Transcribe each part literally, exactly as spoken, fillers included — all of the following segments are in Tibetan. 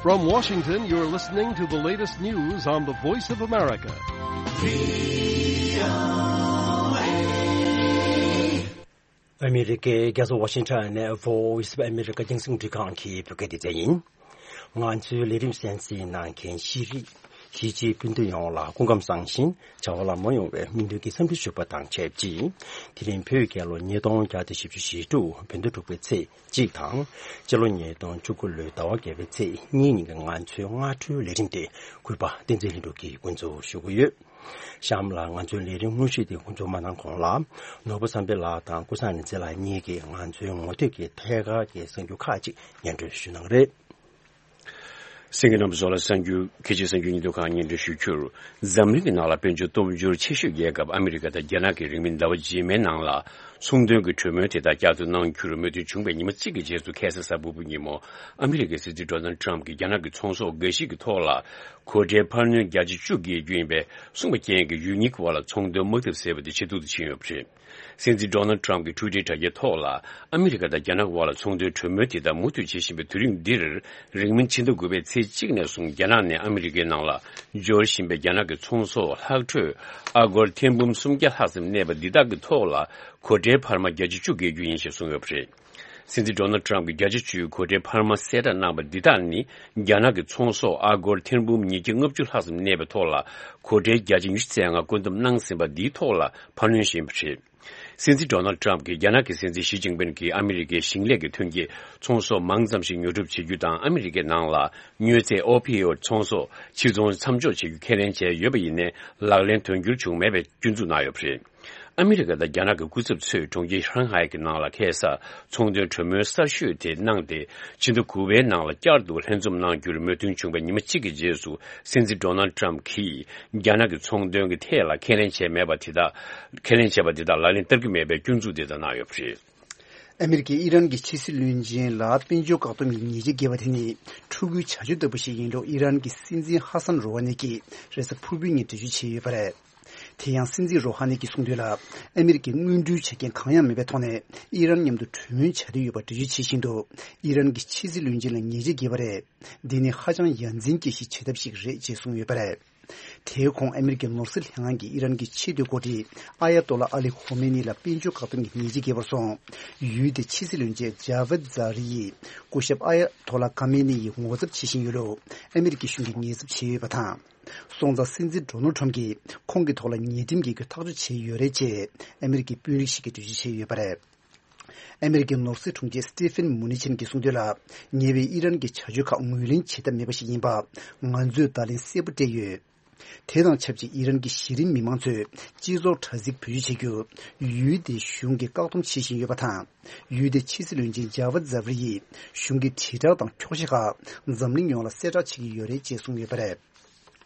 From Washington, you're listening to the latest news on the Voice of America. ཨ་མི་རི་ཀའི་རྒྱལ་ས་ཝ་ཤིང་ཊོན་ནས་Voice of America རྒྱང་སྲིང་འཕྲིན་ཁང་གི་བོད་སྐད་སྡེ་ཚན་ཡིན། ང་ཚོའི་ལས་རིམ་གསན་གཟིགས་གནང་མཁན་ཤེས་རིག་གཞིས་བྱེས་སྤུན་ཟླ་ཡོངས་ལ་སྐུ་ཁམས་བཟང་ཞིང་བྱ་བ་ལམ་འགྲོ་ཡོང་བའི་སྨོན་འདུན་གྱི་འཚམས་འདྲི་ཞུ་བ་དང་ཆབས་ཅིག་དེ་རིང་བོད་རྒྱལ་ལོ་ཉིས་སྟོང་བརྒྱ་དང་བཞི་བཅུ་ཞེ་དྲུག་བོད་ཟླ་དྲུག་པའི་ཚེས་གཅིག་དང་། སྤྱི་ལོ་ཉིས་སྟོང་བཅུ་དགུ་ལོའི་ཟླ་བ་བརྒྱད་པའི་ཚེས་གཉིས་ཉིན་གྱི་ང་ཚོའི་སྔ་དྲོའི་ལས་རིམ་དེ་གུས་པ་བསྟན་འཛིན་ལྷུན་གྲུབ་ཀྱིས་འགོ་འཛུགས་ཞུ་གི་ཡོད། གཤམ་ལ་ང་ཚོའི་ལས་རིམ་དངོས་གཞི་དེ་འགོ་འཛུགས་མ་གནང་གོང་ལ། ནོར་བུ་བསམ་འཕེལ་ལགས་དང་ཀུན་བཟང་ནེ་ཙེ་ལགས་གཉིས་ཀྱིས་ང་ཚོའི་ངོ་སྤྲོད་ཀྱི་ཐད་ཀར་གྱི་གསར་འགྱུར་ཁག་ཅིག་སྙན་སྒྲོན་ཞུ་གནང་གི་རེད། གསན་མཁན་རྣམ་པ་ཚོ་ལ་གསར་འགྱུར། ཁ་ཆེའི་གསར་འགྱུར་སྙིང་སྟོབས་ཁག་སྙན་སྒྲོན་ཞུ་རྒྱུར། འཛམ་གླིང་གི་ནང་ལ་དཔལ་འབྱོར་སྟོབས་འབྱོར་ཆེ་ཤོས་རྒྱལ་ཁབ་ཨ་མི་རི་ཀ་དང་རྒྱ་ནག་གི་རིང་མིན་ཟླ་བ་རྗེས་མའི་ནང་ལ་ཚོང་དོན་གྱི་གྲོས་མོལ་དེ་དག་བསྐྱར་དུ་གནང་རྒྱུར་མོས་མཐུན་བྱུང་བའི་ཉི་མ་གཅིག་གི་རྗེས་སུ། ཁ་སང་གཟའ་ཕུར་བུ་ཉིན་མོ་ཨ་མི་རི་ཀའི་སྲིད་འཛིན་ཌོ་ནལ་ཊམ་གྱིས་རྒྱ་ནག་གི་ཚོང་ཟོག་འགའ་ཞིག་གི་ཐོག་ལ་གོ་ཁྲལ་འཕར་སྣོན་བརྒྱ་ཆ་བཅུ་བརྒལ་རྒྱུ་ཡིན་པས། གསུངས་པ་རྐྱེན་གྱིས་ཡུལ་གཉིས་ཀྱི་བར་ལ་ཚོང་དོན་དམག་འཐབ་ཟེར་བ་དེ་ཇེ་སྡུག་ཏུ་ཕྱིན་ཡོད་པ་རེད། སྲིད་འཛིན་ཌོ་ནལ་ཊམ་གྱི་ཊུའི་ཊར་དྲ་རྒྱའི་ཐོག་ལ། ཨ་མི་རི་ཀ་དང་རྒྱ་ནག་དབར་ལ་ཚོང་དོན་གྲོས་མོལ་དེ་དག་མུ་མཐུད་བྱེད་བཞིན་པའི་དུས་རིམ་འདིར། རིང་མིན་ཕྱི་ཟླ་དགུ་པའི་ཚེས་གཅིག་ནས་བཟུང་རྒྱ་ནག་ནས་ཨ་མི་རི་ཀའི་ནང་ལ་འབྱོར་བཞིན་པའི་རྒྱ་ནག་གི་ཚོང་ཟོག་ལྷག་འཕྲོས་ཨ་སྒོར་ཐེར་འབུམ་སུམ་བརྒྱ་ལྷག་ཙམ་གནས་པ་འདི་དག་གི་ཐོག་ལ་གོ་ཁྲལ་འཕར་མ་བརྒྱ་ཆ་བཅུ་བརྒལ་རྒྱུ་ཡིན་ཞེས་གསུངས་ཡོད་པ་རེད། སྲིད་འཛིན་ཌོ་ནལ་ཊམ་གྱིས་བརྒྱ་ཆ་བཅུའི་གོ་ཁྲལ་འཕར་མ་གསལ་བསྒྲགས་གནང་བ་འདི་དག་ནི། རྒྱ་ནག་གི་ཚོང་ཟོག་ཨ་སྒོར་ཐེར་འབུམ་ཉིས་བརྒྱ་ལྔ་བཅུ་ལྷག་ཙམ་གནས་པའི་ཐོག་ལ་གོ་ཁྲལ་བརྒྱ་ཆ་ཉི་ཤུ་རྩ་ལྔ་བཀོད་འདོམས་གནང་ཟིན་པ་འདིའི་ཐོག་ལ་འཕར་སྣོན་ཞུས་ཡིན་པ་རེད། སྲིད་འཛིན་ཌོ་ནལ་ཊམ་གྱིས་རྒྱ་ནག་གི་སྲིད་འཛིན་ཞི་ཅིན་ཕིན་གྱིས་ཨ་མི་རི་ཀའི་ཞིང་ལས་ཀྱི་ཐོན་སྐྱེད་ཚོང་ཟོག་མང་ཙམ་ཞིག་ཉོ་སྒྲུབ་བྱེད་རྒྱུ་དང་། ཨ་མི་རི་ཀའི་ནང་ལ་མྱོས་རྫས་ཨོ་པི་ཡོད་ཚོང་ཟོག་ཕྱིར་ཚོང་མཚམས་འཇོག་བྱེད་རྒྱུ་ཁས་ལེན་བྱས་ཡོད་པ་ཡིན་ནའི། ལག་ལེན་དོན་འཁྱོལ་བྱུང་མེད་པའི་སྐྱོན་འཛུགས་གནང་ཡོད་པ་རེད། ཨ་མི་རི་ཀ་དང་རྒྱ་ནག་གི་སྐུ་ཚབ་ཚོས་གྲོང་ཁྱེར་ཧྲང་ཧའེ་གྱི་ནང་ལ་ཁ་སང་ཚོང་དོན་གྲོས་མོལ་གསར་ཤོས་དེ་གནང་སྟེ། ཕྱི་ཟླ་དགུ་པའི་ནང་ལ་བསྐྱར་དུ་ལྷན་འཛོམས་གནང་རྒྱུར་མོས་མཐུན་བྱུང་བའི་ཉི་མ་གཅིག་གི་རྗེས་སུ། སྲིད་འཛིན་ཌོ་ནལ་ཊམ་གྱིས་རྒྱ་ནག་གི་ཚོང་དོན་གྱི་ཐད་ལ་ཁས་ལེན་བྱས་མེད་པ་དེ་དག་ཁས་ལེན་བྱས་པ་དེ་དག་ལག་ལེན་བསྟར་གྱི་མེད་པའི་སྐྱོན་འཛུགས་དེ་དག་གནང་ཡོད་པ་རེད། ཨ་མི་རི་ཀས་ཨི་རན་གྱི་ཕྱི་སྲིད་བློན་ཆེན་ལ་དཔལ་འབྱོར་བཀག་སྡོམ་གྱི་ཉེས་ཆད་འགེལ་བ་དེ་ནི་ཕྲུ་གུའི་བྱ་སྤྱོད་ལྟ་བུ་ཞིག་ཡིན་ལུགས་ཨི་རན་གྱི་སྲིད་འཛིན་ཧ་སན་རོ་ཧ་ནི་གྱིས་རེས་གཟའ་ཕུར་བུའི་ཉིན་འགྲེལ་བརྗོད་བྱས་ཡོད་པ་རེད། དེ་ཡང་སྲིད་འཛིན་རོ་ཧ་ནི་གྱིས་གསུངས་དོན་ལ། ཨ་མི་རི་ཀས་དངོས་འབྲེལ་བྱེད་མཁན་གང་ཡང་མེད་པའི་ཐོག་ནས་ཨི་རན་མཉམ་དུ་གྲོས་མོལ་བྱ་འདོད་ཡོད་པ་འགྲེལ་བརྗོད་བྱེད་བཞིན་དུ། ཨི་རན་གྱི་ཕྱི་སྲིད་བློན་ཆེན་ལ་ཉེས་ཆད་འགེལ་བ་རེད། འདི་ནི་ཧ་ཅང་ཡ་འཛིན་སྐྱེ་གཞིའི་བྱེད་ཐབས་ཤིག་རེད་ཅེས་གསུངས་ཡོད་པ་རེད། དེའི་གོང་ཨ་མི་རི་ཀའི་ནོར་སྲིད་ལྷན་ཁང་གིས་ཨི་རན་གྱི་ཆེས་མཐོའི་འགོ་ཁྲིད་ཨ་ཡ་ཏོ་ལ་ཨ་ལི་ཁོ་མེ་ནི་ལ་དཔལ་འབྱོར་བཀག་སྡོམ་གྱི་ཉེས་ཆད་འགེལ་བར་སོང་། ཡུལ་དེའི་ཕྱི་སྲིད་བློན་ཆེན་ཇཱ་ཝེད་ཛཱ་རི་ཡིས་སྐུ་ཞབས་ཨ་ཡ་ཏོ་ལ་ཁ་མེ་ནི་ཡི་ངོ་ཚབ་བྱེད་བཞིན་ཡོད་ལུགས་ཨ་མི་རི་ཀའི་གཞུང་གིས་ངོས་ཚབ་བྱས་ཡོད་པ་དང་། སོང་ཙང་སྲིད་འཛིན་ཌོ་ནལ་ཁྲམ་གྱིས་ཁོང་གི་ཐོག་ལ་ཉེས་ཁྲིམས་འགེལ་རྒྱུ་ཐག་གཅོད་བྱས་ཡོད་རེད་ཅེས་ཨ་མི་རི་ཀའི་དཔོན་རིགས་ཤིག་གིས་འགྲེལ་བརྗོད་བྱས་ཡོད་པ་རེད། ཨ་མི་རི་ཀའི་ནོར་སྲིད་དྲུང་ཆེ་སི་ཏི་ཕིན་མུ་ནི་ཆིན་གྱིས་གསུངས་དོན་ལ། ཉེ་བའི་ཨི་རན་གྱི་བྱ་སྤྱོད་ཁག་ངོས་ལེན་བྱེད་ཐབས་མེད་པ་ཞིག་ཡིན་པ། ང་ཚོས་བརྡ་ལན་གསལ་པོ་སྤྲད་ཡོད། དེ་དང་ཆབས་ཅིག་ཨི་རན་གྱི་གཞི་རིམ་མི་མང་ཚོས་སྤྱི་ཚོགས་དྲ་ཚིགས་བེད་སྤྱོད་བྱེད་རྒྱུ། ཡུལ་དེའི་གཞུང་གིས་བཀག་སྡོམ་བྱེད་བཞིན་ཡོད་པ་དང་། ཡུལ་དེའི་ཕྱི་སྲིད་བློན་ཆེན་ཇཱ་ཝད་ཛཱ་ཝི་ཡིས་གཞུང་གི་དྲིལ་བསྒྲགས་དང་འཁྱོག་བཤད་ཁག་འཛམ་གླིང་ཡོངས་ལ་གསལ་བསྒྲགས་བྱེད་ཀྱི་ཡོད་རེད་ཅེས་གསུངས་ཡོད་པ་རེད།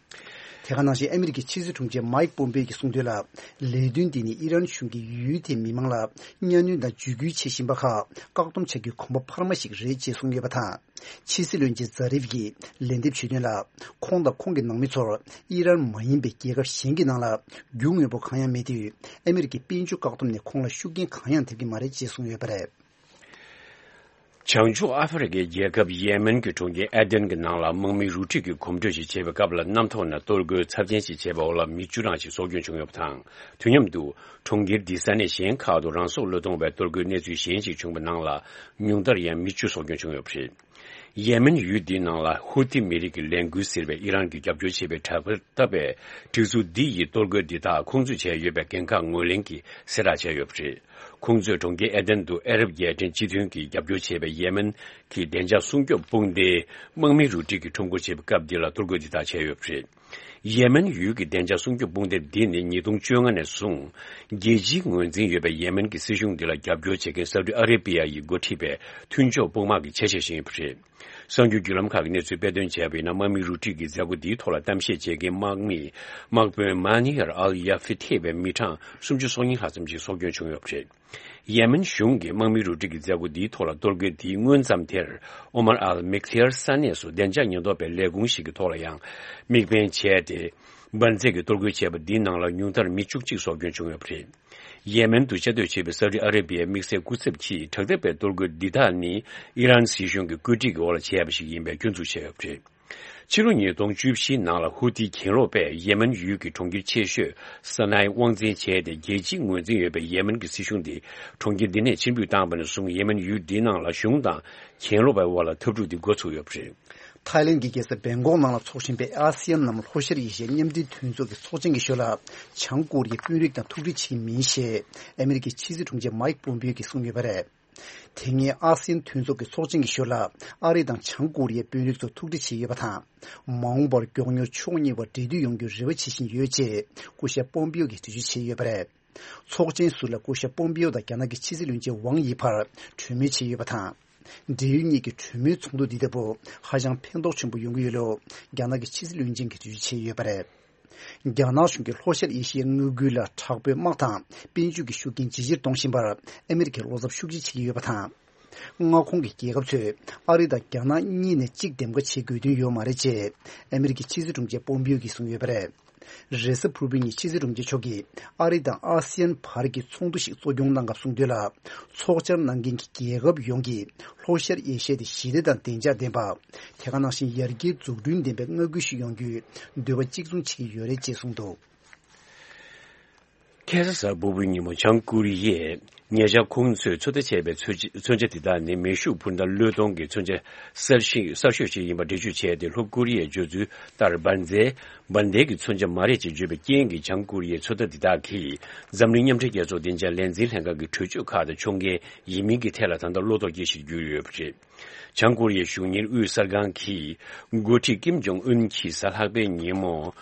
དེ་ག་ནང་བཞིན་ཨ་མི་རི་ཀའི་ཕྱི་སྲིད་དྲུང་ཆེ་མའིག་པོམ་པེ་གྱིས་གསུངས་དོན་ལ། ལས་དོན་འདི་ནི་ཨི་རན་གཞུང་གིས་ཡུལ་དེའི་མི་མང་ལ་གཉའ་གནོན་དང་འཇིགས་སྐུལ་བྱེད་བཞིན་པ་ཁག་བཀག་སྡོམ་བྱ་རྒྱུའི་གོམ་པ་འཕར་མ་ཞིག་རེད་ཅེས་གསུངས་ཡོད་པ་དང་། ཕྱི་སྲིད་བློན་ཆེན་ཛཱ་རིབ་ཀྱིས་ལན་འདེབས་ཞུས་དོན་ལ། ཁོང་དང་ཁོང་གི་ནང་མི་ཚོར་ཨི་རན་མ་ཡིན་པའི་རྒྱལ་ཁབ་གཞན་གྱི་ནང་ལ་རྒྱུ་དངོས་པོ་གང་ཡང་མེད་དུས། ཨ་མི་རི་ཀའི་དཔལ་འབྱོར་བཀག་སྡོམ་ནས་ཁོང་ལ་ཤུགས་རྐྱེན་གང་ཡང་ཐེབས་ཀྱི་མ་རེད་ཅེས་གསུངས་ཡོད་པ་རེད། བྱང་ཕྱོགས་ཨ་ཧྥེ་རི་ཁའི་རྒྱལ་ཁབ་ཡེ་མེན་གྱི་གྲོང་ཁྱེར་ཨེ་དེན་གྱི་ནང་ལ་དམག་མི་རུ་ཁྲིད་ཀྱིས་གོམ་བགྲོད་ཅིག་བྱས་པའི་སྐབས་ལ། གནམ་ཐོག་ནས་གཏོར་རྒོལ་ཚབས་ཆེན་ཞིག་བྱས་པའི་འོག་ལ་མི་བཅུ་གྲངས་ཤིག་སྲོག་སྐྱོན་བྱུང་ཡོད་པ་དང་། དུས་མཉམ་དུ་གྲོང་ཁྱེར་འདིའི་ས་གནས་གཞན་ཁག་ཏུ་རང་སྲོག་བློས་གཏོང་བའི་གཏོར་རྒོལ་གནས་ཚུལ་གཞན་ཞིག་བྱུང་བའི་ནང་ལ། ཉུང་མཐར་ཡང་མི་བཅུ་སྲོག་སྐྱོན་བྱུང་ཡོད་པ་རེད། ཡེ་མེན་ཡུལ་འདིའི་ནང་ལ་ཧུར་ཐི་མི་རིགས་ཀྱི་ལས་འགུལ་ཟེར་བའི་ཨི་རན་གྱིས་རྒྱབ་སྐྱོར་བྱེད་པའི་དྲ་རྒྱ་ལྟ་བའི་སྒྲིག་འཛུགས་འདི་ཡིས་གཏོར་རྒོལ་འདི་དག་ཁོང་ཚོས་བྱས་ཡོད་པའི་འགན་ཁག་ངོས་ལེན་གྱིས་གསལ་བསྒྲགས་བྱས་ཡོད་པ་རེད། ཁོང་ཚོས་གྲོང་ཁྱེར་ཨེ་དན་དུ་ཨ་རབ་རྒྱལ་ཕྲན་སྤྱི་མཐུན་གྱིས་རྒྱབ་སྐྱོར་བྱས་པའི་ཡེ་མེན་གྱི་བདེ་འཇགས་སྲུང་སྐྱོབ་དཔུང་སྡེའི་དམག་མི་རུ་ཁྲིད་ཀྱིས་ཁྲོམ་སྐོར་བྱེད་པའི་སྐབས་འདི་ལ་གཏོར་རྒོལ་འདི་དག་བྱས་ཡོད་པ་རེད། ཡེ་མེན་ཡུལ་གྱི་བདེ་འཇགས་སྲུང་སྐྱོབ་དཔུང་སྡེ་འདི་ནི་ཉིས་སྟོང་བཅོ་ལྔ་ནས་བཟུང་རྒྱལ་སྤྱིའི་ངོས་འཛིན་ཡོད་པའི་ཡེ་མེན་གྱི་སྲིད་གཞུང་འདི་ལ་རྒྱབ་སྐྱོར་བྱེད་མཁན་སའུ་ཏི་ཨ་རེ་པི་ཡ་ཡིས་འགོ་ཁྲིད་པའི་མཐུན་ཕྱོགས་དཔུང་དམག་གི་ཆ་ཤས་ཤིག་ཡིན་པ་རེད། གསར་འགྱུར་བརྒྱུད་ལམ་ཁག་གིས་གནས་ཚུལ་སྤེལ་དོན་བྱས་པ་ཡིན་ན། དམག་མི་རུ་ཁྲིད་ཀྱི་མཛད་སྒོ་འདིའི་ཐོག་ལ་གཏམ་བཤད་བྱེད་མཁན་དམག་མི་དམག་དཔོན་མ་ནི་ཡར་ཨལ་ཡ་ཧྥི་ཐེ་བའི་མི་གྲངས་སུམ་ཅུ་སོ་གཉིས་ལྷག་ཙམ་ཞིག་སྲོག་སྐྱོན་བྱུང་ཡོད་པ་རེད། ཡེ་མེན་གཞུང་གིས་དམག་མི་རུ་ཁྲིད་ཀྱི་མཛད་སྒོ་འདིའི་ཐོག་ལ་གཏོར་རྒོལ་འདིའི་སྔོན་ཙམ་དེར་ཨོ་མར་ཨལ་མིག་ཐི་ཡར་ས་གནས་སུ་བདེ་འཇགས་ཉེན་རྟོག་པའི་ལས་ཁུངས་ཤིག་གི་ཐོག་ལ་ཡང་དམིགས་འབེན་བྱས་ཏེ། འབར་རྫས་ཀྱི་གཏོར་རྒོལ་བྱས་པ་འདིའི་ནང་ལ་ཉུང་མཐར་མི་བཅུ་གཅིག་སྲོག་སྐྱོན་བྱུང་ཡོད་པ་རེད། ཡེ་མེན་དུ་བཅའ་སྡོད་བྱེད་པའི་སའུ་ཏི་ཨ་རེ་བྷི་ཡའི་དམིགས་བསལ་སྐུ་ཚབ་ཀྱིས་དྲག་འཐབ་པའི་གཏོར་རྒོལ་འདི་དག་ནི་ཨི་རན་སྲིད་གཞུང་གི་བཀོད་སྒྲིག་གི་འོག་ལ་བྱས་པ་ཞིག་ཡིན་པའི་སྐྱོན་འཛུགས་བྱས་ཡོད་པ་རེད། ཕྱི་ལོ་ཉིས་སྟོང་བཅུ་བཞིའི་ནང་ལ་ཧུ་ཐི་གྱེན་ལོག་པས་ཡེ་མེན་ཡུལ་གྱི་གྲོང་ཁྱེར་ཆེ་ཤོས་ས་ནའི་དབང་འཛིན་བྱས་ཏེ། རྒྱལ་སྤྱིའི་ངོས་འཛིན་ཡོད་པའི་ཡེ་མེན་གྱི་སྲིད་གཞུང་དེ་གྲོང་ཁྱེར་འདི་ནས་ཕྱིར་འབུད་བཏང་བ་ནས་བཟུང་ཡེ་མེན་ཡུལ་འདིའི་ནང་ལ་གཞུང་དང་གྱེན་ལོག་པའི་དབར་ལ་འཐབ་འཁྲུག་འདི་འགོ་ཚུགས་ཡོད་པ་རེད། ཐའི་ལེན་གྱི་རྒྱལ་ས་བེང་ཀོག་ནང་ལ་འཚོགས་བཞིན་པའི་ཨ་སི་ཡན་ནམ་ལྷོ་ཤར་ཨེ་ཤི་ཡའི་མཉམ་འབྲེལ་མཐུན་ཚོགས་ཀྱི་ཚོགས་ཆེན་གྱི་ཞོར་ལ། བྱང་ཀོ་རི་ཡའི་དཔོན་རིགས་དང་ཐུག་འཕྲད་བྱེད་ཀྱི་མིན་ཞེས་ཨ་མེ་རི་ཀའི་ཕྱི་སྲིད་དྲུང་ཆེ་མའིག་པོམ་པིའོ་གིས་གསུངས་ཡོད་པ་རེད། དེ་སྔའི་ཨ་སི་ཡན་མཐུན་ཚོགས་ཀྱི་ཚོགས་ཆེན་གྱི་ཞོར་ལ། ཨ་རི་དང་བྱང་ཀོ་རི་ཡའི་དཔོན་རིགས་ཚོ་ཐུག་འཕྲད་བྱས་ཡོད་པ་དང་། མ་འོངས་པར་མགྱོགས་མྱུར་ཕྱོགས་གཉིས་བར་འབྲེལ་མཐུད་ཡོང་རྒྱུའི་རེ་བ་བྱེད་བཞིན་ཡོད་ཅེས་སྐུ་ཞབས་པོམ་པིའོ་གིས་འགྲེལ་བརྗོད་བྱས་ཡོད་པ་རེད། ཚོགས་ཆེན་ཟུར་ལ་སྐུ་ཞབས་པོམ་པིའོ་དང་རྒྱ་ནག་གི་ཕྱི་སྲིད་བློན་ཆེན་ཝང་ཡི་བར་གྲོས་མོལ་བྱས་ཡོད་པ་དང་། འབྲེལ་ཡོད་གཉིས་ཀྱི་གྲོས་མོལ་ཚོགས་འདུ་འདི་ལྟ་བུ་ཧ་ཅང་ཕན་ཐོགས་ཆེན་པོ་ཡོང་གི་ཡོད་ལུགས་རྒྱ་ནག་གི་ཕྱི་སྲིད་བློན་ཆེན་གྱིས་འགྲེལ་བརྗོད་བྱས་ཡོད་པ་རེད། རྒྱ་ནག་གཞུང་གིས་ལྷོ་ཤར་ཨེ་ཤི་ཡའི་མངའ་ཁུལ་ལ་དྲག་པོའི་དམག་དང་དཔལ་འབྱོར་གྱི་ཤུགས་རྐྱེན་ཇེ་ཆེར་གཏོང་བཞིན་པར་ཨ་མེ་རི་ཁས་བློ་འཚབ་ཤུགས་ཆེ་བྱེད་ཀྱི་ཡོད་པ་དང་། མངའ་ཁོངས་ཀྱི་རྒྱལ་ཁབ་ཚོས་ཨ་རི་དང་རྒྱ་ནག་གཉིས་ནས་གཅིག་འདེམས་ཀ་བྱེད་དགོས་དོན་ཡོད་མ་རེད་ཅེས་ཨ་མེ་རི་ཁའི་ཕྱི་སྲིད་དྲུང་ཆེ་པོམ་པིའོ་གིས་གསུངས་ཡོད་པ་རེད། རེས་གཟའ་ཕུར་བུ་ཉིན་ཕྱི་སྲིད་དྲུང་ཆེ་མཆོག་གིས་ཨ་རི་དང་ཨ་སི་ཡན་བར་གྱི་ཚོགས་འདུ་ཞིག་གཙོ་སྐྱོང་གནང་སྐབས་གསུངས་དོན་ལ། ཚོགས་བཅར་གནང་མཁན་གྱི་རྒྱལ་ཁབ་ཡོངས་ཀྱིས་ལྷོ་ཤར་ཨེ་ཤི་ཡ་དེ་ཞི་བདེ་དང་བདེ་འཇགས་ལྡན་པ། དེ་ག་ནང་བཞིན་ཡར་རྒྱས་འཛུགས་སྐྲུན་ལྡན་པའི་མངའ་ཁུལ་ཞིག་ཡོང་རྒྱུའི་འདོད་པ་གཅིག་མཚུངས་བྱེད་ཀྱི་ཡོད་རེད་ཅེས་གསུངས་འདུག། ཁ་སང་གཟའ་ཕུར་བུའི་ཉིན་མོ་བྱང་ཀོ་རི་ཡས་ཉེ་ཆར་ཁོང་ཚོས་ཚོད་ལྟ་བྱས་པའི་མཚོན་ཆ་མཚོན་ཆ་དེ་དག་ནི་མེ་ཤུགས་འཕུར་མདའ་བློས་གཏོང་གི་མཚོན་ཆ་གསར་ཤོས་གསར་ཤོས་ཤིག་ཡིན་པ་འགྲེལ་བརྗོད་བྱས་ཏེ། ལྷོ་ཀོ་རི་ཡས་བརྗོད་ཚུལ་ལྟར་འབར་མདེལ་འབར་མདེལ་གྱི་མཚོན་ཆ་མ་རེད་ཅེས་བརྗོད་པའི་རྐྱེན་གྱིས་བྱང་ཀོ་རི་ཡའི་ཚོད་ལྟ་འདི་དག་གིས་འཛམ་གླིང་མཉམ་འབྲེལ་རྒྱལ་ཚོགས་བདེ་འཇགས་ལས་འཛིན་ལྷན་ཁང་གི་གྲོས་ཆོད་ཁག་དང་ཕྱོགས་འགལ་ཡིན་མིན་གྱི་ཐད་ལ་ད་ལྟ་བློ་དོགས་སྐྱེ་གཞིར་གྱུར་ཡོད་པ་རེད། བྱང་ཀོ་རི་ཡའི་གཞུང་གཉེར་དབུས་གསར་ཁང་གི་འགོ་ཁྲིད་ཀིམ་ཇོང་ཨུན་གྱིས་གཟའ་ལྷག་པའི་ཉིན་མོ།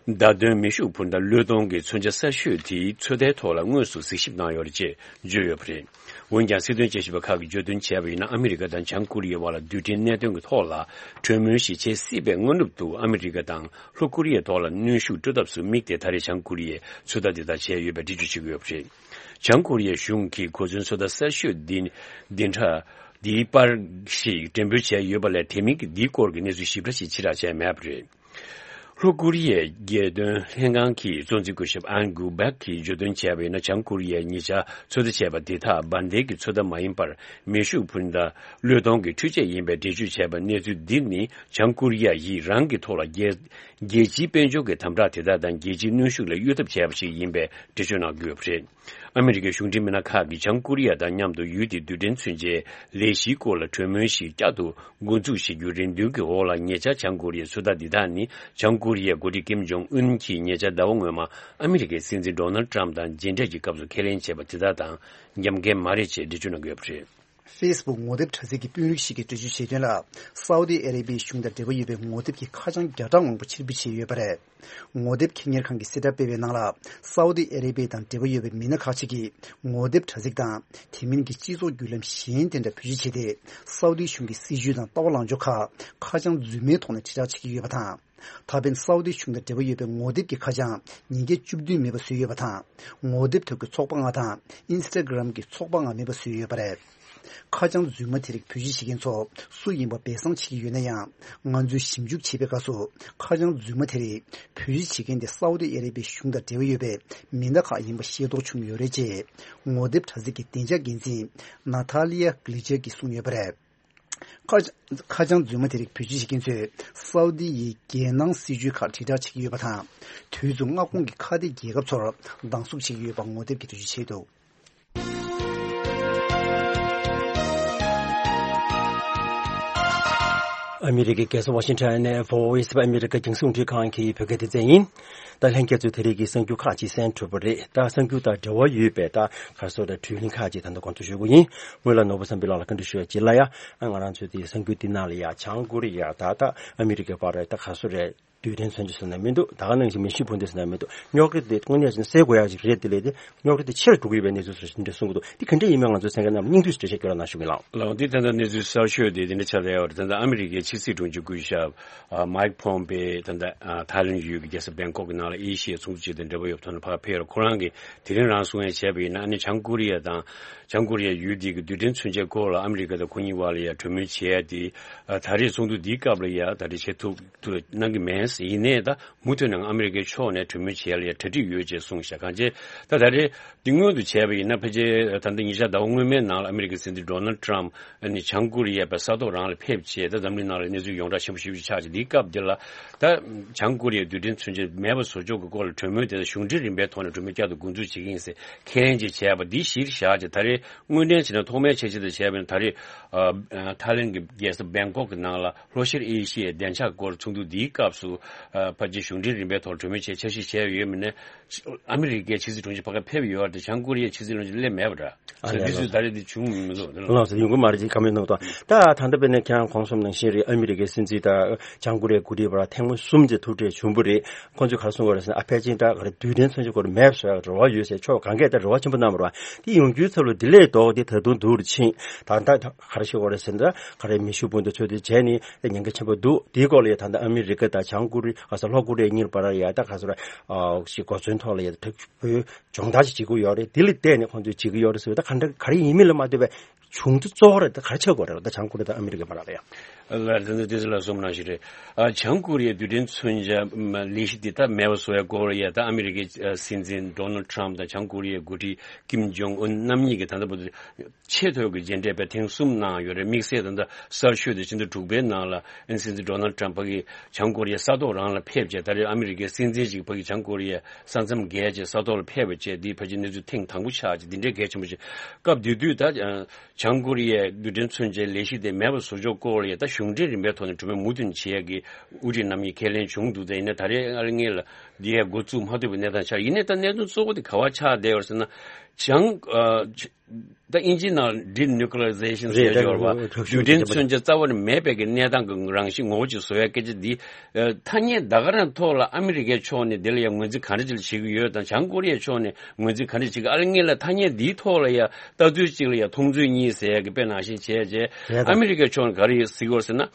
མདའ་དོན་མེ་ཤུགས་འཕུར་མདའ་བློས་གཏོང་གི་མཚོན་ཆ་གསར་ཤོས་དེའི་ཚོད་ལྟའི་ཐོག་ལ་དངོས་སུ་གཟིགས་ཞིབ་གནང་ཡོད་རེད་ཅེས་བརྗོད་ཡོད་པ་རེད། འོན་ཀྱང་། སྲིད་དོན་དཔྱད་ཞིབ་པ་ཁག་གིས་བརྗོད་དོན་བྱས་པ་ཡིན་ན། ཨ་མི་རི་ཀ་དང་བྱང་ཀོ་རི་ཡའི་དབར་ལ་རྡུལ་ཕྲན་གནད་དོན་གྱི་ཐོག་ལ་གྲོས་མོལ་ཞིག་བྱེད་སྲིད་པའི་སྔ་ནུབ་ཏུ། ཨ་མི་རི་ཀ་དང་ལྷོ་ཀོ་རི་ཡའི་ཐོག་ལ་གནོན་ཤུགས་སྤྲོད་ཐབས་སུ་དམིགས་ཏེ། ད་རེས་བྱང་ཀོ་རི་ཡས་ཚོད་ལྟ་འདི་དག་བྱས་ཡོད་པའི་འགྲེལ་བརྗོད་བྱེད་ཀྱི་ཡོད་པ་རེད། བྱང་ཀོ་རི་ཡའི་གཞུང་གིས་གོ་མཚོན་ཚོད་ལྟ་གསར་ཤོས་འདི་འདི་འདྲ་འདིའི་པར་ཞིག་འགྲེམས་སྤེལ་བྱས་ཡོད་པ་ལས། དེ་མིན་གྱི་འདིའི་སྐོར་གྱི་གནས་ཚུལ་ཞིབ་ཕྲ་ཞིག་ཕྱིར་བསྒྲགས་བྱས་མེད་པ་རེད། ལྷོ་ཀོ་རི་ཡའི་རྒྱལ་དོན་ལྷན་ཁང་གི་གཙོ་འཛིན་སྐུ་ཞབས་ཨན་གུ་བེག་གིས་བརྗོད་དོན་བྱས་པ་ཡིན་ན། བྱང་ཀོ་རི་ཡས་ཉེ་ཆར་ཚོད་ལྟ་བྱས་པ་དེ་དག་འབར་མདེལ་གྱི་ཚོད་ལྟ་མ་ཡིན་པར། མེ་ཤུགས་འཕུར་མདའ་བློས་གཏོང་གི་འཕྲུལ་ཆས་ཡིན་པའི་འགྲེལ་བརྗོད་བྱས་པ། གནས་ཚུལ་འདི་ནི་བྱང་ཀོ་རི་ཡ་ཡིས་རང་གི་ཐོག་ལ་རྒྱལ་རྒྱལ་སྤྱིའི་དཔལ་འབྱོར་གྱི་དམ་དྲག་དེ་དག་དང་། རྒྱལ་སྤྱིའི་གནོན་ཤུགས་ལ་གཡོལ་ཐབས་བྱས་པ་ཞིག་ཡིན་པའི་འགྲེལ་བརྗོད་གནང་གི་ཡོད་པ་རེད། ཨ་མི་རི་ཀའི་གཞུང་འབྲེལ་མི་སྣ་ཁག་གིས་བྱང་ཀོ་རི་ཡ་དང་མཉམ་དུ་ཡུལ་དེའི་རྡུལ་ཕྲན་མཚོན་ཆའི་ལས་གཞིའི་སྐོར་ལ་གྲོས་མོལ་ཞིག་བསྐྱར་དུ་འགོ་འཛུགས་བྱེད་རྒྱུའི་རེ་འདུན་གྱི་འོག་ལ། ཉེ་ཆར་བྱང་ཀོ་རི་ཡའི་ཚོད་ལྟ་འདི་དག་ནི། བྱང་ཀོ་རི་ཡའི་འགོ་ཁྲིད་ཀིམ་ཇོང་ཨུན་གྱིས་ཉེ་ཆར་ཟླ་བ་སྔོན་མ་ཨ་མི་རི་ཀའི་སྲིད་འཛིན་ཌོ་ནལ་ཊམ་དང་མཇལ་འཕྲད་ཀྱི་སྐབས་སུ་ཁས་ལེན་བྱས་པ་དེ་དག་དང་འགལ་མཁན་མ་རེད་ཅེས་འགྲེལ་བརྗོད་གནང་གི་ཡོད་པ་རེད། ཧྥེ་སི་བུག་ངོ་དེབ་དྲ་ཚིགས་ཀྱི་དཔོན་རིགས་ཤིག་གིས་འགྲེལ་བརྗོད་བྱས་དོན་ལ། སའུ་ཏི་ཨ་རེ་བྷི་ཡའི་གཞུང་དང་འབྲེལ་བ་ཡོད་པའི་ངོ་དེབ་ཀྱི་ཁ་བྱང་བརྒྱ་ཕྲག་མང་པོ་ཕྱིར་འབུད་བྱས་ཡོད་པ་རེད། ངོ་དེབ་ཁེ་གཉེར་ཁང་གིས་གསལ་བསྒྲགས་སྤེལ་བའི་ནང་ལ། སའུ་ཏི་ཨ་རེ་བྷི་ཡ་དང་འབྲེལ་བ་ཡོད་པའི་མི་སྣ་ཁག་ཅིག་གིས་ངོ་དེབ་དྲ་ཚིགས་དང་དེ་མིན་གྱི་སྤྱི་ཚོགས་བརྒྱུད་ལམ་གཞན་དེ་འདྲ་བེད་སྤྱོད་བྱས་ཏེ། སའུ་ཏི་གཞུང་གི་སྲིད་བྱུས་དང་ལྟ་བ་ལངས་ཕྱོགས་ཁག་ཁ་བྱང་རྫུན་མའི་ཐོག་ནས་དྲིལ་བསྒྲགས་བྱེད་ཀྱི་ཡོད་པ་དང་། ད་ཕན་སའུ་ཏི་གཞུང་དང་འབྲེལ་བ་ཡོད་པའི་ངོ་དེབ་ཀྱི་ཁ་བྱང་ཉིས་བརྒྱ་བཅུ་བདུན་མེད་པ་བཟོས་ཡོད་པ་དང་། ངོ་དེབ་ཐོག་གི་ཚོགས་པ་ལྔ་དང་ཨིན་སི་ཊ་གྷི་རམ་གྱི་ཚོགས་པ་ལྔ་མེད་པ་བཟོས་ཡོད་པ་རེད། ཁ་བྱང་རྫུན་མ་དེ་རིགས་བེད་སྤྱོད་བྱེད་མཁན་ཚོ་སུ་ཡིན་པ་སྦས་གསང་བྱེད་ཀྱི་ཡོད་ན་ཡང་། ང་ཚོས་ཞིབ་འཇུག་བྱེད་པའི་སྐབས་སུ། ཁ་བྱང་རྫུན་མ་དེ་རིགས་བེད་སྤྱོད་བྱེད་མཁན་དེ་སའུ་ཏི་ཨ་རེ་བྷི་ཡའི་གཞུང་དང་འབྲེལ་བ་ཡོད་པའི་མི་སྣ་ཁག་ཡིན་པ་ཤེས་རྟོགས་བྱུང་ཡོད་རེད་ཅེས། ངོ་དེབ་དྲ་ཚིགས་ཀྱི་བདེ་འཇགས་འགན་འཛིན་ནཱ་ཐཱ་ལི་ཡ་གྷི་ལི་ཅར་གྱིས་གསུངས་ཡོད་པ་རེད། ཁ་ཁ་བྱང་རྫུན་མ་དེ་རིགས་བེད་སྤྱོད་བྱེད་མཁན་ཚོས་སའུ་ཏི་ཡི་རྒྱལ་ནང་སྲིད་བྱུས་ཁག་དྲིལ་བསྒྲགས་བྱེད་ཀྱི་ཡོད་པ་དང་། དུས་མཚུངས་མངའ་ཁོངས་ཀྱི་ཁ་གཏད་རྒྱལ་ཁབ་ཚོར་སྡང་ཟུག་བྱེད་ཀྱི་ཡོད་པ་ངོ་དེབ་ཀྱིས་འགྲེལ་བརྗོད་བྱས་འདུག། ཨ་མི་རི་ཀའི་རྒྱལ་ས་ཝ་ཤིང་ཊོན་ནས་བྷོ་ཨེ་སི་ཨོཕ་ཨ་མི་རི་ཀ་རྒྱང་སྲིང་རླུང་འཕྲིན་ཁང་གི་བོད་སྐད་སྡེ་ཚན་ཡིན། ད་ལྷན་རྒྱས་ཚོས་དེ་རིང་གི་གསར་འགྱུར་ཁག་ཅིག་གསན་གྲུབ་པ་རེད། ད་གསར་འགྱུར་དང་འབྲེལ་བ་ཡོད་པའི་ད་ག་སོ་རེད། བརྒྱུད་ལམ་ཁག་ཅིག་ད་ལྟ་སྐོང་ཚོགས་ཞུ་གི་ཡིན། སྔོན་ལ་ནོར་བུ་བསམ་འཕེལ་ལགས་ལ་བཀའ་འདྲི་ཞུ་ཡ་བྱེད་ལ་ཡ། ང་རང་ཚོའི་དེ་གསར་འགྱུར་འདི་ནང་ལ་ཡ་བྱང་ཀོ་རི་ཡ་ད་ད་ཨ་མི་རི་ཀའི་བར་ད་ག་སོ་རེད། རྡུལ་ཕྲན་མཚོན་ཆ་ཟེར་ན་མི་འདུག། ད་ག་ནང་བཞིན་མེ་ཤུགས་འཕུར་མདའ་ཟེར་ན་མི་འདུག། རྙོག་དྲ་དེ་དངོས་གནས་བྱས་ན་སེལ་དགོས་ཡག་ཅིག་རེད། དེ་ལས་དེ་རྙོག་དྲ་དེ་ཆེ་རུ་འགྲོ་གི་ཡོད་པའི་གནས་ཚུལ་སོགས་འདི་འདྲ་གསུང་གི་འདུག། འདི་ག་འདྲ་ཡིན་མིན་ང་ཚོའི་གསན་མཁན་རྣམས་ལ་སྙིང་བསྡུས་ཤིག་འགྲེལ་བཤད་སྐྱོན་རོགས་གནང་ཞུ་གི་ལགས། ལགས་འདི་ད་ལྟ་གནས་ཚུལ་གསར་ཤོས་དེ་འདི་འདྲ་ཆགས་བསྡད་ཡོད་རེད། ད་ལྟ་ཨ་མི་རི་ཀའི་ཕྱི་སྲིད་དྲུང་ཆེ་སྐུ་ཞབས་ཨ་མའིག་ཕོམ་པེ་ད་ལྟ་ཨ་ཐའི་ལེན་ཡུལ་གྱི་རྒྱལ་ས་བེང་ཀོག་གི་ནང་ལ་ཨེ་ཤི་ཡའི་ཚོགས་འདུ་ཅིག་དང་འབྲེལ་བ་ཡོད་པའི་ཐོག་ནས་ཕར་ཕེབས་ཡོད་རེད། ཁོ་རང་གིས་དེ་རིང་རང་གསུང་ཡ་བྱས་པ་ཡིན་ན། ཨ་ནི་བྱང་ཀོ་རི་ཡ་དང་བྱང་ཀོ་རི་ཡ་ཡུལ་འདི་གི་རྡུལ་ཕྲན་མཚོན་ཆའི་སྐོར་ལ་ཨ་མི་རི་ཀ་དང་ཁོ་གཉིས་བར་ལ་ཡ་གྲོས་མོལ་བྱས་ཏེ། ཨ་ད་རེས་ཚོགས་འདུ་འདིའི་སྐབས་ལ་ཡ་ད་རེས་བྱེད་ཐུབ་ཐུབ་གནང་གི་མེད་ ཡིན་ནའི་ད་མུ་མཐུད་ནས་ཨ་མི་རི་ཀའི་ཕྱོགས་ནས་གྲོས་མོལ་བྱེད་ཡ་ལ་ཡ་གྲ་སྒྲིག་ཡོད་ཅེས་གསུངས་ཤག་གང་ཅི། ད་ད་རེས་འདི་སྔོན་དུ་བྱས་པ་ཡིན་ན་ཕལ་ཆེར་ད་ལྟ་ཉེ་ཆར་ཟླ་བ་སྔོན་མའི་ནང་ལ་ཨ་མི་རི་ཀའི་སྲིད་འཛིན་ཌོ་ནལ་ཊམ་ཨ་ནི་བྱང་ཀོ་རི་ཡ་པའི་ས་ཐོག་རང་ལ་ཕེབས་བྱས། ད་འཛམ་གླིང་ནང་ལ་གནས་ཚུལ་ཡོངས་གྲགས་ཆེན་པོ་ཞེ་པོ་ཅིག་ཆགས་ཀྱི་འདིའི་སྐབས་འདི་ལ། ད་བྱང་ཀོ་རི་ཡའི་རྡུལ་ཕྲན་མཚོན་ཆ་མེད་པ་བཟོ་ཕྱོགས་ཀྱི་སྐོར་ལ་གྲོས་མོལ་དེ་གཞུང་འབྲེལ་རིམ་པའི་ཐོག་ནས་གྲོས་མོལ་བསྐྱར་དུ་འགོ་འཛུགས་བྱེད་ཀྱི་ཡིན་ཟེར་ཁས་ལེན་ཅིག་བྱས་པ་འདི་གཞིར་བཞག་ཅིག་ད་རེས་དངོས་འབྲེལ་བྱས་ན་ཐོག་མའི་འཆར་གཞི་དང་བྱས་པ་ཡིན་ན་ད་རེས་ཨ་ཨ་ཐའི་ལེན་གྱི་རྒྱལ་ས་བེང་ཀོག་གི་ནང་ལ་ལྷོ་ཤར་ཨེ་ཤི་ཡའི་བདེ་འཇགས་སྐོར་ཚོགས་འདུ་འདིའི་སྐབས་སུ་ཨ་ཕལ་ཆེར་གཞུང་འབྲེལ་རིམ་པའི་ཐོག་གྲོས་མོལ་བྱས་འཆར་གཞི་བྱས་ཡོད་མིན་ནའི་ཨ་མི་རི་ཀའི་ཕྱི་སྲིད་དྲུང་ཆེ་ཕ་གིར་ཕེབས་ཡོད་རེད་དེ་བྱང་ཀོ་རི་ཡའི་ཕྱི་སྲིད་བློན་ཆེན་སླེབས་མེད་པ་འདྲ། ཨ་ལས་འདི་ལགས་སུ་ད་རེས་འདི་བྱུང་མི་འདུག་ལགས་སོ། ཡོང་གི་མ་རེད་ཅེས་བཀའ་མོལ་གནང་དང་། ད་ད་ལྟ་དཔེར་ན་ཁྱེད་རང་གོང་གསུངས་ནང་བཞིན་རེད། ཨ་མི་རི་ཀའི་སྲིད་འཛིན་དང་བྱང་ཀོ་རི་ཡའི་འགོ་ཁྲིད་བར་ཐེངས་མ་གསུམ་ཅིག་ཐུག་འཕྲད་བྱུང་བ་རེད། ཁོང་ཚོས་ག་རེ་གསུངས་པ་རེད་ཟེར་ན་ཨ་ཕལ་ཆེར་ད་ག་རེ་རྡུལ་ཕྲན་མཚོན་ཆ་སྐོར་མེད་པ་བཟོ་ཡག་རེ་བ་ཡོད་ཟེར་ཕྱོགས་གང་གས་ད་རེ་བ་ཆེན་པོ་གནང་བ་རེད་བ། དེ་ཡོང་རྒྱུའི་ཚབ་ལ་དེ་ལས་ལྡོག་སྟེ་ད་དུང་སྡུག་རུ་ཕྱིན། ད་ལྟ་ག་རེ་ཞུ་དགོས་རེད་ཟེར་ན་ག་རེ་མེ་ཤུགས་འཕུར་མདའ་ཚོད་ལྟ་བྱས་ནས་ཉེན་ཁ་ཆེན་པོ་འདུག་དེའི་སྐོར་ལ་ཡ་ད་ལྟ་ཨ་མི་རི་ཀ་དང་བྱང་ཀོ་རི་ག་ས་ལྷོ་ཀོ་རི་ཡ་གཉིས་བར་ལ་ཡ་ད་ག་ས་ར་ཞིག་གོ་མཚོན་ཐོག་ལ་ཡ་ད་སྦྱོང་བརྡར་ཅིག་བྱེད་ཀྱི་ཡོད་རེད། དེ་ལ་བལྟས་ནས་ཁོང་ཚོས་བྱེད་ཀྱི་ཡོད་རེད་ཟེར་བ་ད་ག་འདྲ་ག་རེ་ཡིན་མིན་ལ་མ་ལྟོས་པའི་བྱུང་ཚུལ་གཙོ་བོ་རེད། ད་ག་རེ་ཆགས་དགོས་རེད། ད་བྱང་ཀོ་རི་དང་ཨ་མི་རི་ཀའི་བར་ལ་ཡང་། ལ་དེ་ཚོ་དེ་ཚོ་ལ་གསུངས་ནང་བཞིན་རེད། ཨ་བྱང་ཀོ་རི་ཡའི་རྡུལ་ཕྲན་མཚོན་ཆ་ལས་གཞི་དེ་ད་མེད་པ་བཟོ་ཡ་སྐོར་ཡ་ད་ཨ་མི་རི་ཀའི་སྲིད་འཛིན་ཌོ་ནལ་ཊམ་དང་བྱང་ཀོ་རི་ཡའི་འགོ་ཁྲིད་ཀིམ་ཇོང་ཨུན་རྣམ་གཉིས་ཀྱིས་ད་ལྟ་བར་དུ་ཆེས་མཐོའི་གི་མཇལ་འཕྲད་པའི་ཐེངས་གསུམ་གནང་ཡོད་རེད། དམིགས་བསལ་ད་ལྟ་གསར་ཤོས་དེ་ཕྱི་ཟླ་དྲུག་པའི་ནང་ལ་ཨ་ནི་སྲིད་འཛིན་ཌོ་ནལ་ཊམ་ཕ་གིས་བྱང་ཀོ་རི་ཡའི་ས་ཐོག་རང་ལ་ཕེབས་བྱས། ད་རེས་ཨ་མི་རི་ཀའི་སྲིད་འཛིན་ཞིག་ཕ་གིས་བྱང་ཀོ་རི་ཡའི་ས་མཚམས་བརྒལ་བྱས་ས་ཐོག་ལ་ཕེབས་པ་བྱས། འདིས་ཕལ་ཆེར་གནས་ཚུལ་ཐེངས་དང་པོ་ཆགས་ཀྱི་འདི་འདྲའི་གལ་ཆེན་པོ་ཞིག་སྐབས་དེ་དུས་ད་བྱང་ཀོ་རི་ཡའི་རྡུལ་ཕྲན་མཚོན་ཆའི་ལས་གཞི་དེ་མེད་པ་བཟོ་ཕྱོགས་སྐོར་ལ་ཡ་ད་གཞུང་འབྲེལ་རིམ་པའི་ཐོག་ནས་གྲོས་མོལ་མུ་མཐུད་བྱེད་ཡ་གི་དབུ་ཁྲིད་རྣམ་གཉིས་ཁས་ལེན་བྱུང་འདུག་ད་ཡིན་ནའི་ད་རེས་ཨ་ལ་ངེས་ལ་འདི་ཡ་འགོ་བཙུགས་མ་ཐུབ་པའི་གནས་སྟངས་ཆགས། ཡིན་ནའི་ད་གནད་དོན་གཙོ་བོ་དེ་ག་བ་ཆགས་བསྡད་ཡོད་ཟེར་ན། བྱང་ཨ་ད་ཨིན་ཇིའི་ནང་ཌི་ནིའུ་ཀི་ལི་ཡ་ཟེ་ཤན་ཟེར་ཡོད་པ། རྡུལ་ཕྲན་མཚོན་ཆ་རྩ་བ་ནས་མེད་པའི་གི་གནས་སྟངས་ཀྱི་རང་བཞིན་ངོ་བོ་ཅིག་བཟོ་ཡ་སྐད་ཆ་འདི་ཨ་ཐ་སྙད་ད་ག་རང་ཐོག་ལ་ཨ་མི་རི་ཀའི་ཕྱོགས་ནས་འདི་ལ་ཡ་ངོས་འཛིན་ག་འདྲ་ཅིག་ལ་བྱེད་ཀྱི་ཡོད་དང་། བྱང་ཀོ་རི་ཡའི་ཕྱོགས་ནས་ངོས་འཛིན་ག་འདྲ་བྱེད་ཀྱི། ཨ་ལ་ངེས་ལ་ཐ་སྙད་འདིའི་ཐོག་ལ་ཡ་ལྟ་ཚུལ་གཅིག་ལ་ཡ་མཐོང་ཚུལ་གཉིས་ཟེར་ཡ་གི་དཔེ་ནང་བཞིན་བྱས་བྱས། ཨ་མི་རི་ཀའི་ཕྱོགས་ནས་ག་རེ་ཡོད་ཟེར་གྱི་ཡོད་ཟེར་ན།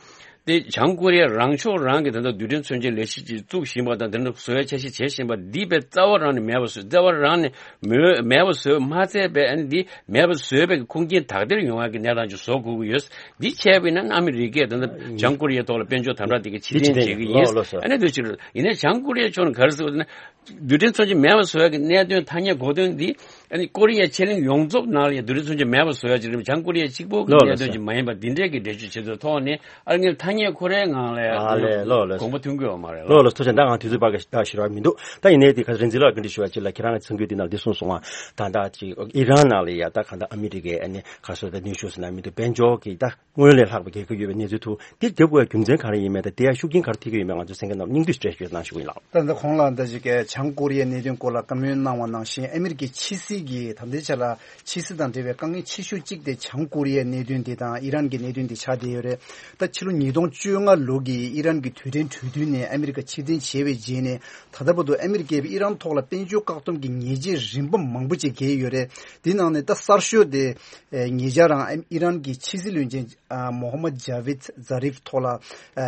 དེ་བྱང་ཀོ་རི་ཡ་རང་ཕྱོགས་རང་གིས་ད་ལྟ་རྡུལ་ཕྲན་མཚོན་ཆའི་ལས་གཞི་ཅིག་བཙུགས་བཞིན་པ་དང་། དེ་འདྲ་བཟོ་ཡ་འཆར་གཞི་བྱེད་བཞིན་པ་འདི་དཔེ་རྩ་བ་རང་ནས་མེད་པ་བཟོས། རྩ་བ་རང་ནས་མེད་མེད་པ་བཟོས་མ་ཚད་པའི་ཨ་ནི་འདི་མེད་པ་བཟོས་པའི་ཁུངས་སྐྱེལ་དག་ཐེར་ཡོང་ཡ་གི་གནས་སྟངས་ཅིག་བཟོ་དགོས་ཀྱི་ཡོད། འདི་བྱས་པ་ཡིན་ན་ཨ་མི་རི་ཀས་ད་ལྟ་བྱང་ཀོ་རི་ཡའི་ཐོག་ལ་དཔལ་འབྱོར་དམ་དྲག་དེ་ག་ཕྱིར་འཐེན་བྱེད་ཀྱི་ཡིན། ལགས་སོ། ཨ་ནི་འདི་ཅིག་ཡིན་ནའི་བྱང་ཀོ་རི་ཡའི་ཕྱོགས་ནས་ག་རེ་ཟེར་བ་ཟེར་ན། རྡུལ་ཕྲན་མཚོན་ཆ་མེད་པ་བཟོ་ཡ་གི་གནད་དོན་ཐ་སྙད་གོ་དོན་འདི་ཨ་ནི་ཀོ་རི་ཡ་ཕྱེད་གླིང་ཡོངས་རྫོགས་ནང་ལ་ཡ་རྡུལ་ཕྲན་མཚོན་ཆ་མེད་པ་བཟོ་ཡ་ཅིག་རེད། བྱང་ཀོ་རི་ཡ་གཅིག་པོ་གི་ལགས་གནད་དོན་ལགས་ཅིག་མ་ཡིན་པ་འདི་འདྲའི་གི་འགྲེལ་བརྗོད་བྱེད་དུས་ཐོག་ནས་ཨ་ནི་ཐ་སྙད་ཁོ་རའི་ངང་ལ་ཡ་ཨ་ལས་ལགས་ལགས་དགོངས་པ་མཐུན་གྱི་ཡོད་མ་རེད། ལགས་ལགས་ལགས་ལགས། ཐུགས་རྗེ་ཆེ། ད་ང་དུས་ཚོད་བར་ག་ད་ཤི་ར་མི་འདུག་ད་ཡིན་ནའི་དེ་ག་རིན་འཛིན་ལགས་བཀའ་འདྲི་ཞུ་བ་ཅིག་ལ། ཁྱེད་རང་གི་གསུང་རྒྱུ་འདི་ནང་འདི་གསུངས་སོང་ང་། ད་ད་ཅིག་ཨི་རན་ནང་ལ་ཡ་ད་ག་ད་ཨ་མི་རི་ཀའི་ཨ་ནི་ག་སོ་ད་ནུས་ཤུགས་ཟེར་ན་མི་འདུག་དཔལ་འབྱོར་གི་ད། སྔོན་ལས་ལྷག་པའི་རྒྱལ་ཁབ་ཡོད་པའི་གནས་ཚུལ་ཐུག་འདི་རྒྱབ་དགོས་རྒྱུ་མཚན་ག་རེ་ཡིན་མིན་དང་དེ་ཡང་ཤུགས་རྐྱེན་ག་རེ་ཐེབས་ཀྱི་ཡོད་མེད་ང་ཚོ་གསན་མཁན་རྣམས་སྙིང་བསྡུས་སྤྲོད་ཞུས་གནང་ཞུ་གི་ཡིན་ལགས། ད་ལྟ་གོང་ལ་ད་ཅིག་གི་བྱང་ཀོ་རི་ཡའི་གནད་དོན་སྐོར་ལ་བཀའ་མོལ་གནང་བ་ནང་བཞིན། ཨ་མི་རི་ཀའི་ཕྱི་སྲིད་ཀྱི་ད་ལྟའི་ཆ་ལ་ཕྱི་སྲིད་དང་འབྲེལ་བའི་དཀའ་ངལ་ཆེ་ཤོས་གཅིག་དེ་བྱང་ཀོ་རི་ཡའི་གནད་དོན་དེ་དང་ཨི་རན་གྱི་གནད་དོན་དེ་ཆགས་བསྡད་ཡོད་རེད། ད་ཕྱི་ལོ་ཉིས་སྟོང་བཅོ་ལྔ་ལོ་གི་ཨི་རན་གྱི་དུས་དྲན་གྲོས་མཐུན་ནས་ཨ་མི་རི་ཀ་ཕྱིར་འཐེན་བྱས་པའི་རྗེས་ནས་ད་ལྟ་བར་དུ་ཨ་མི་རི་ཀས་ཨི་རན་ཐོག་ལ་དཔལ་འབྱོར་བཀག་སྡོམ་གྱི་ཉེས་ཆད་རིམ་པ་མང་པོ་ཅིག་བཀལ་ཡོད་རེད། དེའི་ནང་ནས་ད་གསར་ཤོས་དེ་ཨེ་ཉེ་ཆར་རང་ཨི་རན་གྱི་ཕྱི་སྲིད་བློན་ཆེན་ཨ་མོ་ཧམ་མད་ཇ་བིད་ཛ་རིབ་ཐོག་ལ་ཨ་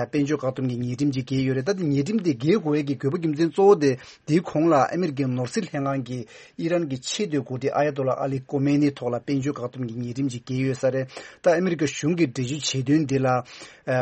དཔལ་འབྱོར་བཀག་སྡོམ་གྱི་ཉེས་ཁྲིམས་ཅིག་བཀལ་ཡོད་རེད། ད་དེ་ཉེས་ཁྲིམས་དེ་འགེལ་དགོས་ཡས་ཀྱི་དགོས་པ་རྒྱུ་མཚན་གཙོ་བོ་དེ་དེའི་གོང་ལ་ཨ་མི་རི་ཀའི་ནོར་སྲིད་ལྷན་ཁང་གིས་ཨི་རན་གྱི་ཆེས་མཐོའི་འགོ་ཁྲིད་ཨ་ཡ་ཏོ་ལ་ཨ་ལི་ཀོ་མེ་ནི་ཐོག་ལ་དཔལ་འབྱོར་བཀག་སྡོམ་གྱི་ཉེས་ཁྲིམས་ཅིག་བཀལ་ཡོད་ས་རེད། ད་ཨ་མི་རི་ཀ་གཞུང་གིས་འགྲེལ་བརྗོད་བྱེད་དོན་འདི་ལ་ཨ་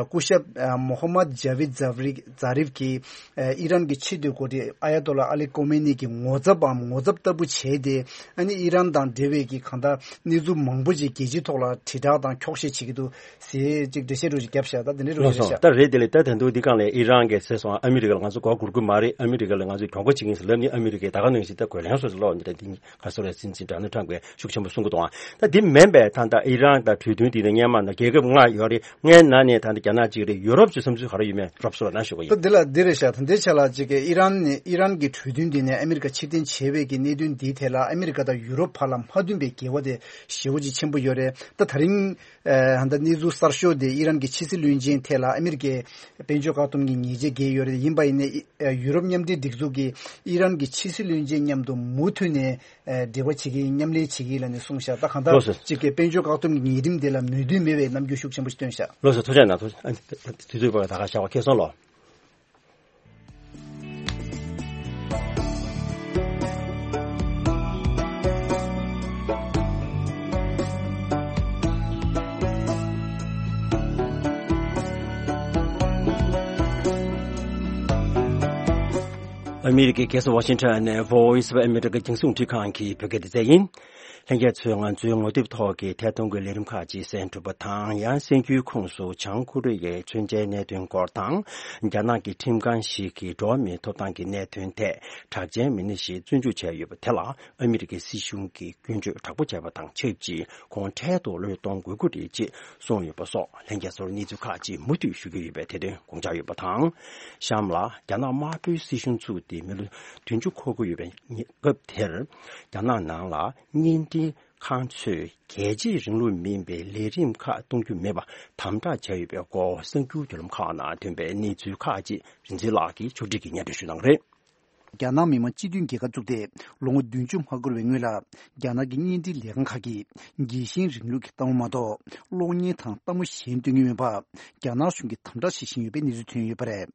སྐུ་ཞབས་ཨ་མོ་ཧམ་མད་ཇ་བིད་ཛ་རིབ་ཛ་རིབ་ཀྱིས་ཨ་ཨི་རན་གྱི་ཆེས་མཐོའི་འགོ་ཁྲིད་ཨ་ཡ་ཏོ་ལ་ཨ་ལི་ཀོ་མེ་ནི་གི་ངོ་ཚབ་བམ་ངོ་ཚབ་ལྟ་བུ་བྱས་ཏེ། ཨ་ནི་ཨི་རན་དང་འབྲེལ་བའི་གི་གང་ལྟར་གནས་ཚུལ་མང་པོ་ཅིག་རྒྱལ་སྤྱིའི་ཐོག་ལ་དྲིལ་བསྒྲགས་དང་འཁྱོག་བཤད་བྱེད་ཀྱི་འདུག་ཟེར་ཅིག་འགྲེལ་བཤད་འདྲ་ཅིག་བརྒྱབ་ཤག་ད་དེ་འདྲའི་རོ་ལགས་སོ། ཞིག་ད་རེད། དེ་ལས་ད་ད་དུང་འདི་སྒང་ལ་ཨི་རན་གྱིས་ཟེར་སོང་། ཨ་མི་རི་ཀ་ལ་ང་ཚོ་མགོ་སྒུར་གི་མ་རེད། ཨ་མི་རི་ཀ་ལ་ང་ཚོས་གྱོང་གུན་བྱེད་ཀྱི་ཡིན་ཟེར་ལབ་ནས་ཨ་མི་རི་ཀས་ད་ག་ནང་བཞིན་ད་གོ་ལན་སོགས་སུ་སློག་འདི་འདྲ་འདི་ག་སོ་རེད། སྲིད་འཛིན་ཌོ་ནལ་ཊམ་གྱིས་ཤུགས་ཆེན་པོ་གསུང་གི་འདུག་ད་འདི་མིན་པའི་ད་ད་ཨི་རན་དང་གྲོས་མཐུན་འདི་ནས་སྔོན་མ་ན་རྒྱལ་ཁབ་ལྔ་ཡོད་རེད། ལྔའི་ནང་ནས་ད་ལྟ་རྒྱ་ནག་གཅིག་རེད། ཡུ་རོབ་ཀྱི་བསམ་ཚུལ་ག་རེ་ཡོད་མེད་རོབ་སོ་ལ་ན་ཞུ་གི་ཡིན། ད་འདི་ལ་འདི་རེད་ཤག་ད་འདི་ཆ་ལ་གཅིག་གི་ཨི་རན་ནས་ཨི་རན་གྱི་གྲོས་མཐུན་འདི་ནས་ཨ་མི་རི་ཀ་ཕྱིར་འཐེན་བྱས་པའི་གི་གནད་དོན་འདིའི་ཐད་ལ་ཨ་མི་རི་ཀ་དང་ཡུ་རོབ་བར་ལ་མ་མཐུན་པའི་འགལ་བ་དེ་ཞེ་པོ་ཅིག་ཆེན་པོ་ཡོད་རེད། ད་ད་རིང་ཨ་ད་གནས་ཚུལ་གསར་ཤོས་དེ་ཨི་རན་གྱི་ཕྱི་སྲིད་བློན་ཆེན་ཐད་ལ་ཨ་མི་རི་ཀས་དཔལ་འབྱོར་བཀག་སྡོམ་གྱི་ཉེས་ཆད་བཀལ་ཡོད་རེད། ཡིན་པ་ཡིན་ནའི་ཨ་ཡུ་རོབ་མཉམ་འབྲེལ་སྒྲིག་འཛུགས་ཀྱིས་ཨི་རན་གྱི་ཕྱི་སྲིད་བློན་ཆེན་མཉམ་དུ་མུ་མཐུད་ནས་ཨ་འབྲེལ་བ་བྱེད་ཀྱི་ཡིན། མཉམ་ལས་བྱེད་ཀྱི་ཡིན་ལབ་ནས་གསུངས་ཤག་ད་གང་ལྟར་ལགས་སོ། གཅིག་གི་དཔལ་འབྱོར་བཀག་སྡོམ་གྱི་ཉེས་ཁྲིམས་དེ་ལ་མོས་མཐུན་མེད་པའི་རྣམ་འགྱུར་ཤུགས་ཆེན་པོ་ཞིག་བཏོན་ཤག་ལགས་སོ། ཐུགས་རྗེ་གནང་། ཐུགས་རྗེ་གནང་། ཨ་ནི་དུས་ཚོད་བར་ད་ག་བཞག་པ་ཁེ་སོང་ལོ། ཨ་མི་རི་ཀའི་རྒྱལ་ས་ཝ་ཤིང་ཊོན་ནས་Voice of America རྒྱང་སྲིང་རླུང་འཕྲིན་ཁང་གི་བོད་སྐད་སྡེ་ཚན་ཡིན། ལྷན་རྒྱས་ཚོས་ང་ཚོའི་ངོ་དེབ་ཐོག་གི་ཐད་གཏོང་གི་ལས་རིམ་ཁག་ཅིག་གསན་ཐུབ་པ་དང་། ཡང་གསན་རྒྱུའི་ཁོངས་སུ་བྱང་ཀོ་རི་ཡའི་མཚོན་ཆའི་གནད་དོན་སྐོར་དང་། རྒྱ་ནག་གི་ཁྲིམས་ཁང་ཞིག་གིས་འགྲོ་བ་མིའི་ཐོབ་ཐང་གི་གནད་དོན་ཐད་གྲགས་ཅན་མི་སྣ་ཞིག་བཙོན་འཇུག་བྱས་ཡོད་པ་དེ་ལ་ཨ་མི་རི་ཀའི་སྲིད་གཞུང་གིས་སྐྱོན་བརྗོད་དྲག་པོ་བྱས་པ་དང་ཆབས་ཅིག་ཁོང་འཕྲལ་དུ་བློས་གཏོང་དགོས་ཀྱི་རེད་ཅེས་གསུངས་ཡོད་པ་སོགས་ལྷན་རྒྱས་ཚོར་གནས་ཚུལ་ཁག་ཅིག་མུ་མཐུད་ཞུ་གི་ཡོད་པས་དེ་དོན་དགོངས་འཇགས་ཡོད་པ་དང་། གཤམ་ལ་རྒྱ་ནག་དམར་པོའི་སྲིད་གཞུང་ཚུགས་ཏེ་མི་ལོ་བདུན་ཅུ་འཁོར་གྱི་ཡོད་པའི་སྐབས་དེར། རྒྱ་ནག་ནང་ལ་བརྙན་འཕྲིན་ཁང་ཚོས་རྒྱལ་གཅེས་རིང་ལུགས་མིན་པའི་ལས་རིམ་ཁག་གཏོང་རྒྱུ་མེད་པ་དམ་དྲག་བྱས་ཡོད་པའི་སྐོར་གསར་འགྱུར་བརྒྱུད་ལམ་ཁག་ནང་ཐོན་པའི་གནས་ཚུལ་ཁག་ཅིག་རིག་འཛིན་ལགས་ཀྱིས་ཕྱོགས་སྒྲིག་གིས་སྙན་སྒྲོན་ཞུ་གནང་གི་རེད། རྒྱ་ནག་མི་དམངས་སྤྱི་མཐུན་རྒྱལ་ཁབ་བཙུགས་ཏེ་ལོ་ངོ་བདུན་ཅུ་མ་འཁོར་བའི་སྔོན་ལ། རྒྱ་ནག་གི་བརྙན་འཕྲིན་ལས་ཁང་ཁག་གིས་རྒྱལ་ཞེན་རིང་ལུགས་ཀྱི་ལྟ་བ་མ་གཏོགས་གློག་བརྙན་དང་ལྟད་མོ་གཞན་སྟོན་གྱི་མེད་པ། རྒྱ་ནག་གཞུང་གིས་དམ་དྲག་བྱེད་བཞིན་ཡོད་པའི་གནས་ཚུལ་ཐོན་ཡོད་པ་རེད།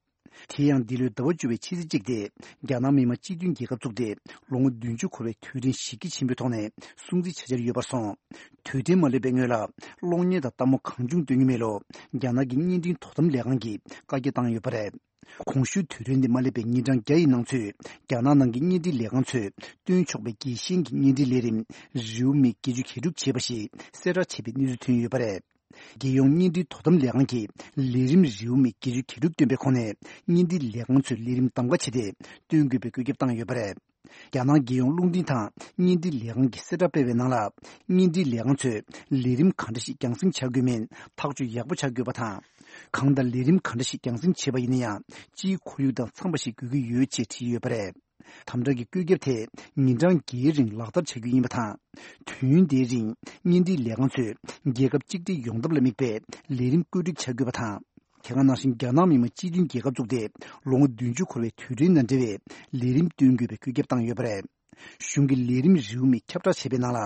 དེ་ཡང་འདི་ལོའི་ཟླ་བ་བཅུ་པའི་ཕྱི་ཚེས་གཅིག་སྟེ། རྒྱ་ནག་མི་དམངས་སྤྱི་མཐུན་རྒྱལ་ཁབ་བཙུགས་ཏེ་ལོ་ངོ་བདུན་ཅུ་འཁོར་བའི་དུས་དྲན་གཞི་རྒྱ་ཆེན་པོའི་ཐོག་ནས་སྲུང་བརྩི་བྱ་འཆར་ཡོད་པར་སོང་། དུས་དྲན་མ་སླེབས་པའི་སྔོན་ལ་གློག་བརྙན་དང་ལྟད་མོ་གང་བྱུང་སྟོན་གྱི་མེད་ལུགས་རྒྱ་ནག་གི་བརྙན་འཕྲིན་དོ་དམ་ལས་ཁང་གིས་བཀའ་རྒྱ་བཏང་ཡོད་པ་རེད། གོང་ཞུས་དུས་དྲན་དེ་མ་སླེབས་པའི་ཉིན་གྲངས་བརྒྱ་ཡི་ནང་ཚུད་རྒྱ་ནག་ནང་གི་བརྙན་འཕྲིན་ལས་ཁང་ཚོས་སྟོན་ཆོག་པའི་རྒྱལ་ཞེན་གྱི་བརྙན་འཕྲིན་ལས་རིམ་རེའུ་མིག་བརྒྱད་ཅུ་གྱ་དྲུག་བྱས་པ་ཞིག་གསལ་བསྒྲགས་བྱས་པའི་གནས་ཚུལ་ཐོན་ཡོད་པ་རེད། རྒྱལ་ཡོངས་བརྙན་འཕྲིན་དོ་དམ་ལས་ཁང་གིས་ལས་རིམ་རེའུ་མིག་བརྒྱད་ཅུ་གྱ་དྲུག་བཏོན་པའི་ཁོངས་ནས་བརྙན་འཕྲིན་ལས་ཁང་ཚོས་ལས་རིམ་གདམ་ག་བྱས་ཏེ་སྟོན་དགོས་པའི་བཀོད་ཁྱབ་བཏང་ཡོད་པ་རེད། རྒྱ་ནག་རྒྱལ་ཡོངས་རླུང་འཕྲིན་དང་བརྙན་འཕྲིན་ལས་ཁང་གིས་གསལ་བསྒྲགས་སྤེལ་བའི་ནང་ལ། བརྙན་འཕྲིན་ལས་ཁང་ཚོས་ལས་རིམ་ག་འདྲ་ཞིག་རྒྱང་སྲིང་བྱ་དགོས་མིན་ཐག་གཅོད་ཡག་པོ་བྱ་དགོས་པ་དང་། གང་ལྟར་ལས་རིམ་ག་འདྲ་ཞིག་རྒྱང་སྲིང་བྱས་པ་ཡིན་ན་ཡང་། སྤྱིའི་ཁོར་ཡུག་དང་འཚམས་པ་ཞིག་དགོས་ཀྱི་ཡོད་ཅེས་བྲིས་ཡོད་པ་རེད། དམ་དྲག་གི་བཀོད་ཁྱབ་དེ་ཉིན་གྲངས་བརྒྱད་རིང་ལག་བསྟར་བྱ་རྒྱུ་ཡིན་པ་དང་། དུས་ཡུན་དེའི་རིང་བརྙན་འཕྲིན་ལས་ཁང་ཚོས་རྒྱལ་ཁབ་གཅིག་སྒྲིལ་ཡོང་ཐབས་ལ་དམིགས་པའི་ལས་རིམ་བཀོད་སྒྲིག་བྱ་དགོས་པ་དང་། དེ་ག་ནང་བཞིན་རྒྱ་ནག་མི་དམངས་སྤྱི་མཐུན་རྒྱལ་ཁབ་བཙུགས་ཏེ་ལོ་ངོ་བདུན་ཅུ་འཁོར་བའི་དུས་དྲན་དང་འབྲེལ་བའི་ལས་རིམ་སྟོན་དགོས་པའི་བཀོད་ཁྱབ་བཏང་ཡོད་པ་རེད། གཞུང་གི་ལས་རིམ་རེའུ་མིག་ཁྱབ་བསྒྲགས་བྱས་པའི་ནང་ལ།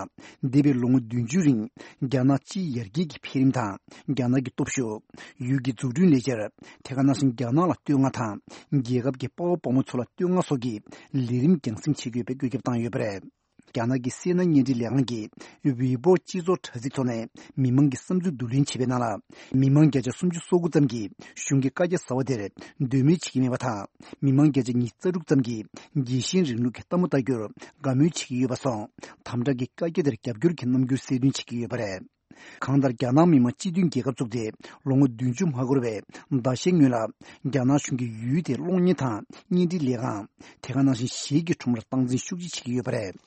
འདས་པའི་ལོ་ངོ་བདུན་ཅུ་རིང་རྒྱ་ནག་སྤྱིའི་ཡར་རྒྱས་ཀྱི་འཕེལ་རིམ་དང་། རྒྱ་ནག་གི་སྟོབས་ཤུགས། ཡུལ་གྱི་འཛུགས་སྐྲུན་ལས་འཆར། དེ་ག་ནང་བཞིན་རྒྱ་ནག་ལ་བསྟོད་བསྔགས་དང་། རྒྱལ་ཁབ་ཀྱི་དཔའ་བོ་དཔའ་མོ་ཚོ་ལ་བསྟོད་བསྔགས་སོགས་ཀྱི་ལས་རིམ་རྒྱང་སྲིང་བྱེད་དགོས་པའི་བཀོད་ཁྱབ་བཏང་ཡོད་པ་རེད། རྒྱ་ནག་གི་སི་ཨེན་ཨེན་བརྙན་འཕྲིན་ལས་ཁང་གིས་ཝེ་པོ་སྤྱི་ཚོགས་དྲ་ཚིགས་ཐོག་ནས་མི་མང་གི་བསམ་ཚུལ་བསྡུ་ལེན་བྱས་པའི་ནང་ལ། མི་མང་བརྒྱ་ཆ་སུམ་ཅུ་སོ་དགུ་ཙམ་གྱིས་གཞུང་གི་བཀའ་རྒྱ་གསར་བ་དེར་འདོད་མོས་བྱེད་ཀྱི་མེད་པ་དང་། མི་མང་བརྒྱ་ཆ་ཉི་ཤུ་རྩ་དྲུག་ཙམ་གྱིས་རྒྱལ་ཞེན་རིང་ལུགས་ཀྱི་ལྟད་མོ་ལྟ་རྒྱུར་དགའ་མོས་བྱེད་ཀྱི་ཡོད་པ་སོགས། དམ་དྲག་གི་བཀའ་རྒྱ་དེར་རྒྱབ་སྐྱོར་གྱི་རྣམ་འགྱུར་གསལ་སྟོན་བྱེད་ཀྱི་ཡོད་པ་རེད། གང་ལྟར་རྒྱ་ནག་མི་དམངས་སྤྱི་མཐུན་རྒྱལ་ཁབ་བཙུགས་ཏེ་ལོ་ངོ་བདུན་ཅུ་མ་འཁོར་བའི་ཟླ་ཤས་སྔོན་ལ། རྒྱ་ནག་གཞུང་གིས་ཡུལ་དེའི་གློག་བརྙན་དང་བརྙན་འཕྲིན་ལས་ཁང་། དེ་ག་ནང་བཞིན་གཞས་ཀྱི་ཁྲོམ་རར་སྟངས་འཛིན་ཤུགས་ཆེ་བྱེད་ཀྱི་ཡོད་པ་རེད།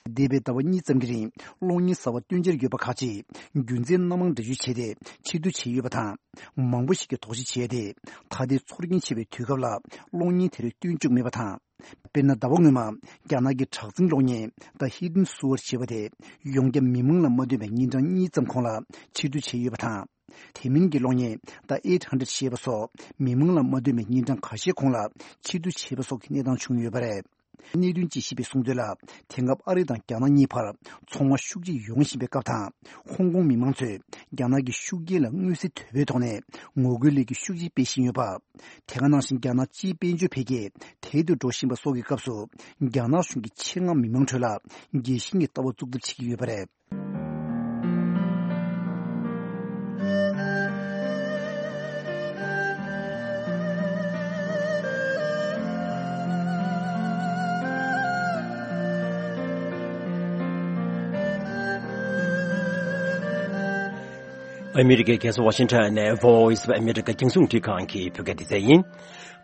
འདས་པའི་ཟླ་བ་གཉིས་ཙམ་གྱི་རིང་གློག་བརྙན་གསར་བ་སྟོན་འཆར་ཡོད་པ་ཁག་ཅིག་རྒྱུ་མཚན་སྣ་མང་འདྲ་བརྗོད་བྱས་ཏེ་ཕྱིར་བསྡུ་བྱས་ཡོད་པ་དང་། མང་པོ་ཞིག་གིས་དོགས་གཞི་བྱས་ཏེ། ད་ལྟའི་ཚོར་སྐྱེན་ཆེ་བའི་དུས་སྐབས་ལ་གློག་བརྙན་དེ་རིགས་སྟོན་བཅུག་མེད་པ་དང་། དཔེར་ན། ཟླ་བ་སྔོན་མ་རྒྱ་ནག་གི་གྲགས་འཛིན་གློག་བརྙན་The Hidden Sword ཞེས་པ་དེ་ཡོངས་ཁྱབ་མི་མང་ལ་མ་བསྟོད་པའི་ཉིན་གྲངས་གཉིས་ཙམ་གོང་ལ་ཕྱིར་བསྡུ་བྱས་ཡོད་པ་དང་། དེ་མིན་གྱི་གློག་བརྙན་The Eight Hundred ཞེས་པ་སོགས་མི་མང་ལ་མ་བསྟོད་པའི་ཉིན་གྲངས་ཁ་ཤས་གོང་ལ་ཕྱིར་བསྡུ་བྱས་པ་སོགས་ཀྱི་གནས་སྟངས་བྱུང་ཡོད་པ་རེད། གནད་དོན་དཔྱད་ཞིབ་པས་གསུངས་དོན་ལ། དེང་སྐབས་ཨ་རི་དང་རྒྱ་ནག་གཉིས་བར་ཚོང་དབང་ཤུགས་ཆེ་ཡོང་བཞིན་པའི་སྐབས་དང་། ཧོང་ཀོང་མི་མང་ཚོས་རྒྱ་ནག་གི་ཤུགས་རྐྱེན་ལ་མངོན་གསལ་དོད་པོའི་ཐོག་ནས་ངོ་རྒོལ་ལས་འགུལ་ཤུགས་ཆེ་སྤེལ་བཞིན་ཡོད་པ། དེ་ག་ནང་བཞིན་རྒྱ་ནག་སྤྱིའི་དཔལ་འབྱོར་འཕེལ་རྒྱས་དལ་དུ་འགྲོ་བཞིན་པ་སོགས་ཀྱི་སྐབས་སུ། རྒྱ་ནག་གཞུང་གིས་ཆེད་མངགས་མི་མང་ཁྲོད་ལ་རྒྱལ་ཞེན་གྱི་ལྟ་བ་བཙུགས་ཐབས་བྱེད་ཀྱི་ཡོད་པ་རེད། ཨ་མི་རི་ཀའི་རྒྱལ་ས་ཝ་ཤིང་ཊོན་ནས་Voice of America རྒྱང་སྲིང་རླུང་འཕྲིན་ཁང་གི་བོད་སྐད་སྡེ་ཚན་ཡིན།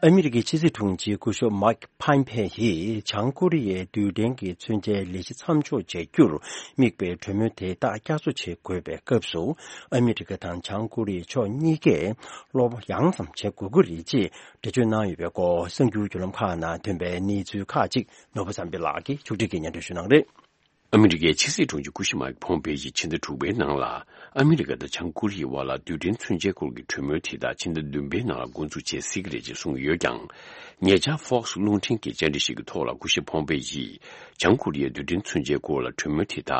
ཨ་མི་རི་ཀའི་ཕྱི་སྲིད་དྲུང་ཆེ་སྐུ་ཞབས་མཱིག་ཕམ་ཕེ་ཡིས་བྱང་ཀོ་རི་ཡའི་རྡུལ་ཕྲན་གྱི་མཚོན་ཆའི་ལས་གཞི་མཚམས་འཇོག་བྱ་རྒྱུར་དམིགས་པའི་གྲོས་མོལ་དེ་དག་བསྐྱར་གསོ་བྱེད་དགོས་པའི་སྐབས་སུ། ཨ་མི་རི་ཀ་དང་བྱང་ཀོ་རི་ཡའི་ཕྱོགས་གཉིས་ཀས་བློ་ཡང་ཙམ་བྱེད་དགོས་ཀྱི་རེད་ཅེས་འགྲེལ་བརྗོད་གནང་ཡོད་པའི་སྐོར་གསར་འགྱུར་བརྒྱུད་ལམ་ཁག་ནང་ཐོན་པའི་གནས་ཚུལ་ཁག་ཅིག་ནོར་བུ་བསམ་འཕེལ་ལགས་ཀྱིས་ཕྱོགས་སྒྲིག་གིས་སྙན་སྒྲོན་ཞུ་གནང་གི་རེད། ཨ་མི་རི་ཀའི་ཕྱི་སྲིད་དྲུང་ཆེ་སྐུ་ཞབས་མཱིག་ཕོམ་པེ་ཡིས་ཕྱི་ཟླ་དྲུག་པའི་ནང་ལ། ཨ་མི་རི་ཀ་དང་བྱང་ཀོ་རི་ཡའི་དབར་ལ་རྡུལ་ཕྲན་མཚོན་ཆའི་སྐོར་གྱི་གྲོས་མོལ་དེ་དག་ཕྱི་ཟླ་བདུན་པའི་ནང་ལ་འགོ་འཛུགས་བྱེད་སྲིད་ཀྱི་རེད་ཅེས་གསུངས་ཡོད་ཀྱང་། ཉེ་ཆར་Fox རླུང་འཕྲིན་གྱི་བཅར་འདྲི་ཞིག་གི་ཐོག་ལ་སྐུ་ཞབས་ཕོམ་པེ་ཡིས། བྱང་ཀོ་རི་ཡའི་རྡུལ་ཕྲན་མཚོན་ཆའི་སྐོར་ལ་གྲོས་མོལ་དེ་དག་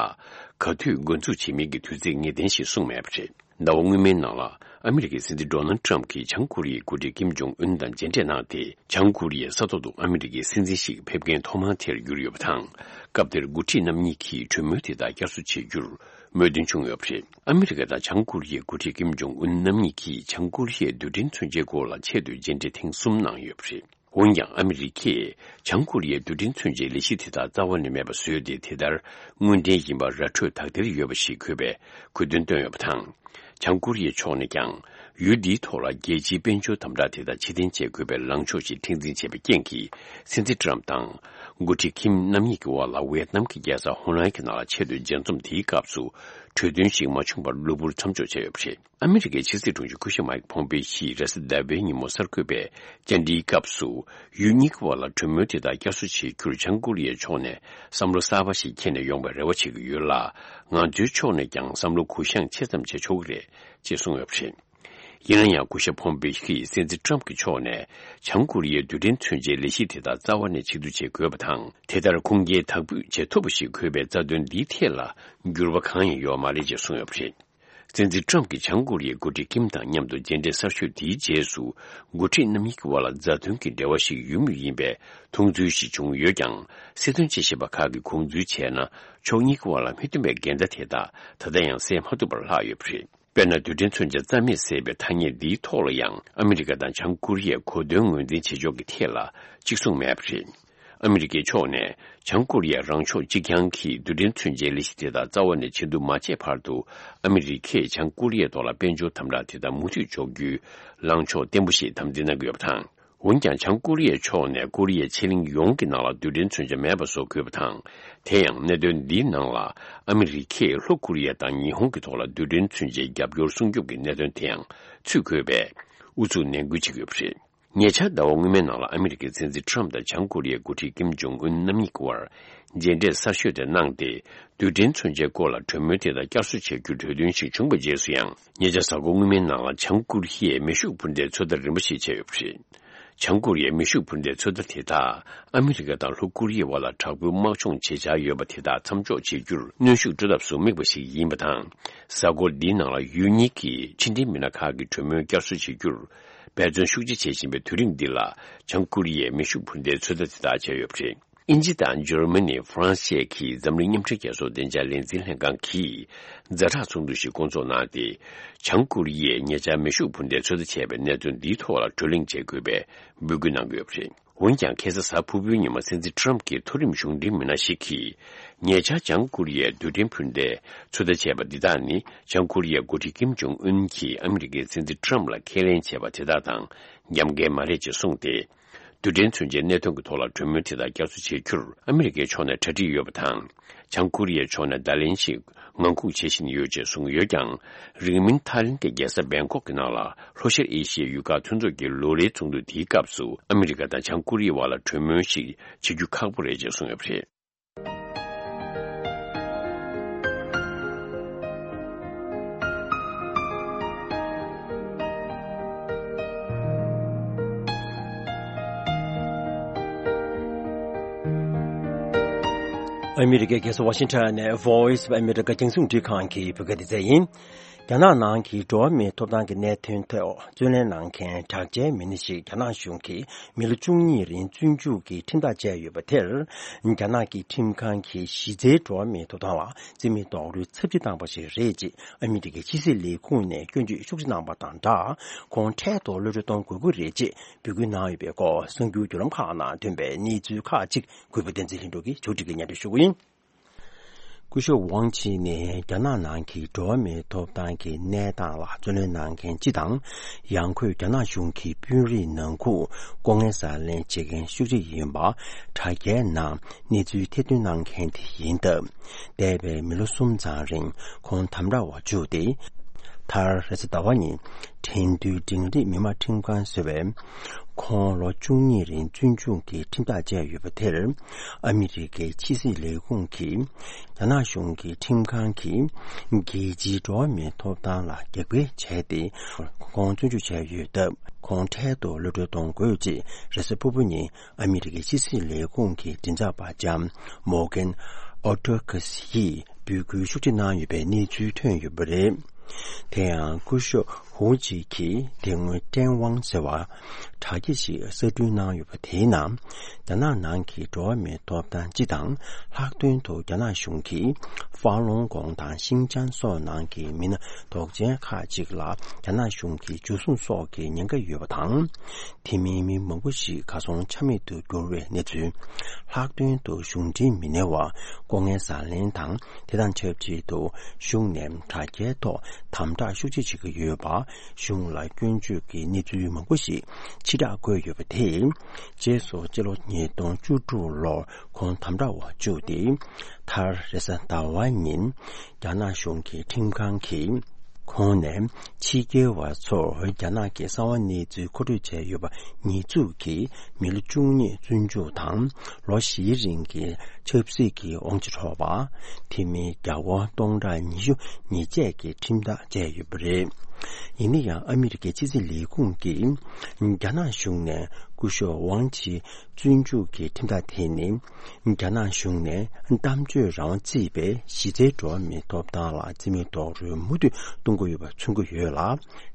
ག་དུས་འགོ་འཛུགས་བྱེད་མིན་གྱི་དུས་ཚིགས་ངེས་གཏན་ཞིག་གསུངས་མེད་པ་རེད། ཟླ་བ་སྔོན་མའི་ནང་ལ། ཨ་མི་རི་ཀའི་སྲིད་འཛིན་Donald Trump གྱིས་བྱང་ཀོ་རི་ཡའི་འགོ་ཁྲིད་ཀིམ་ཇོང་ཨུན་དང་མཇལ་འཕྲད་གནང་སྟེ། བྱང་ཀོ་རི་ཡའི་ས་ཐོག་ཏུ་ཨ་མི་རི་ཀའི་སྲིད་འཛིན་ཞིག་ཕེབས་མཁན་ཐོག་མ་དེར་གྱུར་ཡོད་པ་དང་། སྐབས་དེར་འགོ་ཁྲིད་རྣམ་གཉིས་ཀྱིས་གྲོས་མོལ་དེ་དག་བསྐྱར་གསོ་བྱེད་རྒྱུར་མོས་མཐུན་བྱུང་ཡོད་པ་རེད། ཨ་མི་རི་ཀ་དང་བྱང་ཀོ་རི་ཡའི་འགོ་ཁྲིད་ཀིམ་ཇོང་ཨུན་རྣམ་གཉིས་ཀྱིས་བྱང་ཀོ་རི་ཡའི་རྡུལ་ཕྲན་མཚོན་ཆའི་སྐོར་ལ་ཆེད་དུ་མཇལ་འཕྲད་ཐེངས་གསུམ་གནང་ཡོད་པ་རེད། འོན་ཀྱང་ཨ་མི་རི་ཀས་བྱང་ཀོ་རི་ཡའི་རྡུལ་ཕྲན་མཚོན་ཆའི་ལས་གཞི་དེ་དག་རྩ་བ་ནས་མེད་པ་བཟོས་ཏེ། དེ་ལྟར་དངོས་འབྲེལ་ཡིན་པ་ར་འཕྲོད་དག་ཐེར་ཡོད་པ་ཞིག་དགོས་པའི་དགོས་འདུན་བཏོན་ཡོད་པ་དང་། བྱང་ཀོ་རི་ཡའི་ཕྱོགས་ནས་ཀྱང་ཡུལ་འདིའི་ཐོག་ལ་རྒྱལ་སྤྱིའི་དཔལ་འབྱོར་དམ་དྲག་དེ་དག་ཕྱིར་འཐེན་བྱེད་དགོས་པའི་ལངས་ཕྱོགས་ཤིག་མཁྲེགས་འཛིན་བྱས་པའི་རྐྱེན་གྱིས། སྲིད་འཛིན་ཏྲམ་དང་འགོ་ཁྲིད་ཁིམ་རྣམ་གཉིས་ཀྱི་དབར་ལ་ཝེ་ཏི་ནམ་གྱི་རྒྱལ་ས་ཧོ་ནའི་གི་ནང་ལ་ཆེད་དུ་མཇལ་འཛོམས་དེའི་སྐབས་སུ་གྲོས་མཐུན་ཞིག་མ་བྱུང་བར་གློ་བུར་མཚམས་འཇོག་བྱས་ཡོད་པ་རེད། ཨ་མི་རི་ཀའི་ཕྱི་སྲིད་དྲུང་ཆེ་སྐུ་ཞབས་མའིག་ཕོམ་པེ་ཡིས་རེས་གཟའ་ཟླ་བའི་ཉིན་མོ་གསར་འགོད་པའི་བཅར་འདྲིའི་སྐབས་སུ། ཡུལ་གཉིས་ཀྱི་བར་ལ་གྲོས་མོལ་དེ་དག་བསྐྱར་གསོ་བྱེད་རྒྱུར་བྱང་ཀོ་རི་ཡའི་ཕྱོགས་ནས་བསམ་བློ་གསར་པ་ཞིག་འཁྱེར་ནས་ཡོང་བའི་རེ་བ་བྱེད་ཀྱི་ཡོད་ལ། ང་ཚོའི་ཕྱོགས་ནས་ཀྱང་བསམ་བློ་གུ་ཡངས་ཆེ་ཙམ་བྱེད་ཆོག་གི་རེད་ཅེས་གསུངས་ཡོད་པ་རེད། ཡིན་ན་ཡང་སྐུ་ཞབས་ཕོམ་པེ་ཡིས་སྲིད་འཛིན་ཏྲམ་གྱི་ཕྱོགས་ནས་བྱང་ཀོ་རི་ཡའི་རྡུལ་ཕྲན་མཚོན་ཆའི་ལས་གཞི་དེ་དག་རྩ་བ་ནས་ཕྱིར་བསྡུ་བྱེད་དགོས་པ་དང་། དེ་ལྟར་ཁུངས་སྐྱེལ་དག་སྤོས་བྱེད་ཐུབ་པ་ཞིག་དགོས་པའི་རྩ་དོན་འདིའི་ཐད་ལ་འགྱུར་བ་གང་ཡང་ཡོད་མ་རེད་ཅེས་གསུངས་ཡོད་པ་རེད། སྲིད་འཛིན་ཏྲམ་གྱིས་བྱང་ཀོ་རི་ཡའི་འགོ་ཁྲིད་ཀིམ་དང་མཉམ་དུ་མཇལ་འཕྲད་གསར་ཤོས་དེའི་རྗེས་སུ། འགོ་ཁྲིད་རྣམ་གཉིས་ཀྱི་དབར་ལ་མཛའ་མཐུན་གྱི་འབྲེལ་བ་ཞིག་ཡོད་མུས་ཡིན་པའི་མཐོང་ཚུལ་ཞིག་བྱུང་ཡོད་ཀྱང་། སྲིད་དོན་དཔྱད་ཞིབ་པ་ཁག་གིས་དགོངས་ཚུལ་བྱས་ན། ཕྱོགས་གཉིས་ཀྱི་དབར་ལ་མི་མཐུན་པའི་འགལ་ཟླ་དེ་དག་ད་ལྟ་ཡང་སེལ་མ་ཐུབ་པར་ལྷག་ཡོད་པ་རེད། དཔེར་ན། རྡུལ་ཕྲན་མཚོན་ཆ་རྩ་མེད་བཟོས་པའི་ཐ་སྙད་འདིའི་ཐོག་ལ་ཡང་ཨ་མི་རི་ཀ་དང་བྱང་ཀོ་རི་ཡས་གོ་དོན་ངོས་འཛིན་བྱེད་ཕྱོགས་ཀྱི་ཐད་ལ་གཅིག་མཚུངས་མེད་པ་རེད། ཨ་མི་རི་ཀའི་ཕྱོགས་ནས་བྱང་ཀོ་རི་ཡས་རང་ཕྱོགས་གཅིག་རྐྱང་གི་རྡུལ་ཕྲན་མཚོན་ཆའི་ལས་གཞི་དེ་དག་རྩ་བ་ནས་ཕྱིར་བསྡུ་མ་བྱས་བར་དུ། ཨ་མི་རི་ཀས་བྱང་ཀོ་རི་ཡའི་ཐོག་ལ་དཔལ་འབྱོར་དམ་དྲག་དེ་དག་མུ་མཐུད་འཇོག་རྒྱུའི་ལངས་ཕྱོགས་བརྟན་པོ་ཞིག་དམ་འཛིན་གནང་གི་ཡོད་པ་དང་། འོན་ཀྱང་། བྱང་ཀོ་རི་ཡའི་ཕྱོགས་ནས་ཀོ་རི་ཡའི་ཕྱེད་གླིང་ཡོངས་ཀྱི་ནང་ལ་རྡུལ་ཕྲན་མཚོན་ཆ་མེད་པ་བཟོ་དགོས་པ་དང་། དེ་ཡང་གནད་དོན་འདིའི་ནང་ལ་ཨ་མི་རི་ཀས་ལྷོ་ཀོ་རི་ཡ་དང་ཉི་ཧོང་གི་ཐོག་ལ་རྡུལ་ཕྲན་མཚོན་ཆའི་རྒྱབ་སྐྱོར་སྲུང་སྐྱོབ་ཀྱི་གནད་དོན་དེ་ཡང་ཚུད་དགོས་པའི་ཨུ་ཚུགས་ནན་སྐུལ་བྱེད་ཀྱི་ཡོད་པ་རེད། ཉེ་ཆར་ཟླ་བ་སྔོན་མའི་ནང་ལ་ཨ་མི་རི་ཀའི་སྲིད་འཛིན་ཁྲམ་དང་བྱང་ཀོ་རི་ཡའི་འགོ་ཁྲིད་ཀིམ་ཇོང་ཨུན་རྣམ་གཉིས་ཀྱི་དབར་མཇལ་འཕྲད་གསར་ཤོས་དེ་གནང་སྟེ། རྡུལ་ཕྲན་མཚོན་ཆའི་སྐོར་ལ་གྲོས་མོལ་དེ་དག་བསྐྱར་གསོ་བྱ་རྒྱུའི་གྲོས་མཐུན་ཞིག་བྱུང་བའི་རྗེས་སུ་ཡང་། ཉེ་ཆར་གཟའ་འཁོར་སྔོན་མའི་ནང་ལ་བྱང་ཀོ་རི་ཡས་མེ་ཤུགས་འཕུར་མདའི་ཚོད་ལྟ་རིམ་པ་ཞིག་བྱས་ཡོད་པ་རེད། བྱང་ཀོ་རི་ཡའི་མེ་ཤུགས་འཕུར་མདའི་ཚོད་ལྟ་དེ་དག་ཨ་མི་རི་ཀ་དང་ལྷོ་ཀོ་རི་ཡའི་བར་ལ་དྲག་པོའི་དམག་སྦྱོང་བྱེད་འཆར་ཡོད་པ་དེ་དག་མཚམས་འཇོག་བྱེད་རྒྱུར་གནོན་ཤུགས་སྤྲོད་ཐབས་སུ་དམིགས་པ་ཞིག་ཡིན་པ་དང་། གཟའ་འཁོར་འདིའི་ནང་ལ་ཡུལ་གཉིས་ཀྱི་ཕྱི་འབྲེལ་མི་སྣ་ཁག་གི་གྲོས་མོལ་བསྐྱར་གསོ་བྱེད་རྒྱུར་འབད་བརྩོན་ཤུགས་ཆེ་བྱེད་བཞིན་པའི་དུས་རིང་འདི་ལ། བྱང་ཀོ་རི་ཡས་མེ་ཤུགས་འཕུར་མདའི་ཚོད་ལྟ་དེ་དག་བྱས་ཡོད་པ་རེད། དབྱིན་ཇི་དང་འཇར་མ་ནི། ཧྥ་རན་སི་བཅས་ཀྱིས་འཛམ་གླིང་མཉམ་འབྲེལ་རྒྱལ་ཚོགས་བདེ་འཇགས་ལས་འཛིན་ལྷན་ཁང་གིས་ཛ་དྲག་ཚོགས་འདུ་ཞིག་བསྐོང་ཚོགས་གནང་སྟེ། བྱང་ཀོ་རི་ཡས་ཉེ་ཆར་མེ་ཤུགས་འཕུར་མདའི་ཚོད་ལྟ་བྱས་པའི་གནད་དོན་འདིའི་ཐོག་ལ་གྲོས་གླེང་བྱེད་དགོས་པའི་འབོད་སྐུལ་གནང་གི་ཡོད་པ་རེད། འོན་ཀྱང་། ཁ་སང་གཟའ་ཕུར་བུའི་ཉིན་མ་སྲིད་འཛིན་ཁྲམ་གྱིས་མཐོ་རིམ་གཞུང་འབྲེལ་མི་སྣ་ཞིག་གིས། ཉེ་ཆར་བྱང་ཀོ་རི་ཡས་རྡུལ་ཕྲན་འཕུར་མདའི་ཚོད་ལྟ་བྱས་པ་འདི་དག་ནི། བྱང་ཀོ་རི་ཡའི་འགོ་ཁྲིད་ཀིམ་ཇོང་ཨུན་གྱིས་ཨ་མི་རི་ཀའི་སྲིད་འཛིན་ཁྲམ་ལ་ཁས་ལེན་བྱས་པ་དེ་དག་དང་འགལ་མཁན་མ་རེད་ཅེས་གསུངས་ཏེ། རྡུལ་ཕྲན་མཚོན་ཆའི་གནད་དོན་གྱི་ཐོག་ལ་གྲོས་མོལ་དེ་དག་བསྐྱར་གསོ་བྱེད་རྒྱུར་ཨ་མི་རི་ཀའི་ཕྱོགས་ནས་གྲ་སྒྲིག་ཡོད་པ་དང་། བྱང་ཀོ་རི་ཡའི་ཕྱོགས་ནས་བརྡ་ལན་ཞིག་ངང་སྒུག་བྱེད་བཞིན་ཡོད་ཅེས་གསུངས་ཡོད་ཀྱང་། རིང་མིན་ཐའི་ལེན་གྱི་རྒྱལ་ས་བེང་ཀོག་གི་ནང་ལ་ལྷོ་ཤར་ཨེ་ཤི་ཡའི་ཡུལ་ཁག་མཐུན་ཚོགས་ཀྱི་ལོ་ལེའི་ཚོགས་འདུ་དེའི་སྐབས་སུ། ཨ་མི་རི་ཀ་དང་བྱང་ཀོ་རི་ཡའི་བར་ལ་གྲོས་མོལ་ཞིག་བྱེད་རྒྱུ་ཁག་པོ་རེད་ཅེས་གསུངས་ཡོད་པ་རེད། ཨ་མི་རི་ཀའི་རྒྱལ་ས་ཝ་ཤིང་ཊོན་ནས་Voice of America རྒྱང་སྲིང་རླུང་འཕྲིན་ཁང་གི་བོད་སྐད་སྡེ་ཚན་ཡིན། རྒྱ་ནག་ནང་གི་འགྲོ་བ་མིའི་ཐོབ་ཐང་གི་གནད་དོན་ཐོག་རྩོད་ལེན་གནང་མཁན་དྲག་ཆས་མི་སྣ་ཞིག་རྒྱ་ནག་གཞུང་གིས་མི་ལོ་བཅུ་གཉིས་རིང་བཙོན་འཇུག་གི་ཁྲིམས་ཐག་བཅད་ཡོད་པ་དེར། རྒྱ་ནག་གི་ཁྲིམས་ཁང་གིས་གཞི་རྩའི་འགྲོ་བ་མིའི་ཐོབ་ཐང་ལ་རྩིས་མེད་རྡོག་རོལ་ཚབས་ཆེ་བཏང་པ་ཞིག་རེད་ཅེས་ཨ་མི་རི་ཀའི་ཕྱི་སྲིད་ལས་ཁུངས་ནས་སྐྱོན་བརྗོད་ཤུགས་ཆེ་གནང་པ་དང་སྦྲགས། ཁོང་འཕྲལ་དུ་གློད་གྲོལ་གཏོང་དགོས་ཀྱི་རེད་ཅེས་འབོད་སྐུལ་གནང་ཡོད་པའི་སྐོར་གསར་འགྱུར་བརྒྱུད་ལམ་ཁག་ནང་ཐོན་པའི་གནས་ཚུལ་ཁག་ཅིག་གུས་པ་བསྟན་འཛིན་ལྷུན་གྲུབ་ཀྱིས་ཕྱོགས་སྒྲིག་གིས་སྙན་སྒྲོན་ཞུ་གི་ཡིན། སྐུ་ཞབས་ཝང་ཆི་ནི་རྒྱ་ནག་ནང་གི་འགྲོ་བ་མིའི་ཐོབ་ཐང་གི་གནས་སྟངས་ལ་རྩོད་ལེན་གནང་མཁན་སྤྱི་དང་། ཡང་སྒོས་རྒྱ་ནག་གཞུང་གི་དཔོན་རིགས་ནང་ཁུལ་ལྐོག་རྔན་ཟ་ལེན་བྱེད་མཁན་ཤུགས་ཆེ་ཡིན་པ་དྲ་རྒྱའི་ནང་གནས་ཚུལ་ཐེར་འདོན་གནང་མཁན་དེ་ཡིན་སྟབས། འདས་པའི་མི་ལོ་གསུམ་ཙམ་རིང་ཁོང་དམ་དྲག་འོག་བཅུག་སྟེ། མཐར་རེས་གཟའ་ཟླ་བ་ཉིན་དྲན་རྟེན་འབྲིང་རིམ་མི་དམངས་ཁྲིམས་ཁང་ཟེར་བས། ཁོང་ལོ་བཅུ་གཉིས་རིང་བཙོན་འཇུག་གི་ཁྲིམས་ཐག་བཅད་ཡོད་པ་དེར། ཨ་མི་རི་ཀའི་ཕྱི་སྲིད་ལས་ཁུངས་ཀྱིས་རྒྱ་ནག་གཞུང་གི་ཁྲིམས་ཁང་གིས་རྒྱལ་སྤྱིའི་འགྲོ་བ་མིའི་ཐོབ་ཐང་ལ་རྒྱབ་འགལ་བྱས་ཏེ། ཁོང་བཙོན་འཇུག་བྱས་ཡོད་སྟབས། ཁོང་འཕྲལ་དུ་གློད་གྲོལ་གཏོང་དགོས་ཅེས་རེས་གཟའ་ཕུར་བུ་ཉིན་ཨ་མི་རི་ཀའི་ཕྱི་སྲིད་ལས་ཁུངས་ཀྱི་མགྲིན་ཚབ་པ་ལྕམ་མོར་གན་ཨོ་ཏོ་ཁེ་སི་ཡིས་འབོད་སྐུལ་ཤུགས་ཆེ་གནང་ཡོད་པའི་གནས་ཚུལ་ཐོན་ཡོད་པ་རེད། དེ་ཡང་སྐུ་ཞབས་ འགོ་ཁྲིད་ཀྱིས་དེ་སྔོན་ཀྲེན་ཝང་ཟེར་བ་དྲ་རྒྱ་ཞིག་གསར་སྐྲུན་གནང་ཡོད་པ། དེའི་ནང་རྒྱ་ནག་ནང་གི་འགྲོ་བ་མིའི་ཐོབ་ཐང་སྤྱི་དང་། ལྷག་དོན་དུ་རྒྱ་ནག་གཞུང་གིས་ཧྥ་ལུང་གོང་དང་ཤིན་ཅང་སོགས་ནང་གི་མི་སྣ་དོགས་ཅན་ཁག་ཅིག་ལ་རྒྱ་ནག་གཞུང་གིས་འཇུ་བཟུང་སོགས་ཀྱི་ཉེན་ཁ་ཡོད་པ་དང་། དེ་མིན་མི་མང་པོ་ཞིག་གར་སོང་ཆ་མེད་དུ་གྱུར་བའི་གནས་ཚུལ། ལྷག་དོན་དུ་གཞུང་འབྲེལ་མི་སྣས་ལྐོག་རྔན་ཟ་ལེན་དང་། དེ་དང་ཆབས་ཅིག་ཏུ་གཞུང་ནས་དྲ་རྒྱའི་ཐོག་དམ་དྲག་ཤུགས་ཆེ་བྱེད་ཀྱི་ཡོད་པ། གཞུང་ལ་སྐྱོན་བརྗོད་ཀྱི་གནས་ཚུལ་མང་པོ་ཞིག་ཕྱིར་བསྒྲགས་བཀོད་ཡོད་པ་དེས། རྗེས་སུ་སྤྱི་ལོ་ཉིས་སྟོང་བཅུ་དྲུག་ལོར་ཁོང་དམ་དྲག་འོག་བཅུག་སྟེ། མཐར་རེས་གཟའ་ཟླ་བ་ཉིན་རྒྱ་ནག་གཞུང་གི་ཁྲིམས་ཁང་གིས་ཁོང་ནས་ཕྱི་རྒྱལ་བ་ཚོར་རྒྱ་ནག་གི་གསང་བ་གནས་ཚུལ་མཁོ་སྤྲོད་བྱས་ཡོད་པ་ཉེས་འཛུགས་ཀྱིས་མི་ལོ་བཅུ་གཉིས་བཙོན་འཇུག་དང་། ལོ་བཞིའི་རིང་གི་ཆབ་སྲིད་ཀྱི་དབང་ཆ་འཕྲོག་པ། དེ་མིན་རྒྱ་སྒོར་སྟོང་ཕྲག་ཉི་ཤུ་ཉེས་ཆད་ཀྱི་ཁྲིམས་ཐག་བཅད་ཡོད་པ་རེད། ཡིན་ན་ཡང་ཨ་མི་རི་ཀའི་ཕྱི་སྲིད་ལས་ཁུངས་ཀྱིས་རྒྱ་ནག་གཞུང་ནས་སྐུ་ཞབས་ཝང་ཆི་བཙོན་འཇུག་གི་ཁྲིམས་ཐག་དེ་ནི། རྒྱ་ནག་གཞུང་ནས་གཏམ་བརྗོད་རང་དབང་བརྩིས་པའི་གཞི་རྩའི་འགྲོ་བ་མིའི་ཐོབ་ཐང་ལ་རྩིས་མེད་རྡོག་རོལ་མུ་མཐུད་གཏོང་གི་ཡོད་པ་མཚོན་གྱི་ཡོད་ལ།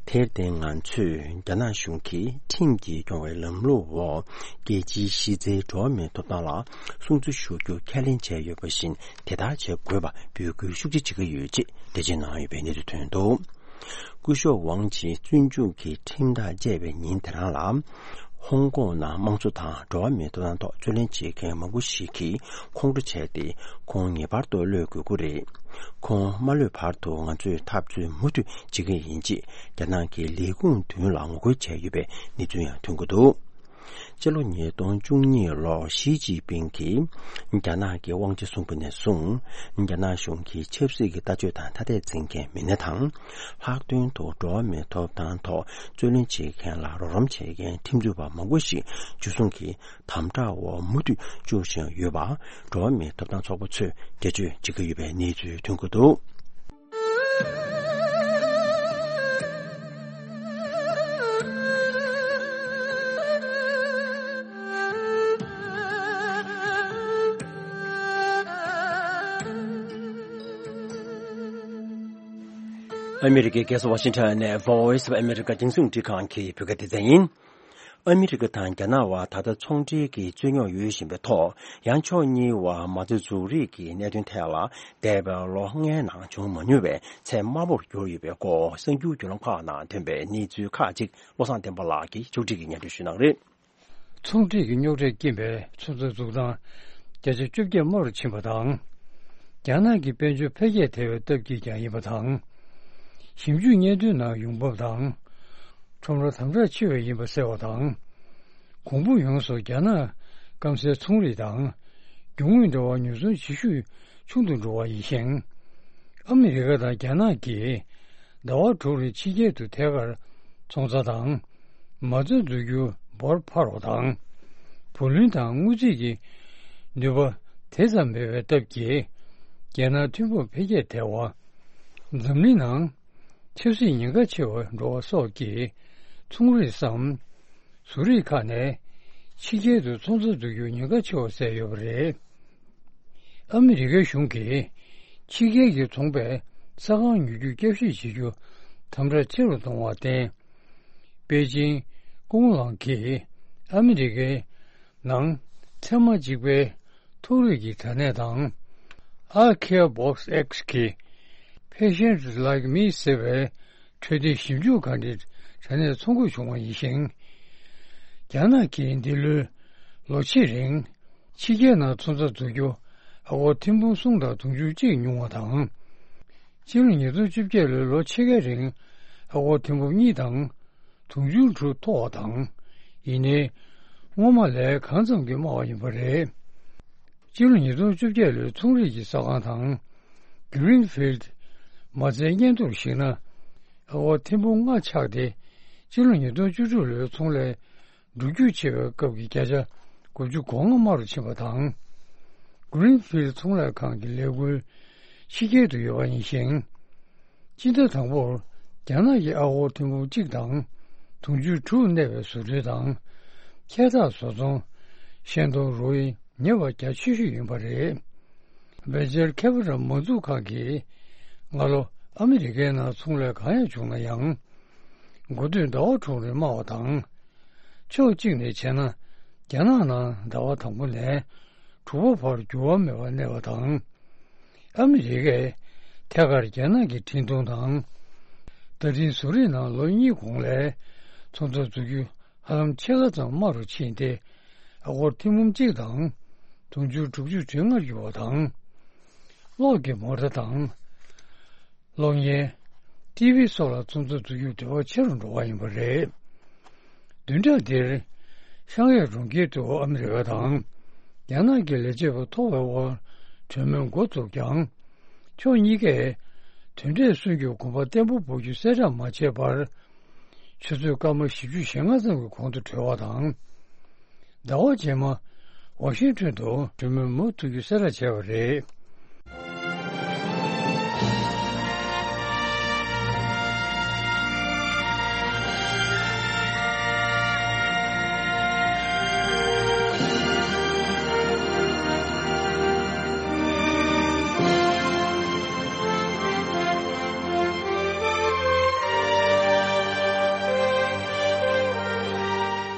དེར་བརྟེན་ང་ཚོས་རྒྱ་ནག་གཞུང་གིས་ཁྲིམས་ཀྱིས་སྐྱོང་བའི་ལམ་ལུགས་འོག་རྒྱལ་སྤྱིའི་གཞི་རྩའི་འགྲོ་བ་མིའི་ཐོབ་ཐང་ལ་སྲུང་བརྩི་ཞུ་རྒྱུ་ཁས་ལེན་བྱས་ཡོད་པ་བཞིན། དེ་ལྟར་བྱེད་དགོས་པ་འབོད་སྐུལ་ཤུགས་ཆེ་བྱེད་ཀྱི་ཡོད་ཅེས་འགྲེལ་བརྗོད་གནང་ཡོད་པའི་གནས་ཚུལ་ཐོན་འདུག་སྐུ་ཞབས་ཝང་ཆི་བཙོན་འཇུག་གི་ཁྲིམས་ཐག་བཅད་པའི་ཉིན་དེ་རང་ལ། ཧོང་ཀོང་ནང་དམངས་གཙོ་དང་འགྲོ་བ་མིའི་ཐོབ་ཐང་ཐོག་རྩོད་ལེན་བྱེད་མཁན་མང་པོ་ཞིག་གིས་ཁོང་ཁྲོ་བྱས་ཏེ། ཁོང་ངེས་པར་དུ་གློད་དགོས་ཀྱི་རེད། ཁོང་མ་གློད་བར་དུ་ང་ཚོས་འཐབ་རྩོད་མུ་མཐུད་བྱེད་ཀྱི་ཡིན་ཅེས་རྒྱ་ནག་གི་ལས་ཁུངས་མདུན་ལ་ངོ་རྒོལ་བྱས་ཡོད་པའི་གནས་ཚུལ་ཡང་ཐོན་གྱི་འདུག་སྤྱི་ལོ་ཉིས་སྟོང་བཅུ་གཉིས་ལོར་ཞི་ཅིན་ཕིང་གིས་རྒྱ་ནག་གི་དབང་ཆ་བཟུང་བ་ནས་བཟུང་། རྒྱ་ནག་གཞུང་གིས་ཆབ་སྲིད་ཀྱི་ལྟ་སྤྱོད་དང་ཐ་དད་འཛིན་མཁན་མི་སྣ་དང་། ལྷག་དོན་དུ་འགྲོ་བ་མིའི་ཐོབ་ཐང་ཐོག་རྩོད་ལེན་བྱེད་མཁན་ལ་རོགས་རམ་བྱེད་མཁན་ཁྲིམས་རྩོད་པ་མང་པོ་ཞིག་འཇུ་བཟུང་གིས་དམ་དྲག་འོག་མུ་མཐུད་བཅུག་བཞིན་ཡོད་པ། འགྲོ་བ་མིའི་ཐོབ་ཐང་ཚོགས་པ་ཚོས་འགྲེལ་བརྗོད་བྱེད་ཀྱི་ཡོད་པའི་གནས་ཚུལ་ཐོན་གྱི་འདུག་ཨ་མི་རི་ཀའི་རྒྱལ་ས་ཝ་ཤིང་ཊོན་ནས་Voice of America་རྒྱང་སྲིང་རླུང་འཕྲིན་ཁང་གི་བོད་སྐད་སྡེ་ཚན་ཡིན། ཨ་མི་རི་ཀ་དང་རྒྱ་ནག་དབར་ད་ལྟ་ཚོང་འབྲེལ་གྱི་རྩོད་རྙོག་ཡོད་བཞིན་པའི་ཐོག་ཡང་ཕྱོགས་གཉིས་དབར་མ་རྩ་འཛུགས་རེས་ཀྱི་གནད་དོན་ཐད་ལ་འདས་པའི་ལོ་ལྔའི་ནང་བྱུང་མ་མྱོང་བའི་ཚད་དམའ་པོར་གྱུར་ཡོད་པའི་སྐོར་གསར་འགྱུར་བརྒྱུད་ལམ་ཁག་ནང་ཐོན་པའི་གནས་ཚུལ་ཁག་ཅིག་བློ་བཟང་བསྟན་པ་ལགས་ཀྱིས་ཕྱོགས་སྒྲིག་གིས་སྙན་སྒྲོན་ཞུ་གནང་རེད། ཚོང་འབྲེལ་གྱི་རྙོག་དྲའི་རྐྱེན་པས་ཚོང་རྩ་འཛུགས་སྟངས་བརྒྱ་ཆ་བཅོ་བརྒྱད་དམའ་རུ་ཕྱིན་པ་དང་། རྒྱ་ནག་གི་དཔལ་འབྱོར་འཕེལ་རྒྱས་དལ་བའི་སྟབས་ཀྱིས་ཀྱང་ཡིན་པ་དང་། ཞིབ་འཇུག་སྙན་ཐོའི་ནང་ཡོང་འབབ་དང་། ཁྲོམ་ར་དམ་དྲག་ཆེ་བས་ཡིན་པ་གསལ་བ་དང་། གོང་འབུ་ཡོངས་སུ་རྒྱ་ནག་སྐམ་སའི་ཚོང་རིགས་དང་། རྒྱུ་དངོས་འབྲེལ་བ་ཉོ་ཚོང་བྱེད་ཤུགས་ཆུང་དུ་འགྲོ་བ་ཡིན་ཞིང་། ཨ་མི་རི་ཀ་དང་རྒྱ་ནག་གིས་ཟླ་བ་དྲུག་རིང་ཕྱི་རྒྱལ་དུ་ཐད་ཀར་ཚོང་རྩ་དང་། མ་རྩ་འཛུགས་རྒྱུ་འབོར་འཕར་བ་དང་། བུ་ལོན་དང་དངུལ་རྩིས་ཀྱི་ནུས་པ་དེ་ཙམ་མེད་པའི་སྟབས་ཀྱིས། རྒྱལ་ནང་ཐོན་ཁུངས་འཕེལ་རྒྱས་དལ་བ། འཛམ་གླིང་ནང་ཆབ་སྲིད་ཉེན་ཁ་ཆེ་བར་འགྲོ་བ་སོགས་ཀྱིས་ཚོང་རིགས་སམ། བཟོ་རིགས་ཁག་ནས་ཕྱི་རྒྱལ་དུ་ཚོང་རྩ་འཛུགས་རྒྱུར་ཉེན་ཁ་ཆེ་བ་བསལ་ཡོད་པ་རེད། ཨ་མི་རི་ཀའི་གཞུང་གིས་ཕྱི་རྒྱལ་གྱི་ཚོང་པས་ས་ཁང་ཉོ་རྒྱུ་བསྐྱར་ཞིབ་བྱེད་རྒྱུ་དམ་དྲག་ཆེ་རུ་གཏོང་བར་བརྟེན། པེ་ཅིང་ཀུང་ལང་གིས་ཨ་མི་རི་ཀའི་ནང་ཚད་མ་གཅིག་པའི་ཐོག་རིགས་ཀྱི་དྲ་གནས་དང་། I Care Box X གི་Patients Like Me ཟེར་བའི་འཕྲོད་བསྟེན་ཞིབ་འཇུག་ག་འདྲའི་དྲ་གནས་ཚོང་འགུག་བྱུང་བ་ཡིན་ཞིང་། རྒྱ་ནག་གིས་འདི་ལོའི་ལོ་ཕྱེད་རིང་ཕྱི་རྒྱལ་ནང་ཚོང་རྩ་འཛུགས་རྒྱུ་ཨ་སྒོར་ཐེར་འབུམ་གསུམ་དང་དུང་ཕྱུར་གཅིག་ཉུང་བ་དང་། སྤྱི་ལོ་ཉིས་སྟོང་བཅོ་བརྒྱད་ལོའི་ལོ་ཕྱེད་ཀའི་རིང་ཨ་སྒོར་ཐེར་འབུམ་གཉིས་དང་། དུང་ཕྱུར་དྲུག་མཐོ་བ་དང་། ཡིན་ནའི། སྔོན་མ་ལས་གང་ཙམ་གྱིས་དམའ་བ་ཡིན་པ་རེད། སྤྱི་ལོ་ཉིས་སྟོང་བཅོ་བརྒྱད་ལོའི་ཚོང་རིགས་ཀྱི་ས་ཁང་དང་། Greenfield མ་རྩའི་སྙན་ཐོར་གཞིགས་ན། ཨ་སྒོར་ཐེར་འབུམ་ལྔ་ཆག་སྟེ། སྤྱི་ལོ་ཉིས་སྟོང་བཅུ་དྲུག་ལོའི་ཚོང་ལས་འགྲོ་རྒྱུག་ཆེ་བའི་སྐབས་ཀྱི་བརྒྱ་ཆ་དགུ་བཅུ་གོ་ལྔ་དམའ་རུ་ཕྱིན་པ་དང་། Greenfield ཚོང་ལས་ཁང་གི་ལས་འགུལ་ཕྱི་རྒྱལ་དུ་ཡོད་པ་ཡིན་ཞིང་། སྤྱི་ཟླ་དང་པོར་རྒྱ་ནག་གི་ཨ་སྒོར་ཐེར་འབུམ་གཅིག་དང་དུང་ཕྱུར་དྲུག་གནས་པའི་བཟོ་སྐྲུན་དང་། འཁྱལ་འཐག་བཟོ་ཚོང་། ཤེལ་དོང་རོ་ཡི་ཉེ་བ་རྒྱ་ཆེ་ཤོས་ཡིན་པ་རེད། Venture Capital མ་འཛུགས་ཁང་གིས་སྔ་ལོ་ཨ་མི་རི་ཀའི་ནང་ཚོང་ལས་གང་ཡང་བྱུང་ན་ཡང་། འགོ་སྟོད་ཟླ་བ་དྲུག་རེ་དམའ་བ་དང་། ཕྱོགས་གཅིག་ནས་བྱས་ན། རྒྱ་ནག་ནང་ཟླ་བ་དང་པོ་ནས་དྲུག་པ་བར་འགྱུར་བ་མེད་པར་གནས་པ་དང་། ཨ་མི་རི་ཀས་ཐད་ཀར་རྒྱ་ནག་གི་འཕྲིན་གཏོང་དང་། བརྡ་འཕྲིན་བཟོ་རིག་ནང་ལོ་གཉིས་གོང་ལས་ཚོང་རྩ་འཛུགས་རྒྱུ་ཧ་ལམ་ཕྱེད་ཀ་ཙམ་དམའ་རུ་ཕྱིན་ཏེ། ཨ་སྒོར་ཐེར་འབུམ་གཅིག་དང་དུང་ཕྱུར་དྲུག་ཅུ་དོན་ལྔར་གྱུར་བ་དང་། གློག་གི་མོ་ཊ་དང་། གློག་བརྙན། ཊི་ཝི་སོགས་ལ་ཚོང་རྩ་འཛུགས་རྒྱུ་འབྲེལ་བ་ཆེ་རུ་འགྲོ་བ་ཡིན་པ་རེད། བདུན་ཕྲག་འདིར། ཤང་ཡའི་གྲོང་ཁྱེར་དུ་ཨ་མི་རི་ཀ་དང་། རྒྱ་ནག་གི་ལས་བྱེད་པ་མཐོ་བའི་དབར་གྲོས་མོལ་འགོ་བཙུགས་ཀྱང་། ཕྱོགས་གཉིས་ཀས་དོན་འབྲས་སོན་རྒྱུར་གོམ་པ་བརྟན་པོ་སྤོ་རྒྱུ་གསལ་བསྒྲགས་མ་བྱས་པར། ཆུ་ཚོད་སྐར་མ་བཞི་བཅུ་ཞེ་ལྔ་ཙམ་གྱི་གོང་དུ་གྲོལ་བ་དང་། ཟླ་བ་རྗེས་མ། ཝ་ཤིང་ཊོན་དུ་གྲོས་མོལ་མུ་མཐུད་རྒྱུ་གསལ་བསྒྲགས་བྱས་པ་རེད།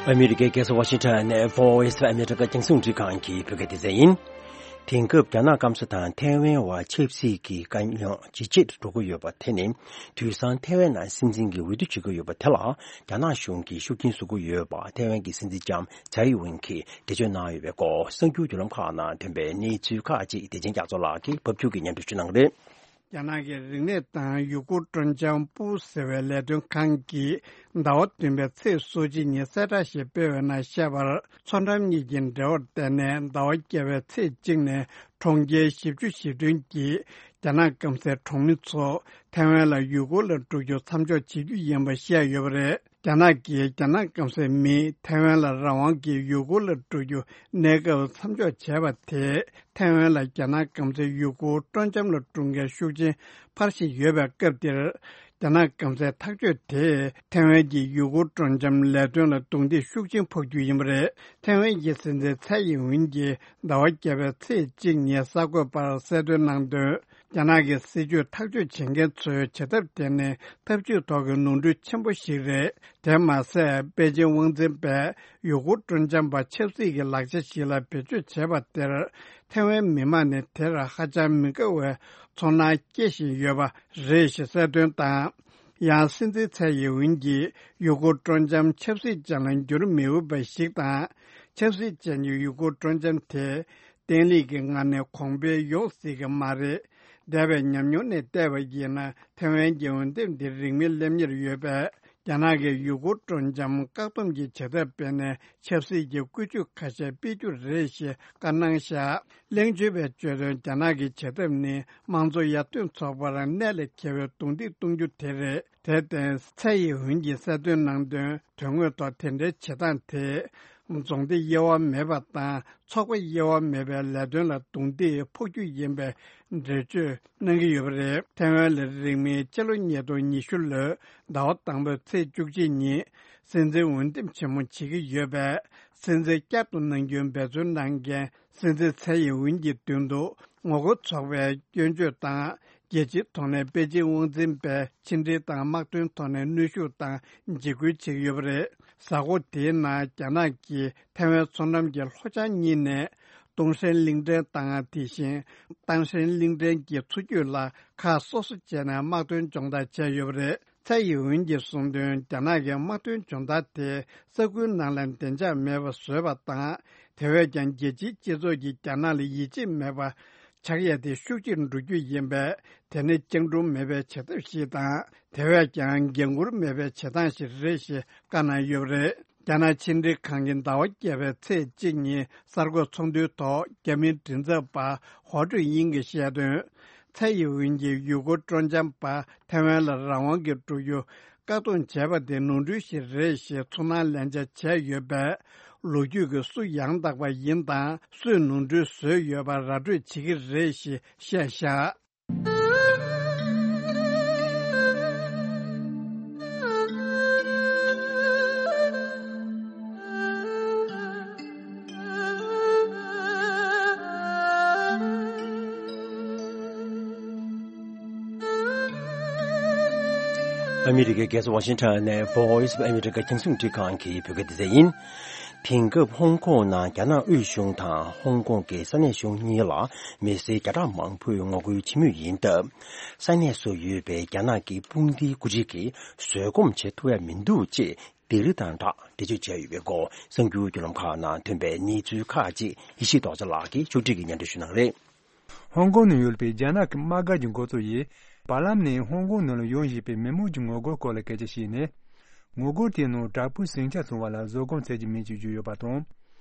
ཨ་མི་རི་ཀའི་རྒྱལ་ས་ཝ་ཤིང་ཊོན་ནས་Voice of America རྒྱང་སྲིང་རིག་ཁང་གི་བོད་སྐད་སྡེ་ཚན་ཡིན། དེང་སྐབས་རྒྱ་ནག་སྐམ་ས་དང་ཐའེ་ཝན་བར་ཆབ་སྲིད་ཀྱི་དཀའ་རྙོག་ཇེ་ཆེར་འགྲོ་གི་ཡོད་པ་དེ་ནི། དུས་སང་ཐའེ་ཝན་ནང་སྲིད་འཛིན་གྱི་འོས་བསྡུ་བྱེད་ཀྱི་ཡོད་པ་དེ་ལ། རྒྱ་ནག་གཞུང་གིས་ཤུགས་རྐྱེན་བཟོ་གི་ཡོད་པ་ཐའེ་ཝན་གྱི་སྲིད་འཛིན་ལྕམ་ཚའེ་ཨིན་ཝེན་གྱིས་འགྲེལ་བརྗོད་གནང་ཡོད་པའི་སྐོར། གསར་འགྱུར་བརྒྱུད་ལམ་ཁག་ནང་ཐོན་པའི་གནས་ཚུལ་ཁག་ཅིག་བདེ་ཆེན་རྒྱ་མཚོ་ལགས་ཀྱིས་ཕབ་སྒྱུར་གྱིས་སྙན་སྒྲོན་ཞུ་གནང་གི་རེད། རྒྱ་ནག་གི་རིག་གནས་དང་ཡུལ་སྐོར་སྤྲོ་འཆམ་པུའུ་ཟེར་བའི་ལས་དོན་ཁང་གིས་ཟླ་བ་བདུན་པའི་ཚེས་སོ་གཅིག་ཉིན་གསལ་བསྒྲགས་ཤིག་སྤེལ་བའི་ནང་བཤད་པར། མཚོ་འགྲམ་གཉིས་ཀྱི་འབྲེལ་བར་བརྟེན་ནས་ཟླ་བ་བརྒྱད་པའི་ཚེས་གཅིག་ནས་གྲོང་ཁྱེར་བཞི་བཅུ་ཞེ་བདུན་གྱི་རྒྱ་ནག་སྐམ་སའི་གྲོང་མི་ཚོ་ཐའེ་ཝན་ལ་ཡུལ་སྐོར་ལ་འགྲོ་རྒྱུ་མཚམས་འཇོག་བྱེད་རྒྱུ་ཡིན་པ་བཤད་ཡོད་པ་རེད། རྒྱ་ནག་གིས་རྒྱ་ནག་སྐམ་སའི་མིས་ཐའེ་ཝན་ལ་རང་དབང་གི་ཡུལ་སྐོར་ལ་འགྲོ་རྒྱུ་གནས་སྐབས་མཚམས་འཇོག་བྱས་པ་དེས། ཐའེ་ཝན་ལ་རྒྱ་ནག་སྐམ་སའི་ཡུལ་སྐོར་སྤྲོ་འཆམ་ལ་འགྲོ་མཁན་ཤུགས་ཆེན་འཕར་བཞིན་ཡོད་པའི་སྐབས་འདིར། རྒྱ་ནག་སྐམ་སའི་ཐག་གཅོད་དེས་ཐའེ་ཝན་གྱི་ཡུལ་སྐོར་སྤྲོ་འཆམ་ལས་དོན་ལ་རྡུང་རྡེག་ཤུགས་ཆེན་ཕོག་རྒྱུ་ཡིན་པ་རེད། ཐའེ་ཝན་གྱི་སྲིད་འཛིན་ཚའེ་ཡིན་ཝིན་གྱིས་ཟླ་བ་བརྒྱད་པའི་ཚེས་གཅིག་ཉིན་གསར་འགོད་པར་གསལ་སྟོན་གནང་དོན། རྒྱ་ནག་གི་སྲིད་ཇུས་ཐག་གཅོད་བྱེད་མཁན་ཚོས་བྱེད་ཐབས་དེ་ནི་ཐབས་ཇུས་ཐོག་གི་ནོར་འཁྲུལ་ཆེན་པོ་ཞིག་རེད། དེ་མ་ཟད། པེ་ཅིན་དབང་འཛིན་པས་ཡུལ་སྐོར་སྤྲོ་འཆམ་པ་ཆབ་སྲིད་ཀྱི་ལག་ཆ་ཞིག་ལ་བེད་སྤྱོད་བྱས་པ་དེར། ཐའེ་ཝན་མི་མང་ནི་དེར་ཧ་ཅང་མི་དགའ་བའི་ཚོར་སྣང་སྐྱེ་བཞིན་ཡོད་པ་རེད་ཞེས་གསལ་སྟོན་དང་། ཡང་སྲིད་འཛིན་ཚའེ་ཡིན་ཝིན་གྱིས་ཡུལ་སྐོར་སྤྲོ་འཆམ་ཆབ་སྲིད་ཅན་ལ་འགྱུར་མི་འོས་པ་ཞིག་དང་། ཆབ་སྲིད་ཅན་གྱི་ཡུལ་སྐོར་སྤྲོ་འཆམ་དེ། བརྟན་ལྷིང་གི་ངང་ནས་གོང་འཕེལ་ཡོང་སྲིད་ཀྱི་མ་རེད། འདས་པའི་ཉམས་མྱོང་ནས་བལྟས་པ་ཡིན་ན། ཐའེ་ཝན་གྱི་འོས་འདེམས་འདི་རིང་མིན་སླེབས་ཉེར་ཡོད་པས། རྒྱ་ནག་གིས་ཡུལ་སྐོར་སྤྲོ་འཆམ་བཀག་སྡོམ་གྱི་བྱེད་ཐབས་སྤེལ་ནས་ཆབ་སྲིད་ཀྱི་བཀོལ་སྤྱོད་ཁ་ཤས་སྤེལ་རྒྱུ་རེད་ཞེས་བཀའ་གནང་བཞག་གླེང་བརྗོད་པས་བརྗོད་དོན། རྒྱ་ནག་གི་བྱེད་ཐབས་ནི་དམངས་གཙོ་ཡར་ཐོན་ཚོགས་པར་གནད་ལས་འཁེལ་བའི་རྡུང་རྡེག་གཏོང་རྒྱུ་དེ་རེད། དེར་བརྟེན། ཚའེ་ཡིན་ཝིན་གྱིས་གསལ་སྟོན་གནང་དོན། དོན་དངོས་ཐོག་དེ་འདྲའི་བྱེད་སྟངས་དེས། རྫོང་སྡེ་དབྱེ་བ་མེད་པ་དང་། ཚོགས་པ་དབྱེ་བ་མེད་པའི་ལས་དོན་ལ་རྡུང་རྡེག་ཕོག་རྒྱུ་ཡིན་པའི་འགྲེལ་བརྗོད་གནང་གི་ཡོད་པ་རེད། ཐའེ་ཝན་ལ་རིང་མིན་ཕྱི་ལོ་ཉིས་སྟོང་ཉི་ཤུ་ལོའི་ཟླ་བ་དང་པོའི་ཚེས་བཅུ་གཅིག་ཉིན། སྲིད་འཛིན་འོས་འདེམས་ཆེན་མོ་བྱེད་ཀྱི་ཡོད་པས། སྲིད་འཛིན་བསྐྱར་དུ་གནང་རྒྱུའི་འབད་བརྩོན་གནང་མཁན། སྲིད་འཛིན་ཚའེ་ཡིན་ཝིན་གྱི་མདུན་དུ་ངོ་རྒོལ་ཚོགས་པའི་སྐྱོན་བརྗོད་དང་། རྒྱལ་སྤྱིའི་ཐོག་ནས་པེ་ཅིན་དབང་འཛིན་པས་ཕྱི་འབྲེལ་དང་དམག་དོན་ཐོག་ནས་གནོན་ཤུགས་དང་འཇིགས་སྐུལ་བྱེད་ཀྱི་ཡོད་པ་རེད། གཟའ་འཁོར་དེའི་ནང་རྒྱ་ནག་གིས་ཐའེ་ཝན་མཚོ་འགྲམ་གྱི་ལྷོ་བྱང་གཉིས་ནས་ཏུང་ཧྲན་གླིང་ཕྲན་དང་། དེ་བཞིན་ཏང་ཧྲན་གླིང་ཕྲན་གྱི་མཚོ་རྒྱུད་ལ་ཁག་སོ་སོ་བྱས་ནས་དམག་དོན་སྦྱོང་བརྡར་བྱས་ཡོད་པ་རེད། ཚའེ་ཡིན་ཝིན་གྱིས་གསུངས་དོན། རྒྱ་ནག་གི་དམག་དོན་སྦྱོང་བརྡར་དེ་ས་ཁུལ་ནང་ལ་བདེ་འཇགས་མེད་པ་བཟོས་པ་དང་། དེ་བས་ཀྱང་རྒྱལ་སྤྱིའི་སྤྱི་ཚོགས་ཀྱིས་རྒྱ་ནག་ལ་ཡིད་ཆེས་མེད་པ་ཆགས་ཡས་དེ་ཤུགས་ཆེར་འགྲོ་རྒྱུ་ཡིན་པས། དེ་ནི་བཅིངས་འགྲོལ་མེད་པའི་བྱེད་ཐབས་ཤིག་དང་། དེ་བས་ཀྱང་འགན་འཁུར་མེད་པའི་བྱེད་སྟངས་ཤིག་རེད་ཞེས་བཀའ་གནང་ཡོད་པ་རེད། རྒྱ་ནག་ཕྱི་འབྲེལ་ཁང་གིས་ཟླ་བ་བརྒྱད་པའི་ཚེས་གཅིག་ཉིན་གསར་འགོད་ཚོགས་འདུའི་ཐོག་རྒྱ་མིའི་མགྲིན་ཚབ་པ་ཧོ་ཀྲུའུ་དབྱིང་གིས་བཤད་དོན། ཚའེ་ཡིན་ཝིན་གྱིས་ཡུལ་སྐོར་སྤྲོ་འཆམ་པ་ཐའེ་ཝན་ལ་རང་དབང་གི་འགྲོ་རྒྱུ་བཀག་སྡོམ་བྱས་པ་དེ་ནོར་འཁྲུལ་ཞིག་རེད་ཞེས་ཚོར་སྣང་ལེན་བྱ་བྱས་ཡོད་པས། ལོ་རྒྱུས་ཀྱིས་སུ་ཡང་དག་པ་ཡིན་དང་། སུས་ནོར་འཁྲུལ་བཟོས་ཡོད་པ་ར་སྤྲོད་བྱེད་ཀྱི་རེད་ཞེས་བཤད་བཞག་ཨ་མི་རི་ཀའི་རྒྱལ་ས་ཝ་ཤིང་ཊོན་ནས་Voice of America རྒྱང་སྲིང་འཕྲིན་ཁང་གི་བོད་སྐད་སྡེ་ཚན་ཡིན། དེང་སྐབས་ཧོང་ཀོང་ནང་རྒྱ་ནག་དབུས་གཞུང་དང་ཧོང་ཀོང་གི་ས་གནས་གཞུང་གཉིས་ལ་མི་སེར་བརྒྱ་ཕྲག་མང་པོས་ངོ་རྒོལ་བྱེད་མུས་ཡིན་སྟབས། ས་གནས་སུ་ཡོད་པའི་རྒྱ་ནག་གི་དཔུང་སྡེའི་འགོ་ཁྲིད་ཀྱིས་བཟོད་སྒོམ་བྱེད་ཐུབ་ཡ་མི་འདུག་ཅེས་སྡིགས་ར་དང་སྦྲགས་འགྲེལ་བརྗོད་བྱས་ཡོད་པའི་སྐོར་གསར་འགྱུར་བརྒྱུད་ལམ་ཁག་ནང་ཐོན་པའི་གནས་ཚུལ་ཁག་ཅིག་ཡེ་ཤེས་རྡོ་རྗེ་ལགས་ཀྱིས་ཕྱོགས་སྒྲིག་གིས་སྙན་སྒྲོན་ཞུ་གནང་གི་རེད། ཧོང་ཀོང་ནང་ཡོད་པའི་རྒྱ་ནག་གི་དམག་སྒར་གྱི་འགོ་གཙོ་ཡིས། བར་ལམ་ནས་ཧོང་ཀོང་ནང་ལ་ཡོང་བཞིན་པའི་མི་མང་གི་ངོ་རྒོལ་སྐོར་ལ་སྐད་ཆ་བཤད་ནས། ངོ་རྒོལ་དེའི་ནང་དྲག་པོའི་ཟིང་ཆ་བཟུང་བ་ལ་བཟོད་སྒོམ་བྱེད་ཀྱི་མེད་ཅེས་བརྗོད་ཡོད་པ་དང་།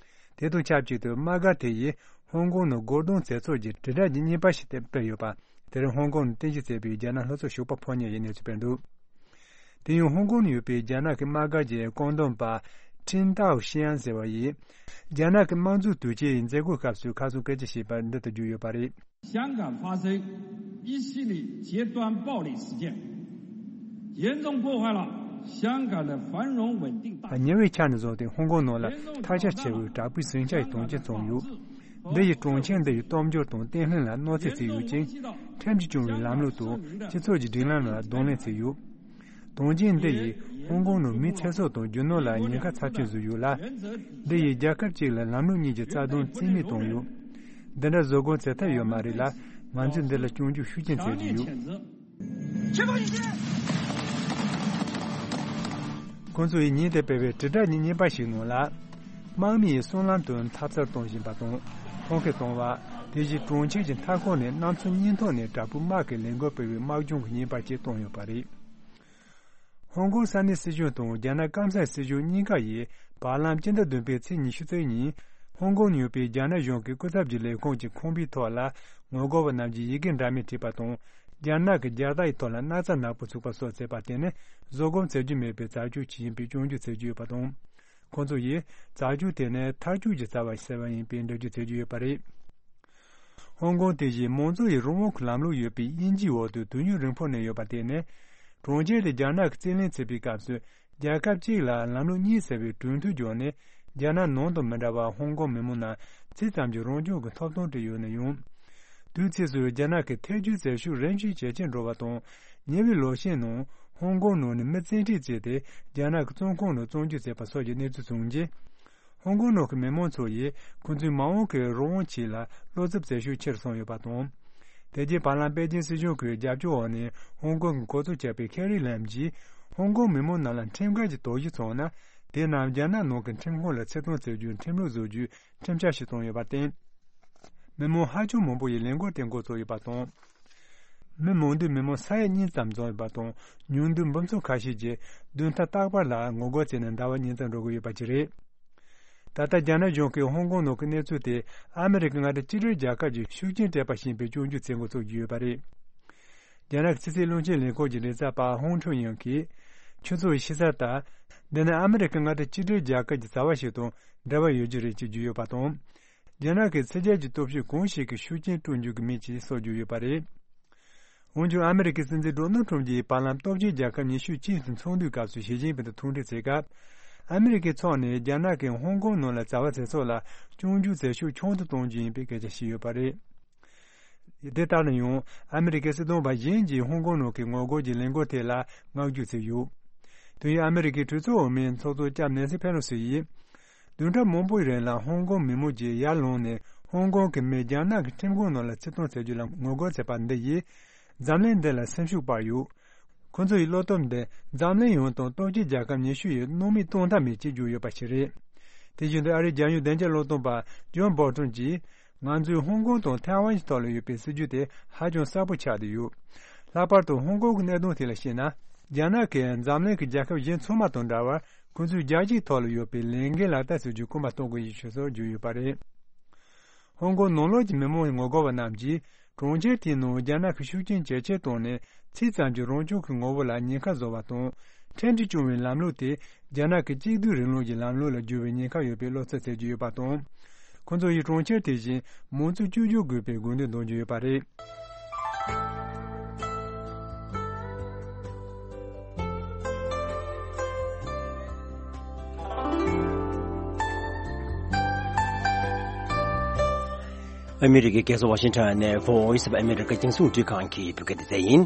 དེ་དང་ཆབས་ཅིག་ཏུ་དམག་སྒར་དེ་ཡིས་ཧོང་ཀོང་ནང་རྒོལ་རྡུང་མཛད་ཚུལ་གྱི་དྲིལ་བསྒྲགས་ཀྱི་བརྙན་པར་ཞིག་སྤེལ་ཡོད་པ། དེར་ཧོང་ཀོང་ནས་རྟེན་གཞི་བྱས་པའི་རྒྱ་ནག་ལྷོ་ཕྱོགས་ཞོགས་པ་ཕོ་ཉ་ཡི་གནས་ཚུལ་སྤེལ་འདུག་དེ་ཡང་ཧོང་ཀོང་ནང་ཡོད་པའི་རྒྱ་ནག་གི་དམག་སྒར་གྱི་བཀོད་འདོམས་པ་ཁྲིན་ཏའོ་ཤིའན་ཟེར་བ་ཡིས། རྒྱ་ནག་གི་དམངས་གཙོའི་དུས་ཆེན་མཛད་སྒོའི་སྐབས་སུ་ཁ་སང་སྐད་ཆ་བཤད་པར་འདི་ལྟར་བརྗོད་ཡོད་པ་རེད། 香港发生一系列极端暴力事件，严重破坏了香港的繁荣稳定大局。 ཉེ་བའི་ཆར་ནས་བཟུང་སྟེ་ཧོང་ཀོང་ནང་ལ་ཐལ་ཆ་ཆེ་བའི་དྲག་པོའི་ཟིང་ཆ་ཡི་དོན་རྐྱེན་བྱུང་ཡོད། འདི་ཡིས་གྲོང་ཁྱེར་འདི་ཡི་སྟོབས་འབྱོར་དང་བརྟན་ལྷིང་ལ་གནོད་འཚེ་བྱས་ཡོད་ཅིང་། ཁྲིམས་ཀྱིས་སྐྱོང་བའི་ལམ་ལུགས་དང་སྤྱི་ཚོགས་ཀྱི་སྒྲིག་ལམ་ལ་གདོང་ལེན་བྱས་ཡོད། དོན་རྐྱེན་འདི་ཡིས་ཧོང་ཀོང་ནང་མིའི་ཚེ་སྲོག་དང་རྒྱུ་ནོར་ལ་ཉེན་ཁ་ཚབས་ཆེན་བཟོས་ཡོད་ལ། འདི་ཡིས་རྒྱལ་ཁབ་ཅིག་ལ་ལམ་ལུགས་གཉིས་ཀྱི་རྩ་དོན་རྩིས་མེད་བཏང་ཡོད། འདི་འདྲ་བཟོ་དགོས་ཚད་ཐབས་ཡོད་མ་རེད་ལ། ང་ཚོས་འདི་ལ་སྐྱོན་བརྗོད་ཤུགས་ཆེན་བྱེད་ཀྱི་ཡོད། ཁོང་ཚོ་ཡིས་ཉིན་དེར་སྤེལ་བའི་དྲིལ་བསྒྲགས་ཀྱི་བརྙན་པར་ཞིག་ནང་ལ། དམག་མི་ཡིས་སྲང་ལམ་དུ་འཐབ་རྩོད་གཏོང་བཞིན་པ་དང་། ཁོང་ཁེ་གཏོང་བ། དེ་བཞིན་གྲོང་ཁྱེར་གྱི་མཐའ་འཁོར་ནས་གནམ་མཚོ་སྙིང་ཐོག་ནས་དྲག་པོའི་དམག་གིས་ལས་འགུལ་སྤེལ་བའི་དམག་སྦྱོང་གི་བརྙན་པར་ཅིག་བཏོན་ཡོད་པ་རེད། ཧོང་ཀོང་ས་གནས་སྲིད་གཞུང་དང་རྒྱ་ནག་སྐམ་སའི་སྲིད་གཞུང་གཉིས་ཀ་ཡིས་བར་ལམ་སྤྱི་ཟླ་བདུན་པའི་ཚེས་ཉི་ཤུ་རྩ་གཉིས། ཧོང་ཀོང་ནང་ཡོད་པའི་རྒྱ་ནག་གཞུང་གི་སྐུ་ཚབ་ཀྱི་ལས་ཁུངས་ཀྱི་ཁང་པའི་ཐོག་ལ་ངོ་རྒོལ་བ་རྣམས་ཀྱིས་ཡི་གེ་འདྲ་མིན་བྲིས་པ་དང་། རྒྱ་ནག་གི་རྒྱལ་དར་ཡི་ཐོག་ལ་སྣག་ཚ་ནག་པོ་བཙུགས་པ་སོགས་བྱས་པ་དེ་ནི་བཟོད་སྒོམ་བྱེད་རྒྱུ་མེད་པའི་རྩ་ཆོས་ཅིག་ཡིན་པའི་སྐྱོན་བརྗོད་བྱེད་ཀྱི་ཡོད་པ་དང་། ཁོང་ཚོ་ཡིས་རྩ་ཆོས་དེ་ནི་མཐར་སྐྱོད་ཀྱི་རྩ་བ་ཟེར་བ་ཡིན་པའི་འགྲེལ་བརྗོད་བྱེད་ཀྱི་ཡོད་པ་རེད། ཧོང་ཀོང་དེ་བཞིན་མང་གཙོ་ཡི་རང་དབང་གི་ལམ་ལུགས་ཡོད་པའི་དབྱིན་ཇིའི་འོག་ཏུ་དུས་ཡུན་རིང་པོ་ནས་ཡོད་པ་དེ་ནི། གྲོང་ཁྱེར་དེ་རྒྱ་ནག་གིས་རྩིས་ལེན་བྱེད་པའི་སྐབས་སུ། རྒྱལ་ཁབ་གཅིག་ལ་ལམ་ལུགས་གཉིས་ཟེར་བའི་གྲོས་མཐུན་བརྒྱུད་ནས། རྒྱ་ནག་ནང་དང་མི་འདྲ་བར་ཧོང་ཀོང་མི་མང་རྣམས་ཚིག་ཙམ་གྱི་རང་སྐྱོང་གི་ཐོབ་ཐང་སྤྲད་ཡོད་ན་ཡང་། དུས་ཚོད་སུ་རྒྱ་ནག་གི་ཐལ་འགྱུར་བྱེད་ཤུགས་རིམ་བཞིན་ཇེ་ཆེར་འགྲོ་བ་དང་། ཉེ་བའི་ལོ་ཤས་ནང་ཧོང་ཀོང་ནང་ནས་མི་བཙན་ཁྲིད་བྱས་ཏེ་རྒྱ་ནག་གི་བཙོན་ཁང་ནང་བཙོན་འཇུག་བྱས་པ་སོགས་ཀྱི་གནས་ཚུལ་བྱུང་རྗེས། ཧོང་ཀོང་ནང་གི་མི་མང་ཚོ་ཡིས་ཁོང་ཚོའི་མ་འོངས་ཀྱི་རང་དབང་ཆེད་ལ་བློ་འཚབ་བྱེད་ཤུགས་ཆེ་རུ་སོང་ཡོད་པ་དང་། དེ་རྗེས་བར་ལམ་པེ་ཅིན་སྲིད་གཞུང་གི་རྒྱབ་སྐྱོར་འོག་ནས་ཧོང་ཀོང་གི་གོ་གཙོ་བྱས་པའི་ཁེ་རི་ལམ་གྱིས་ཧོང་ཀོང་མི་མང་རྣམས་ལ་ཁྲིམས་འགལ་གྱི་དོགས་གཞི་བྱུང་ན། དེ་རྣམས་རྒྱ་ནག་ནང་གི་ཁྲིམས་ཁང་ལ་ཆེད་གཏོང་བྱེད་རྒྱུའི་ཁྲིམས་ལུགས་བཟོ་རྒྱུའི་ཁྲིམས་འཆར་ཞིག་བཏོན་ཡོད་པར་བརྟེན། མི་མང་ཧ་ཅང་མང་པོ་ཡིས་ལས་འགུལ་དེ་འགོ་བཙུགས་ཡོད་པ་དང་། མི་མང་འདུས་མི་མང་ས་ཡ་གཉིས་ཙམ་འཛོམས་ཡོད་པ་དང་། ཉུང་འདུས་འབུམ་ཚོགས་ཁ་ཤས་ཀྱིས་བདུན་ཕྲག་རྟག་པར་ལ་ངོ་རྒོལ་བྱས་ནས་ཟླ་བ་གཉིས་ཙམ་འགྲོ་གི་ཡོད་པ་ཅིག་རེད། ད་ལྟ་རྒྱ་ནག་གཞུང་གིས་ཧོང་ཀོང་ནང་གི་གནས་ཚུལ་དེ་ཨ་མི་རི་ཀའི་མངའ་སྡེ་གཅིག་སྒྲིལ་རྒྱལ་ཁབ་ཀྱི་ཤུགས་རྐྱེན་སྤྲད་པ་ཞིག་ཡིན་པའི་སྐྱོན་བརྗོད་བྱེད་འགོ་ཚུགས་ཀྱི་ཡོད་པ་རེད། རྒྱ་ནག་གི་ཕྱི་སྲིད་བློན་ཆེན་ལས་ཁུངས་ཀྱི་མགྲིན་ཚབ་པ་ཧོང་ཁྲུན་ཡང་གིས། ཁྱོད་ཚོ་ཡིས་ཤེས་གསལ་ལྟར། འདི་ནི་ཨ་མི་རི་ཀའི་མངའ་སྡེ་གཅིག་སྒྲིལ་རྒྱལ་ཁབ་ཀྱི་བྱ་བ་ཞིག་དང་འབྲེལ་བ་ཡོད་རྒྱུ་རེད་ཅེས་བརྗོད་ཡོད་པ་དང་། རྒྱ་ནག་གིས་ཕྱི་རྒྱལ་གྱི་སྟོབས་ཤུགས་གང་ཞིག་གིས་ཤུགས་རྐྱེན་སྤྲོད་འཇུག་གི་མེད་ཅེས་སོགས་བརྗོད་ཡོད་པ་རེད། འོན་ཀྱང་ཨ་མི་རི་ཀའི་སྲིད་འཛིན་ཌོ་ནལ་ཁྲོམ་གྱིས་བར་ལམ་སྟོབས་ཆེན་རྒྱལ་ཁབ་ཉི་ཤུ་གཅིག་དང་ཚོགས་འདུའི་སྐབས་སུ་ཞི་ཅིན་ཕིང་དང་ཐུག་འཕྲད་བྱེད་སྐབས། ཨ་མི་རི་ཀའི་ཕྱོགས་ནས་རྒྱ་ནག་གིས་ཧོང་ཀོང་ནང་ལ་བྱ་བ་བྱེད་ཕྱོགས་ལ་སྐྱོན་བརྗོད་བྱེད་ཤུགས་ཆུང་དུ་གཏོང་རྒྱུ་ཡིན་པའི་སྐད་ཆ་བཤད་ཡོད་པ་རེད། དེ་ལྟར་ན་ཡང་ཨ་མི་རི་ཀའི་སྲིད་དོན་པ་གཞན་གྱིས་ཧོང་ཀོང་ནང་གི་ངོ་རྒོལ་གྱི་ལས་འགུལ་དེ་ལ་བསྔགས་བརྗོད་བྱས་ཡོད། དུས་ཡུན་ཨ་མི་རི་ཀའི་གྲོས་ཚོགས་འོག་མའི་ཚོགས་གཙོ་ལྕམ་ནེན་སི་ཕེ་ལོ་སི་ཡིས། བདུན་ཕྲག་མང་པོའི་རིང་ལ་ཧོང་ཀོང་མི་མང་གིས་ཡར་ལངས་ནས་ཧོང་ཀོང་གི་མི་རྒྱ་ནག་གི་ཁྲིམས་ཁང་ནང་ལ་ཚུར་གཏོང་བྱ་རྒྱུ་ལ་ངོ་རྒོལ་བྱས་པ་འདི་ཡིས། འཛམ་གླིང་འདི་ལ་སེམས་ཤུགས་སྤར་ཡོད། ཁོ་ཚོ་ཡི་བློ་སྟོབས་འདི་འཛམ་གླིང་ཡོངས་དང་སྟོབས་ཆེན་རྒྱལ་ཁབ་ཉི་ཤུ་ཡིས་སྣང་མེད་གཏོང་ཐབས་མེད་ཅེས་བརྗོད་ཡོད་པ་ཞིག་རེད། དེ་བཞིན་དུ་ཨ་རིའི་རྒྱལ་ཡོངས་བདེ་འཇགས་བློན་སྟོན་པ་ཇོན་བོལ་ཊོན་གྱིས། ང་ཚོས་ཧོང་ཀོང་དང་ཐའེ་ཝན་གྱི་ཐོག་ལ་ཡོད་པའི་སྲིད་ཇུས་དེ་ཧ་ཅང་གསལ་པོ་ཆགས་བསྡད་ཡོད། ལྷག་པར་དུ་ཧོང་ཀོང་གི་གནད་དོན་ཐད་ལ་བཤད་ན། རྒྱ་ནག་གིས་འཛམ་གླིང་གི་རྒྱལ་ཁབ་གཞན་ཚང་མ་དང་འདྲ་བར་ཁོ་ཚོའི་རྒྱལ་སྤྱིའི་ཐོག་ལ་ཡོད་པའི་ལས་འགན་ལག་བསྟར་བྱ་རྒྱུ་སྐུལ་མ་གཏོང་དགོས་ཡོད་ཞེས་སོགས་བརྗོད་ཡོད་པ་རེད། ཧོང་ཀོང་ནང་ལོགས་ཀྱི་མི་མང་ངོ་རྒོལ་བ་རྣམས་ཀྱིས། གྲོང་ཁྱེར་དེའི་ནང་རྒྱ་ནག་གི་ཤུགས་རྐྱེན་ཇེ་ཆེར་བཏང་ནས་ཚིག་ཙམ་གྱི་རང་སྐྱོང་གི་ངོ་བོ་ལ་ཉེན་ཁ་བཟོ་བ་དང་། ཁྲིམས་ཀྱིས་སྐྱོང་བའི་ལམ་ལུགས་དེ་རྒྱ་ནག་གི་གཅིག་སྡུད་རིང་ལུགས་ཀྱི་ལམ་ལུགས་ལ་འགྱུར་བའི་ཉེན་ཁ་ཡོད་པའི་བློ་འཚབ་བྱེད་ཀྱི་ཡོད་པ་དང་། ཁོ་ཚོ་ཡིས་གྲོང་ཁྱེར་དེ་བཞིན་མང་གཙོ་བཅོས་བསྒྱུར་དགོས་པའི་དགོས་འདུན་འདོན་གྱི་ཡོད་པ་རེད། ཨ་མི་རི་ཀའི་རྒྱལ་ས་ཝ་ཤིང་ཊོན་ནས་Voice of America རྒྱང་སྲིང་འཕྲིན་ཁང་གི་བོད་སྐད་སྡེ་ཚན་ཡིན།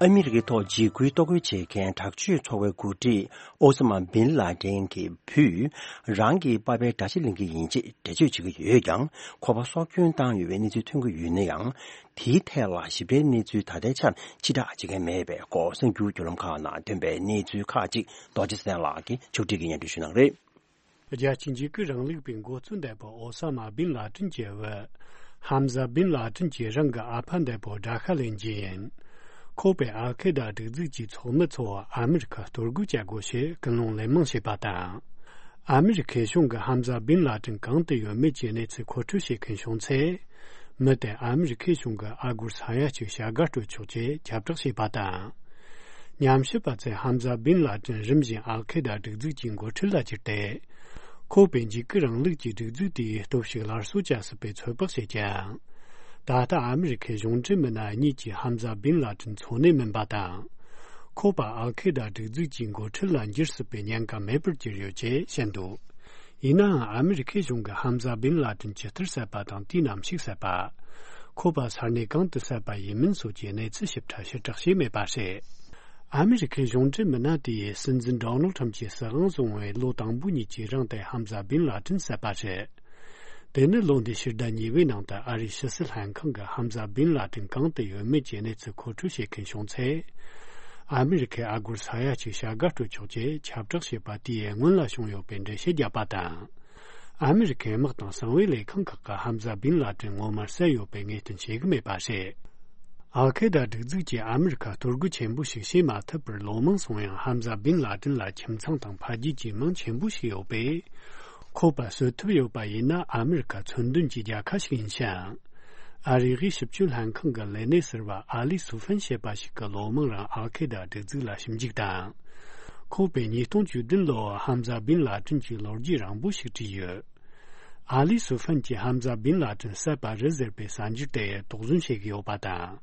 ཨ་མི་རི་ཀའི་ཐོག་འཇིགས་སྐུལ་གཏོར་རྒོལ་བྱེད་མཁན་དྲག་སྤྱོད་ཚོགས་པའི་འགོ་ཁྲིད་ཨོ་ས་མ་བིན་ལ་ཏན་གྱི་བུས་རང་གི་པ་ཕའི་དགྲ་ཤ་ལེན་གྱི་ཡིན་ཅེས་འགྲེལ་བརྗོད་བྱེད་ཀྱི་ཡོད་ཀྱང་། ཁོ་པ་སྲོག་སྐྱོན་བཏང་ཡོད་པའི་གནས་ཚུལ་ཐོན་གྱི་ཡོད་ན་ཡང་། དེའི་ཐད་ལ་ཞིབ་ཕྲའི་གནས་ཚུལ་ད་ལྟའི་ཆར་ཕྱིར་བསྒྲགས་བྱེད་མཁན་མེད་པའི་སྐོར་གསར་འགྱུར་བརྒྱུད་ལམ་ཁག་ནང་ཐོན་པའི་གནས་ཚུལ་ཁག་ཅིག་རྡོ་རྗེ་བཙན་ལགས་ཀྱིས་ཕྱོགས་སྒྲིག་གིས་སྙན་སྒྲོན་ཞུ་གནང་རེད། རྒྱལ་སྤྱིའི་འཇིགས་སྐུལ་རིང་ལུགས་པའི་འགོ་གཙོ་འདས་པོ་ཨོ་ས་མ་བིན་ལ་ཏིན་གྱི་བུ། ཧམ་ཟ་བིན་ལ་ཏིན་གྱིས་རང་གི་ཨ་ཕ་འདས་པོ་དགྲ་ཤ་ལེན་རྒྱུ་ཡིན། ཁོ་པས་ཨལ་ཁེ་ད་སྒྲིག་འཛུགས་ཀྱི་ཚོགས་མི་ཚོ་ཨ་མི་རི་ཁར་གཏོར་རྒོལ་བྱ་དགོས་ཞེས་ཀུན་སློང་ལེན་མང་བྱས་པ་དང་། ཨ་མི་རི་ཁའི་གཞུང་གིས་ཧམ་ཟ་བིན་ལ་ཏིན་གང་དུ་ཡོད་མེད་ཀྱི་གནས་ཚུལ་མཁོ་སྤྲོད་བྱེད་མཁན་བྱུང་ཚེ། མི་དེ་ཨ་མི་རི་ཁའི་གཞུང་གི་ཨ་སྒོར་ས་ཡ་གཅིག་བྱ་དགའ་སྤྲོད་ཆོག་ཅེས་ཁྱབ་བསྒྲགས་བྱས་པ་དང་། ཉམས་ཞིབ་པ་ཚོས་ཧམ་ཟ་བིན་ལ་ཏིན་རིམ་བཞིན་ཨལ་ཁེ་ད་སྒྲིག་འཛུགས་ཀྱི་འགོ་ཁྲིད་ལ་གྱུར་ཏེ། ཁོ་པས་འཇིགས་སྐུལ་རིང་ལུགས་ཀྱི་སྒྲིག་འཛུགས་དེའི་སྟོབས་ཤུགས་སླར་གསོ་བྱ་སྲིད་པའི་ཚོད་དཔག་བྱེད་ཀྱང་། ད་ལྟ་ཨ་མི་རི་ཁའི་གཞུང་འབྲེལ་མི་སྣ་གཉིས་ཀྱིས་ཧམ་ཟ་བིན་ལ་ཏིན་འཚོ་གནས་མིན་པ་དང་། ཁོ་པ་ཨལ་ཁེ་ད་སྒྲིག་འཛུགས་ཀྱི་འགོ་ཁྲིད་ལ་འགྱུར་སྲིད་པའི་ཉེན་ཁ་མེད་པར་གྱུར་ཡོད་ཅེས་བཤད་འདུག་ཡིན་ནའང་ཨ་མི་རི་ཁའི་གཞུང་གིས་ཧམ་ཟ་བིན་ལ་ཏིན་ཇི་ལྟར་བསད་པ་དང་དུས་ནམ་ཞིག་བསད་པ། ཁོ་པ་ས་གནས་གང་དུ་བསད་པ་ཡིན་མིན་སོགས་ཀྱི་གནས་ཚུལ་ཞིབ་ཕྲ་ཕྱིར་བསྒྲགས་བྱས་མེད་པ་རེད། ཨ་མི་རི་ཁའི་གཞུང་འབྲེལ་མི་སྣ་དེས་སྲིད་འཛིན་ཌོ་ནལ་ཁྲམ་གྱིས་སྲིད་དབང་བཟུང་བའི་ལོ་དང་པོ་ཉིད་ཀྱི་རིང་དུ་ཧམ་ཟ་བིན་ལ་ཏིན་བསད་པ་རེད། དེ་ནི་ལོ་འདིའི་ཕྱི་ཟླ་གཉིས་པའི་ནང་དུ་ཨ་རིའི་ཕྱི་སྲིད་ལྷན་ཁང་གིས་ཧམ་ཟ་བིན་ལ་ཏིན་གང་དུ་ཡོད་མེད་ཀྱི་གནས་ཚུལ་མཁོ་སྤྲོད་བྱེད་མཁན་བྱུང་ཚེ། ཨ་མི་རི་ཁའི་ཨ་སྒོར་ས་ཡ་གཅིག་བྱ་དགའ་སྤྲོད་ཆོག་ཅེས་ཁྱབ་བསྒྲགས་བྱས་པ་དེའི་སྔོན་ལ་བྱུང་ཡོད་པའི་འགྲེལ་བཤད་བརྒྱབ་པ་དང་། ཨ་མི་རི་ཁའི་དམག་དང་གསང་བའི་ལས་ཁང་ཁག་གིས་ཧམ་ཟ་བིན་ལ་ཏིན་ངོ་མར་བསད་ཡོད་པའི་ངེས་གཏན་བྱེད་ཀྱི་མེད་པ་རེད། ཨལ་ཁེ་ད་སྒྲིག་འཛུགས་ཀྱིས་ཨ་མི་རི་ཁར་གཏོར་རྒོལ་ཆེན་པོ་ཞིག་བྱེད་མ་ཐུབ་པར་ལོ་མང་སོང་ཡང་ཧམ་ཟ་བིན་ལ་ཏིན་ལ་ཁྱིམ་ཚང་དང་ཕ་རྒྱུད་ཀྱི་མིང་ཆེན་པོ་ཞིག་ཡོད་པས། ཁོ་པ་གསོད་ཐུབ་ཡོད་པ་ཡིན་ན་ཨ་མི་རི་ཁ་མཚོན་དོན་གྱི་རྒྱལ་ཁ་ཞིག་ཡིན་ཞིང་། ཨ་རིའི་དབུས་ཞིབ་དཔྱོད་ལྷན་ཁང་གི་ལས་སྣེ་ཟུར་པ་ཨ་ལི་སུ་ཧྥན་ཞེས་པ་ཞིག་གིས་ལོ་མང་རིང་ཨལ་ཁེ་ད་སྒྲིག་འཛུགས་ལ་ཞིབ་འཇུག་དང་། ཁོ་པས་ཉིས་སྟོང་བཅུ་བདུན་ལོར་ཧམ་ཟ་བིན་ལ་ཏིན་གྱི་ལོ་རྒྱུས་རིང་པོ་ཞིག་བྲིས་ཡོད། ཨ་ལི་སུ་ཧྥན་གྱིས་ཧམ་ཟ་བིན་ལ་ཏིན་བསད་པ་རེད་ཟེར་བའི་གསར་འགྱུར་དེ་དོགས་ཟོན་བྱེད་ཀྱི་ཡོད་པ་དང་།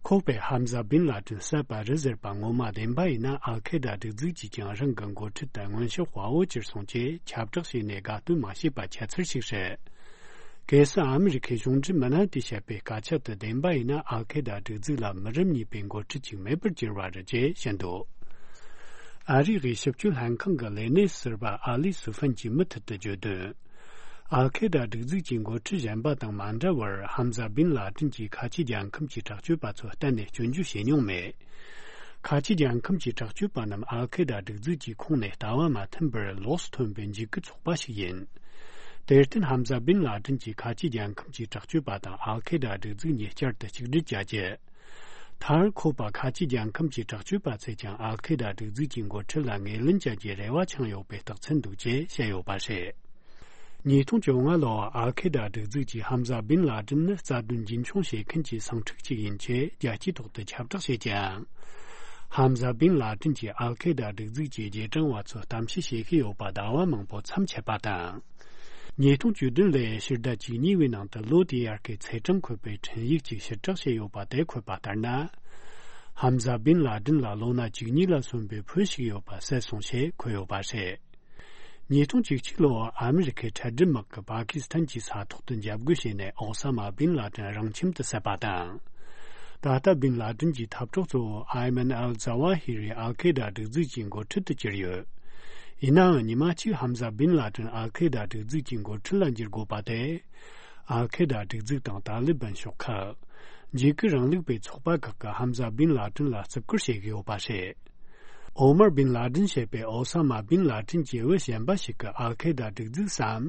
ཁོ་པས་ཧམ་ཟ་བིན་ལ་ཏིན་བསད་པ་རེད་ཟེར་བ་ངོ་མ་བདེན་པ་ཡིན་ན་ཨལ་ཁེ་ད་སྒྲིག་འཛུགས་ཀྱིས་ཀྱང་རང་གི་འགོ་ཁྲིད་དེ་མངོན་ཤུགས་དཔའ་བོ་གྱུར་སོང་ཅེས་ཁྱབ་བསྒྲགས་བྱས་ནས་དགའ་སྟོན་མ་བྱས་པ་ཁྱད་མཚར་ཞིག་རེད། གལ་སྲིད་ཨ་མི་རི་ཁའི་གཞུང་འབྲེལ་མི་སྣ་དེས་བཤད་པའི་སྐད་ཆ་དེ་བདེན་པ་ཡིན་ན་ཨལ་ཁེ་ད་སྒྲིག་འཛུགས་ལ་མི་རབས་གཉིས་པའི་འགོ་ཁྲིད་ཅིག་མེད་པར་གྱུར་བ་རེད་ཅེས་བཤད་འདུག་ཨ་རིའི་དབུས་ཞིབ་དཔྱོད་ལྷན་ཁང་གི་ལས་སྣེ་ཟུར་པ་ཨ་ལི་སུ་ཧྥན་གྱིས་མུ་མཐུད་དུ་བརྗོད་དོན། ཨལ་ཁེ་ད་སྒྲིག་འཛུགས་ཀྱི་འགོ་ཁྲིད་གཞན་པ་དང་མ་འདྲ་བར་ཧམ་ཟ་བིན་ལ་ཏིན་གྱིས་ཁ་ཆེ་རྒྱལ་ཁམས་ཀྱི་དྲག་སྤྱོད་པ་ཚོ་གཏན་ནས་སྐྱོན་བརྗོད་བྱས་མྱོང་མེད། ཁ་ཆེ་རྒྱལ་ཁམས་ཀྱི་དྲག་སྤྱོད་པ་རྣམས་ཨལ་ཁེ་ད་སྒྲིག་འཛུགས་ཀྱི་ཁོངས་ནས་ལྟ་བ་མ་མཐུན་པར་ལོགས་སུ་ཐོན་པའི་འཇིགས་སྐུལ་ཚོགས་པ་ཞིག་ཡིན། དེར་བརྟེན་ཧམ་ཟ་བིན་ལ་ཏིན་གྱིས་ཁ་ཆེ་རྒྱལ་ཁམས་ཀྱི་དྲག་སྤྱོད་པ་དང་ཨལ་ཁེ་ད་སྒྲིག་འཛུགས་གཉིས་བསྐྱར་དུ་གཅིག་སྒྲིལ་བྱ་རྒྱུ། མཐར་ཁོ་པ་ཁ་ཆེ་རྒྱལ་ཁམས་ཀྱི་དྲག་སྤྱོད་པ་ཚོས་ཀྱང་ཨལ་ཁེ་ད་སྒྲིག་འཛུགས་ཀྱི་འགོ་ཁྲིད་ལ་ངོས་ལེན་བྱ་རྒྱུའི་རེ་བ་འཆང་ཡོད་པའི་རྟགས་མཚན་འདུག་ཅེས་བཤད་ཡོད་པ་རེད། ཉིས་སྟོང་བཅོ་ལྔ་ལོར་ཨལ་ཁེ་ད་སྒྲིག་འཛུགས་ཀྱིས་ཧམ་ཟ་བིན་ལ་ཏིན་ནི་རྩ་དོན་རྒྱུན་འཁྱོངས་བྱེད་མཁན་གྱི་སེམས་ཁྲལ་ཅིག་ཡིན་ཆེད་རྒྱལ་སྤྱིའི་ཐོག་ཏུ་ཁྱབ་བསྒྲགས་བྱེད་ཀྱང་། ཧམ་ཟ་བིན་ལ་ཏིན་གྱིས་ཨལ་ཁེ་ད་སྒྲིག་འཛུགས་ཀྱི་རྗེས་འབྲང་བ་ཚོར་གཏམ་བཤད་བྱེད་ཀྱི་ཡོད་པ་ཟླ་བ་མང་པོ་མཚམས་ཆད་པ་དང་། ཉིས་སྟོང་བཅུ་བདུན་ལོའི་ཕྱི་ཟླ་བཅུ་གཉིས་པའི་ནང་དུ་ལོ་དེའི་ཡར་གའི་ཚེས་གྲངས་འཁོད་པའི་འཕྲིན་ཡིག་ཅིག་ཕྱིར་བསྒྲགས་བྱས་ཡོད་པ་དེ་འཁོད་པ་ལྟར་ན། ཧམ་ཟ་བིན་ལ་ཏིན་ལ་ལོ་ན་བཅུ་གཉིས་ལ་སོན་པའི་བུ་ཞིག་ཡོད་པ་གསལ་སོང་ཞེས་འཁོད་ཡོད་པ་རེད། ཉིས་སྟོང་བཅུ་གཅིག་ལོར་ཨ་མི་རི་ཁའི་ཁྲལ་སྒྲིག་དམག་གིས་པ་ཀི་སི་ཐན་གྱི་ས་ཐོག་ཏུ་འཇབ་རྒོལ་བྱས་ནས་ཨོ་ས་མ་བིན་ལ་ཏིན་རང་ཁྱིམ་དུ་བསད་པ་དང་། ད་ལྟ་བིན་ལ་ཏིན་གྱི་འཐབ་གྲོགས་གཙོ་བོ་ཨའི་མན་ཨལ་ཛ་ཝ་ཧི་རི་ཨལ་ཁེ་ད་སྒྲིག་འཛུགས་ཀྱི་འགོ་ཁྲིད་དུ་གྱུར་ཡོད། ཡིན་ནའང་ཉི་མ་གཅིག་ཧམ་ཟ་བིན་ལ་ཏིན་ཨལ་ཁེ་ད་སྒྲིག་འཛུགས་ཀྱི་འགོ་ཁྲིད་ལ་འགྱུར་དགོས་པ་དེ། ཨལ་ཁེ་ད་སྒྲིག་འཛུགས་དང་ཏཱ་ལི་བན་ཤོག་ཁག་འཇིགས་སྐུལ་རིང་ལུགས་པའི་ཚོགས་པ་ཁག་གིས་ཧམ་ཟ་བིན་ལ་ཏིན་ལ་བརྩི་བཀུར་བྱེད་ཀྱི་ཡོད་པ་རེད། ཨོ་མར་བིན་ལ་ཏིན་ཞེས་པའི་ཨོ་ས་མ་བིན་ལ་ཏིན་གྱི་བུ་གཞན་པ་ཞིག་གིས་ཨལ་ཁེ་ད་སྒྲིག་འཛུགས་སམ།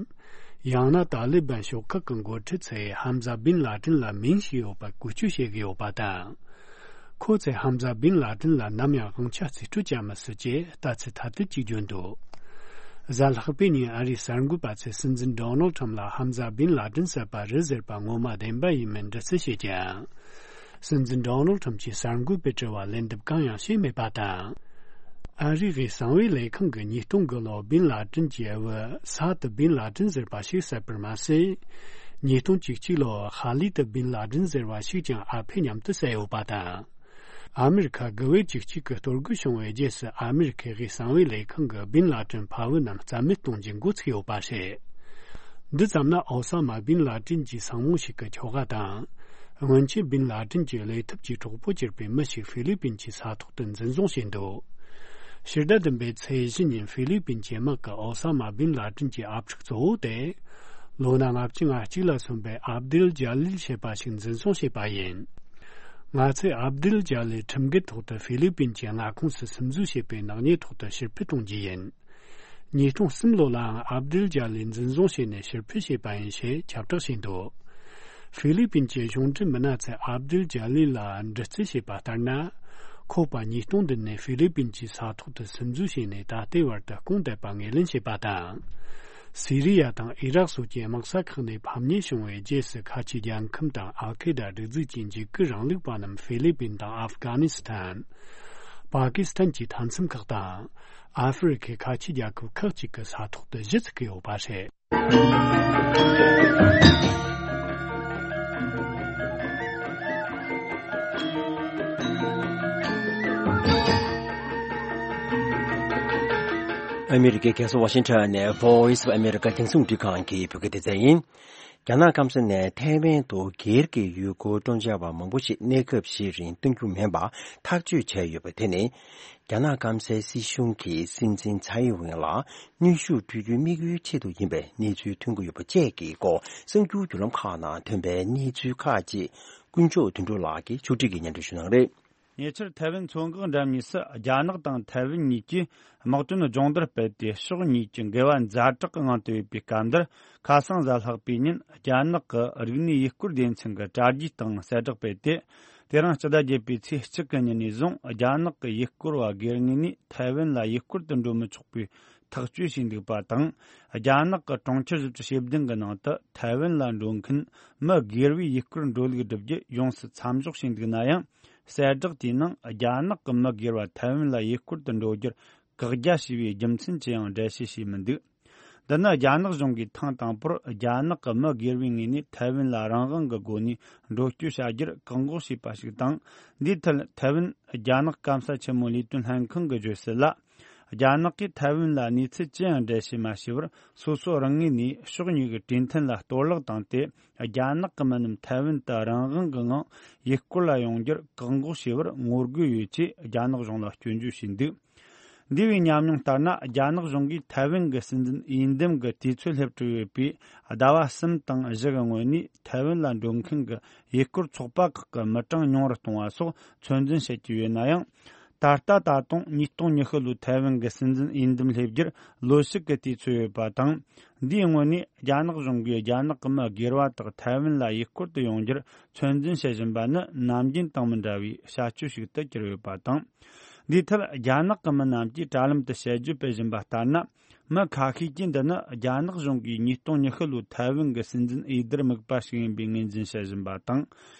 ཡང་ན་ཏཱ་ལི་བན་ཤོག་ཁག་གི་འགོ་ཁྲིད་ཚོས་ཧམ་ཟ་བིན་ལ་ཏིན་ལ་མིང་ཞིག་ཡོད་པ་བཀོལ་སྤྱོད་བྱེད་ཀྱི་ཡོད་པ་དང་། ཁོ་ཚོས་ཧམ་ཟ་བིན་ལ་ཏིན་ལ་ནམ་ཡང་དབང་ཆ་རྩིས་སྤྲོད་བྱ་མི་སྲིད་ཅེས་ལྟ་ཚུལ་ཐ་དད་ཅིག་བརྗོད་འདུག་གཟའ་ལྷག་པའི་ཉིན་ཨ་རིའི་གསར་འགོད་པ་ཚོས་སྲིད་འཛིན་ཌོ་ནལ་ཁྲམ་ལ་ཧམ་ཟ་བིན་ལ་ཏིན་བསད་པ་རེད་ཟེར་བ་ངོ་མ་བདེན་པ་ཡིན་མིན་འདྲི་རྩད་བྱས་ཀྱང་། སྲིད་འཛིན་ཌོ་ནལ་ཁྲམ་གྱིས་གསར་འགོད་པའི་དྲི་བར་ལན་འདེབས་གང་ཡང་བྱས་མེད་པ་དང་། ཨ་རིའི་གསང་བའི་ལས་ཁང་གིས་ཉིས་སྟོང་དགུ་ལོར་བིན་ལ་ཏིན་གྱི་བུ་ས་ཏུ་བིན་ལ་ཏིན་ཟེར་བ་ཞིག་བསད་པར་མ་ཟད། ཉིས་སྟོང་བཅུ་གཅིག་ལོར་ཧ་ལི་ཏུ་བིན་ལ་ཏིན་ཟེར་བ་ཞིག་ཀྱང་ཨ་ཕས་མཉམ་དུ་བསད་ཡོད་པ་དང་། ཨ་མི་རི་ཁ་དགུ་བས་བཅུ་གཅིག་གི་གཏོར་རྒོལ་བྱུང་བའི་རྗེས་སུ་ཨ་མི་རི་ཁའི་གསང་བའི་ལས་ཁང་གིས་བིན་ལ་ཏིན་ཕ་བུ་རྣམས་རྩ་མེད་གཏོང་རྒྱུ་འགོ་ཚུགས་ཡོད་པ་རེད། འདི་ཙམ་ན་ཨོ་ས་མ་བིན་ལ་ཏིན་གྱི་སྲིང་མོ་ཞིག་གི་ཁྱོ་ག་དང་། སྔོན་ཆད་བིན་ལ་ཏིན་གྱི་བློས་ཐུབ་ཀྱི་གྲོགས་པོ་གྱུར་པའི་མི་ཞིག་ཧྥི་ལི་པིན་གྱི་ས་ཐོག་ཏུ་འཛིན་བཟུང་བྱས་འདུག་ཕྱི་ཟླ་བདུན་པའི་ཚེས་བཞི་ཉིན་ཧྥི་ལི་པིན་གྱི་དམག་གིས་ཨོ་ས་མ་བིན་ལ་ཏིན་གྱི་ཨབ་ཕྲུག་གཙོ་བོ་དེ། ལོ་ན་ལྔ་བཅུ་ང་གཅིག་ལ་སོན་པའི་ཨབ་དིལ་ཇ་ལིལ་ཞེས་པ་ཞིག་འཛིན་བཟུང་བྱས་པ་ཡིན། ང་ཚོས་ཨབ་དིལ་ཇ་ལིལ་ཁྲིམས་འགལ་ཐོག་ཏུ་ཧྥི་ལི་པིན་གྱི་མངའ་ཁོངས་སུ་སིམ་འཛུལ་བྱས་པའི་ནག་ཉེས་ཐོག་ཏུ་ཕྱིར་ཕུད་གཏོང་རྒྱུ་ཡིན། ཉིས་སྟོང་གསུམ་ལོ་ལའང་ཨབ་དིལ་ཇ་ལིལ་འཛིན་བཟུང་བྱས་ནས་ཕྱིར་ཕུད་བྱས་པ་ཡིན་ཞེས་ཁྱབ་བསྒྲགས་བྱས་འདུག་ཧྥི་ལི་པིན་གྱི་གཞུང་འབྲེལ་མི་སྣ་ཚོས་ཨབ་དིལ་ཇ་ལིལ་ལ་འདྲི་རྩད་བྱས་པ་ལྟར་ན། ཁོ་པ་ཉིས་སྟོང་བདུན་ནས་ཧྥི་ལི་པིན་གྱི་ས་ཐོག་ཏུ་སིམ་འཛུལ་བྱས་ནས་ད་ལྟའི་བར་དུ་སྐུང་བསྡད་པ་ངོས་ལེན་བྱས་པ་དང་། སི་རི་ཡ་དང་ཨི་རག་སོགས་ཀྱི་དམག་ས་ཁག་ནས་ཕམ་ཉེས་བྱུང་བའི་རྗེས་སུ། ཁ་ཆེ་རྒྱལ་ཁམས་དང་ཨལ་ཁེ་ད་སྒྲིག་འཛུགས་ཀྱི་འཇིགས་སྐུལ་རིང་ལུགས་པ་རྣམས་ཧྥི་ལི་པིན་དང་ཨབ་གྷ་ནི་སི་ཐན། པ་ཀི་སི་ཐན་གྱི་མཐའ་མཚམས་ཁག་དང་། ཨ་ཧྥེ་རི་ཁའི་ཁ་ཆེ་རྒྱལ་ཁབ་ཁག་ཅིག་གི་ས་ཐོག་ཏུ་གཞི་བཙུགས་ཀྱི་ཡོད་པ་རེད། ཨ་མི་རི་ཀའི་རྒྱལ་ས་ཝ་ཤིང་ཊོན་ནས་Voice of America རྒྱང་སྲིང་རླུང་འཕྲིན་ཁང་གི་བོད་སྐད་སྡེ་ཚན་ཡིན། རྒྱ་ནག་སྐམ་ས་ནས་ཐའེ་ཝན་དུ་སྒེར་གྱི་ཡུལ་སྐོར་སྤྲོ་འཆམ་པ་མང་པོ་ཞིག་གནས་སྐབས་ཤིག་རིང་གཏོང་རྒྱུ་མིན་པ་ཐག་གཅོད་བྱས་ཡོད་པ་དེ་ནི། རྒྱ་ནག་སྐམ་སའི་སྲིད་གཞུང་གིས་སྲིད་འཛིན་ཚའེ་ཝེན་ལ་གནོན་ཤུགས་སྤྲོད་རྒྱུའི་དམིགས་ཡུལ་ཆེད་དུ་ཡིན་པའི་གནས་ཚུལ་ཐོན་གྱི་ཡོད་པ་བཅས་ཀྱི་སྐོར་གསར་འགྱུར་བརྒྱུད་ལམ་ཁག་ནང་ཐོན་པའི་གནས་ཚུལ་ཁག་ཅིག་དཀོན་མཆོག་དོན་གྲུབ་ལགས་ཀྱིས་ཕྱོགས་སྒྲིག་གིས་སྙན་སྒྲོན་ཞུ་གནང་རེད། ཉེ་ཆར་ཐའེ་ཝན་མཚོ་འགག་འགྲམ་གཉིས་སུ་རྒྱ་ནག་དང་ཐའེ་ཝན་གཉིས་ཀྱིས་དམག་དོན་སྦྱོང་བརྡར་སྤེལ་ཏེ། ཕྱོགས་གཉིས་ཀྱི་འགལ་བ་ཛ་དྲག་གི་ངང་དུ་ཡོད་པའི་སྐབས་འདིར། ཁ་སང་གཟའ་ལྷག་པའི་ཉིན་རྒྱ་ནག་གི་རིག་གནས་ཡུལ་སྐོར་སྡེ་ཚན་གྱི་དྲ་རྒྱའི་སྟེང་གསལ་བསྒྲགས་སྤེལ་ཏེ། དེ་རིང་སྤྱི་ཟླ་བརྒྱད་པའི་ཚེས་གཅིག་གི་ཉིན་ནས་བཟུང་རྒྱ་ནག་གི་ཡུལ་སྐོར་བ་སྒེར་ངོས་ནས་ཐའེ་ཝན་ལ་ཡུལ་སྐོར་དུ་འགྲོ་མི་ཆོག་པའི་ཐག་གཅོད་བྱས་འདུག་པ་དང་། རྒྱ་ནག་གི་གྲོང་ཁྱེར་བཞི་བཅུ་ཞེ་བདུན་གྱི་ནང་དུ་ཐའེ་ཝན་ལ་འགྲོ་མཁན་མི་སྒེར་བའི་ཡུལ་སྐོར་འགྲོ་ལུགས་བསྒྲུབ་རྒྱུ་ཡོངས་སུ་མཚམས་འཇོག་བྱས་འདུག་ན་ཡང་། གསལ་བསྒྲགས་དེའི་ནང་རྒྱ་ནག་གི་མི་སྒེར་བ་ཐའེ་ཝན་ལ་ཡུལ་སྐོར་དུ་འགྲོ་རྒྱུར་བཀག་རྒྱ་བྱས་པའི་རྒྱུ་མཚན་ཅི་ཡང་འགྲེལ་བཤད་བྱས་མི་འདུག་འདི་ནི་རྒྱ་ནག་གཞུང་གིས་ཐེངས་དང་པོར་རྒྱ་ནག་གི་མི་སྒེར་བའི་ངོས་ནས་ཐའེ་ཝན་ལ་རང་དབང་གི་སྒོ་ནས་འགྲོ་སྐྱོད་བྱ་རྒྱུར་བཀག་འགོག་བྱས་པ་ཞིག་དང་། འདིའི་ཐད་ཐའེ་ཝན་རྒྱ་ནག་སྐམ་ས་ཆེན་མོའི་ལས་དོན་ལྷན་ཁང་གིས་བརྗོད་གསལ་ལ། རྒྱ་ནག་གིས་ཐའེ་ཝན་ལ་གནས་ཚུལ་ཅི་ཡང་འགྲེལ་བཤད་མ་བྱས་པར། སོ་སོ་རང་ངོས་ནས་ཕྱོགས་གཉིས་ཀྱི་གྲོས་མཐུན་ལ་གཏོར་བརླག་བཏང་སྟེ། རྒྱ་ནག་གི་མི་རྣམས་ཐའེ་ཝན་དུ་རང་དབང་གི་ངང་ཡུལ་སྐོར་ལ་ཡོང་རྒྱུར་བཀག་འགོག་བྱས་པར་ངོ་རྒོལ་ཡོད་ཅེས་རྒྱ་ནག་གཞུང་ལ་སྐྱོན་བརྗོད་བྱས་འདུག་འདས་པའི་ཉམས་མྱོང་ལྟར་ན། རྒྱ་ནག་གཞུང་གིས་ཐའེ་ཝན་གྱི་སྲིད་འཛིན་འོས་འདེམས་ཀྱི་དུས་ཚོད་སླེབས་གྲུབ་ཡོད་པའི་ཟླ་བ་གསུམ་དང་བཞི་གི་སྔོན་ནས་ཐའེ་ཝན་ལ་འགྲོ་མཁན་གྱི་ཡུལ་སྐོར་ཚོགས་པ་ཁག་གི་མི་གྲངས་ཉུང་རུ་གཏོང་བ་སོགས་ཚོད་འཛིན་བྱེད་ཀྱི་ཡོད་ན་ཡང་། ད་ལྟ་ད་དུང་ཉིས་སྟོང་ཉི་ཤུ་ལོའི་ཐའེ་ཝན་གྱི་སྲིད་འཛིན་འོས་འདེམས་སླེབས་རྒྱུར་ལོ་ཞིག་གི་དུས་ཚོད་ཡོད་པ་དང་། འདིའི་སྔོན་ནས་རྒྱ་ནག་གཞུང་གིས་རྒྱ་ནག་གི་མི་སྒེར་བ་དག་ཐའེ་ཝན་ལ་ཡུལ་སྐོར་དུ་ཡོང་རྒྱུར་ཚོད་འཛིན་བྱེད་བཞིན་པ་ནི་ནམ་རྒྱུན་དང་མི་འདྲ་བའི་བྱ་སྤྱོད་ཞིག་ཏུ་གྱུར་ཡོད་པ་དང་། འདིའི་ཐད་རྒྱ་ནག་གི་མི་རྣམས་ཀྱིས་དྲ་ལམ་དུ་དཔྱད་བརྗོད་སྤེལ་བཞིན་པ་ལྟར་ན། མི་ཁ་ཤས་ཀྱིས་འདི་ནི་རྒྱ་ནག་གཞུང་གིས་ཉིས་སྟོང་ཉི་ཤུ་ལོའི་ཐའེ་ཝན་གྱི་སྲིད་འཛིན་འོས་བསྡུར་དམིགས་པ་ཞིག་ཡིན་པའི་ངོས་འཛིན་བྱེད་བཞིན་པ་དང་།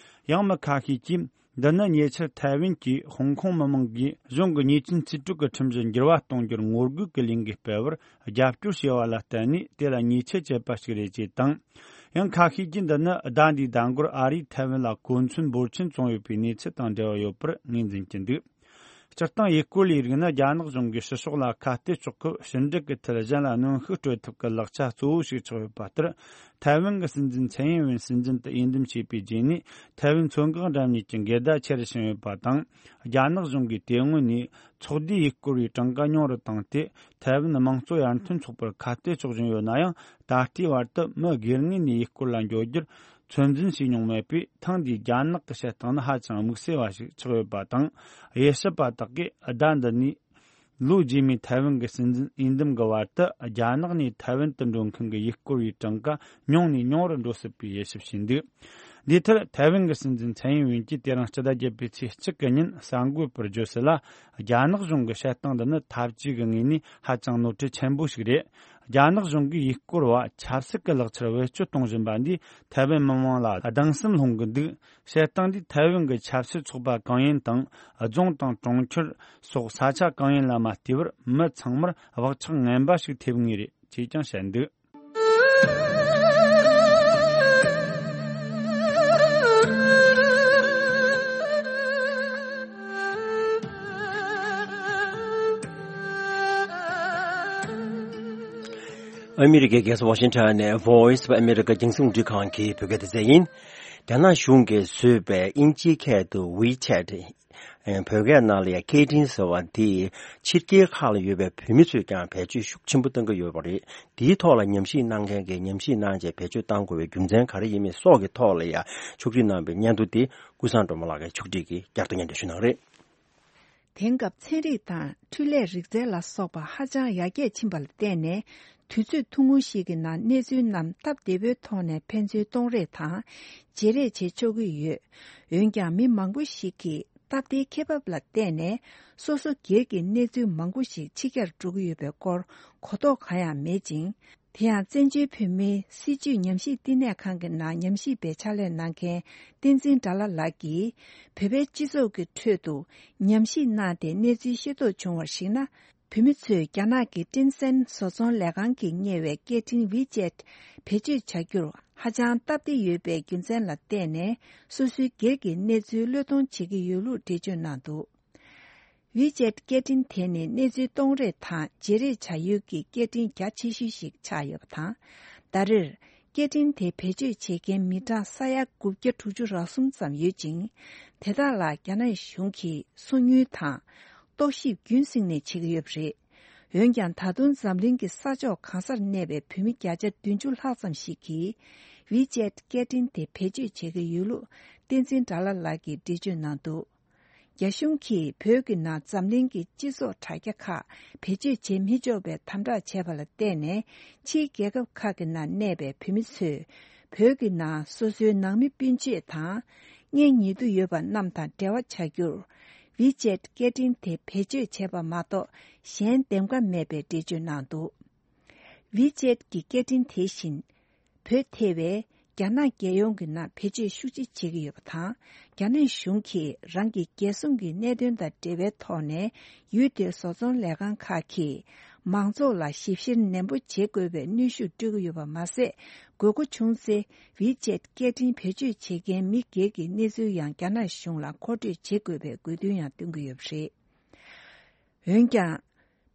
ཡང་མི་ཁ་ཤས་ཀྱིས་འདི་ནི་ཉེ་ཆར་ཐའེ་ཝན་གྱིས་ཧོང་ཀོང་མི་མང་གིས་གཞུང་གི་ཉེས་ཅན་རྩིས་སྤྲོད་ཀྱི་ཁྲིམས་གཞི་འགྱུར་བ་གཏོང་རྒྱུར་ངོ་རྒོལ་གྱི་ལས་འགུལ་སྤེལ་བར་རྒྱབ་སྐྱོར་བྱས་པ་ལ་བརྟེན་ནས་དེ་ལ་ཉེས་ཆད་བཅད་པ་ཞིག་རེད་ཅེས་དང་། ཡང་ཁ་ཤས་ཀྱིས་འདི་ནི་ཟླ་འདིའི་ཟླ་འགོར་ཨ་རིས་ཐའེ་ཝན་ལ་གོ་མཚོན་འབོར་ཆེན་བཙོང་ཡོད་པའི་གནས་ཚུལ་དང་འབྲེལ་བ་ཡོད་པར་ངོས་འཛིན་གྱི་འདུག་སྤྱིར་བཏང་ཡུལ་སྐོར་ལས་རིགས་ནི་རྒྱ་ནག་གཞུང་གིས་ཕྱི་ཕྱོགས་ལ་ཁ་གཏད་གཅོག་སྐབས་ཕྱི་འབྲེལ་གྱི་ཐད་གཞན་ལ་གནོན་ཤུགས་སྤྲོད་ཐབས་ཀྱི་ལག་ཆ་གཙོ་བོ་ཞིག་ཆགས་ཡོད་པ་ལྟར། ཐའེ་ཝན་གྱི་སྲིད་འཛིན་ཚའེ་ཡིན་ཝེན་སྲིད་འཛིན་དུ་འོས་འདེམས་བྱས་པའི་རྗེས་ནས་ཐའེ་ཝན་མཚོ་འགག་འགྲམ་གཉིས་ཀྱི་འགལ་ཟླ་ཆེ་རུ་ཕྱིན་ཡོད་པ་དང་། རྒྱ་ནག་གཞུང་གིས་དེ་སྔོན་ནས་ཚོགས་སྡེའི་ཡུལ་སྐོར་བའི་གྲངས་ཀ་ཉུང་རུ་བཏང་སྟེ། ཐའེ་ཝན་དམངས་གཙོ་ཡར་ཐོན་ཚོགས་པར་ཁ་གཏད་གཅོག་བཞིན་ཡོད་ན་ཡང་། ད་ལྟའི་བར་དུ་མི་སྒེར་ངོས་ནས་ཡུལ་སྐོར་ལ་འགྲོ་རྒྱུར་ཚོད་འཛིན་བྱས་མྱོང་མེད་པས། ཐེངས་འདིའི་རྒྱ་ནག་གི་བྱེད་སྟངས་ནི་ཧ་ཅང་དམིགས་བསལ་བ་ཞིག་ཆགས་ཡོད་པ་དང་། དབྱེ་ཞིབ་པ་དག་གིས་ཟླ་འདི་ནས་ལོ་རྗེས་མའི་ཐའེ་ཝན་གྱི་སྲིད་འཛིན་འོས་འདེམས་ཀྱི་བར་དུ་རྒྱ་ནག་ནས་ཐའེ་ཝན་དུ་འགྲོ་མཁན་གྱི་ཡུལ་སྐོར་བའི་གྲངས་ཀ་ཉུང་ནས་ཉུང་རུ་འགྲོ་སྲིད་པའི་དབྱེ་ཞིབ་བྱས་འདུག་འདིའི་ཐད་ཐའེ་ཝན་གྱི་སྲིད་འཛིན་ཚའེ་ཡིན་ཝེན་གྱིས་དེ་རིང་སྤྱི་ཟླ་བརྒྱད་པའི་ཚེས་གཅིག་གི་ཉིན་གསར་འགོད་པར་བརྗོད་གསལ་ལ། རྒྱ་ནག་གཞུང་གི་བྱེད་སྟངས་འདི་ནི་འཐབ་ཇུས་ཀྱི་ངོས་ནས་ཧ་ཅང་ནོར་འཁྲུལ་ཆེན་པོ་ཞིག་རེད། རྒྱ་ནག་གཞུང་གིས་ཡུལ་སྐོར་བ་ཆབ་སྲིད་ཀྱི་ལག་ཆར་བེད་སྤྱོད་གཏོང་བཞིན་པ་འདིས་ཐའེ་ཝན་མི་མང་ལ་སྡང་སེམས་སློང་གི་འདུག་བྱེད་སྟངས་འདིས་ཐའེ་ཝན་གྱི་ཆབ་སྲིད་ཚོགས་པ་གང་ཡིན་དང་། རྫོང་དང་གྲོང་ཁྱེར་སོགས་ས་ཆ་གང་ཡིན་ལ་མ་ལྟོས་པར་མི་ཚང་མར་བག་ཆགས་ངན་པ་ཞིག་ཐེབས་ངེས་རེད་ཅེས་ཀྱང་བཤད་འདུག་ཨ་མི་རི་ཀའི་རྒྱལ་ས་ཝ་ཤིང་ཊོན་ནས་Voice of America རྒྱང་སྲིང་རླུང་འཕྲིན་ཁང་གི་བོད་སྐད་སྡེ་ཚན་ཡིན། རྒྱ་ནག་གཞུང་གིས་བཟོས་པའི་དབྱིན་ཇིའི་སྐད་དུ་WeChat། ཨེ། བོད་སྐད་ནང་ལ་ཡང་སྐད་འཕྲིན་ཟེར་བ་དེ་ཕྱི་རྒྱལ་ཁག་ལ་ཡོད་པའི་བོད་མི་ཚོས་ཀྱང་བེད་སྤྱོད་ཤུགས་ཆེན་པོ་གཏོང་གི་ཡོད་པ་རེད། དེའི་ཐོག་ལ་ཉམས་ཞིབ་གནང་མཁན་གྱིས་ཉམས་ཞིབ་གནང་བྱས་བེད་སྤྱོད་གཏང་དགོས་པའི་རྒྱུ་མཚན་ག་རེ་ཡིན་མིན་སོགས་ཀྱི་ཐོག་ལ་ཡང་ཕྱོགས་སྒྲིག་གནང་བའི་སྙན་ཐོ་དེ་ཀུན་བཟང་སྒྲོལ་མ་ལགས་ཀྱིས་ཕྱོགས་སྒྲིག་གིས་བསྐྱར་དུ་སྙན་སྒྲོན་ཞུ་གནང་རེད། དེང་སྐབས་ཚན་རིག་དང་འཕྲུལ་ལས་རིག་རྩལ་ལ་སོགས་པ་ཧ་ཅང་ཡར་རྒྱས་ཕྱིན་པ་ལ་བརྟེན་ནས། དུས་ཚོད་ཐུང་ངུ་ཞིག་གི་ནང་གནས་ཚུལ་རྣམས་སྟབས་བདེ་པོའི་ཐོག་ནས་ཕན་ཚུན་གཏོང་རེས་དང་བརྗེ་རེས་བྱེད་ཆོག་གི་ཡོད། འོན་ཀྱང་མི་མང་པོ་ཞིག་གིས་སྟབས་བདེའི་ཁེ་འབབ་ལ་བརྟེན་ནས་སོ་སོ་སྒེར་གྱི་གནས་ཚུལ་མང་པོ་ཞིག་ཕྱི་གྱར་འགྲོ་གི་ཡོད་པའི་སྐོར་གོ་རྟོགས་གང་ཡང་མེད་ཅིང་། དེ་ཡང་བཙན་བྱོལ་བོད་མིའི་སྲིད་བྱུས་ཉམས་ཞིབ་བསྟི་གནས་ཁང་གི་ནང་ཉམས་ཞིབ་པའི་ཕྱག་ལས་གནང་མཁན་བསྟན་འཛིན་དགྲ་ལྷ་ལགས་ཀྱིས། བོད་པའི་སྤྱི་ཚོགས་ཀྱི་ཁྲོད་དུ་ཉམས་ཞིབ་གནང་སྟེ་གནས་ཚུལ་ཤེས་རྟོགས་བྱུང་བར་གཞིགས་ན། བོད་མི་ཚོས་རྒྱ་ནག་གི་ཀྲིན་སན་བཟོ་ཚོང་ལས་ཁང་གིས་གཉེར་བའི་སྐད་འཕྲིན་WeChat་བེད་སྤྱོད་བྱ་རྒྱུར་ཧ་ཅང་སྟབས་བདེ་ཡོད་པའི་རྒྱུ་མཚན་ལ་བརྟེན་ནས་སོ་སོའི་སྒེར་གྱི་གནས་ཚུལ་བློས་གཏོང་བྱེད་ཀྱི་ཡོད་ལུགས་འགྲེལ་བརྗོད་གནང་འདུག WeChat་སྐད་འཕྲིན་དེ་ནི་གནས་ཚུལ་གཏོང་རེས་དང་བརྗེ་རེས་བྱ་ཡུལ་གྱི་སྐད་འཕྲིན་རྒྱ་ཆེ་ཤོས་ཤིག་ཆགས་ཡོད་པ་དང་། ད་རེར་སྐད་འཕྲིན་དེ་བེད་སྤྱོད་བྱེད་མཁན་མི་གྲངས་ས་ཡ་དགུ་བརྒྱ་དྲུག་ཅུ་རེ་གསུམ་ཙམ་ཡོད་ཅིང་། དེ་དག་ལ་རྒྱ་ནག་གཞུང་གིས་སོ་ཉུལ་དང་རྟོག་ཞིབ་རྒྱུན་བསྲིངས་ནས་བྱེད་ཀྱི་ཡོད་པ་རེད། འོན་ཀྱང་ད་དུང་འཛམ་གླིང་གི་ས་ཕྱོགས་གང་སར་གནས་པའི་བོད་མི་བརྒྱ་ཆ་བདུན་ཅུ་ལྷག་ཙམ་ཞིག་གིས་WeChat་སྐད་འཕྲིན་དེ་བེད་སྤྱོད་བྱེད་ཀྱི་ཡོད་ལུགས་བསྟན་འཛིན་དགྲ་ལྷ་ལགས་ཀྱིས་འགྲེལ་བརྗོད་གནང་འདུག་རྒྱ་གཞུང་གིས་བོད་ཀྱི་ནང་འཛམ་གླིང་གི་སྤྱི་ཚོགས་དྲ་རྒྱ་ཁག་བེད་སྤྱོད་བྱེད་མི་ཆོག་པའི་དམ་དྲག་བྱས་པ་ལ་བརྟེན་ནས། ཕྱིའི་རྒྱལ་ཁབ་ཁག་གི་ནང་གནས་པའི་བོད་མི་ཚོས་བོད་ཀྱི་ནང་སོ་སོའི་ནང་མི་སྤུན་མཆེད་དང་། གཉེན་ཉེ་དུ་ཡོད་པ་རྣམས་དང་འབྲེལ་བ་བྱ་རྒྱུར། WeChat་སྐད་འཕྲིན་དེ་བེད་སྤྱོད་བྱས་པ་མ་གཏོགས་གཞན་འདེམས་ཀ་མེད་པའི་འགྲེལ་བརྗོད་གནང་འདུག WeChat་གི་སྐད་འཕྲིན་དེ་བཞིན། བོད་ཐེ་བའི་རྒྱ་ནག་རྒྱལ་ཡོངས་ཀྱི་ནང་བེད་སྤྱོད་ཤུགས་ཆེ་བྱེད་ཀྱི་ཡོད་པ་དང་། རྒྱ་ནག་གཞུང་གིས་རང་གི་རྒྱལ་སྲུང་གི་གནད་དོན་དང་འབྲེལ་བའི་ཐོག་ནས་ཡུལ་དེའི་བཟོ་ཚོང་ལས་ཁང་ཁག་གིས་མང་ཚོགས་ལ་ཞིབ་བཤེར་ནན་པོ་བྱེད་དགོས་པའི་གནོན་ཤུགས་སྤྲོད་ཀྱི་ཡོད་པ་མ་ཟད། དགོས་མཁོ་བྱུང་ཚེ་WeChat་སྐད་འཕྲིན་བེད་སྤྱོད་བྱེད་མཁན་མི་སྒེར་གྱི་གནས་ཚུལ་ཡང་རྒྱ་ནག་གཞུང་ལ་མཁོ་སྤྲོད་བྱེད་དགོས་པའི་དགོས་འདུན་ཡང་བཏོན་གྱི་ཡོད་པ་རེད། འོན་ཀྱང་།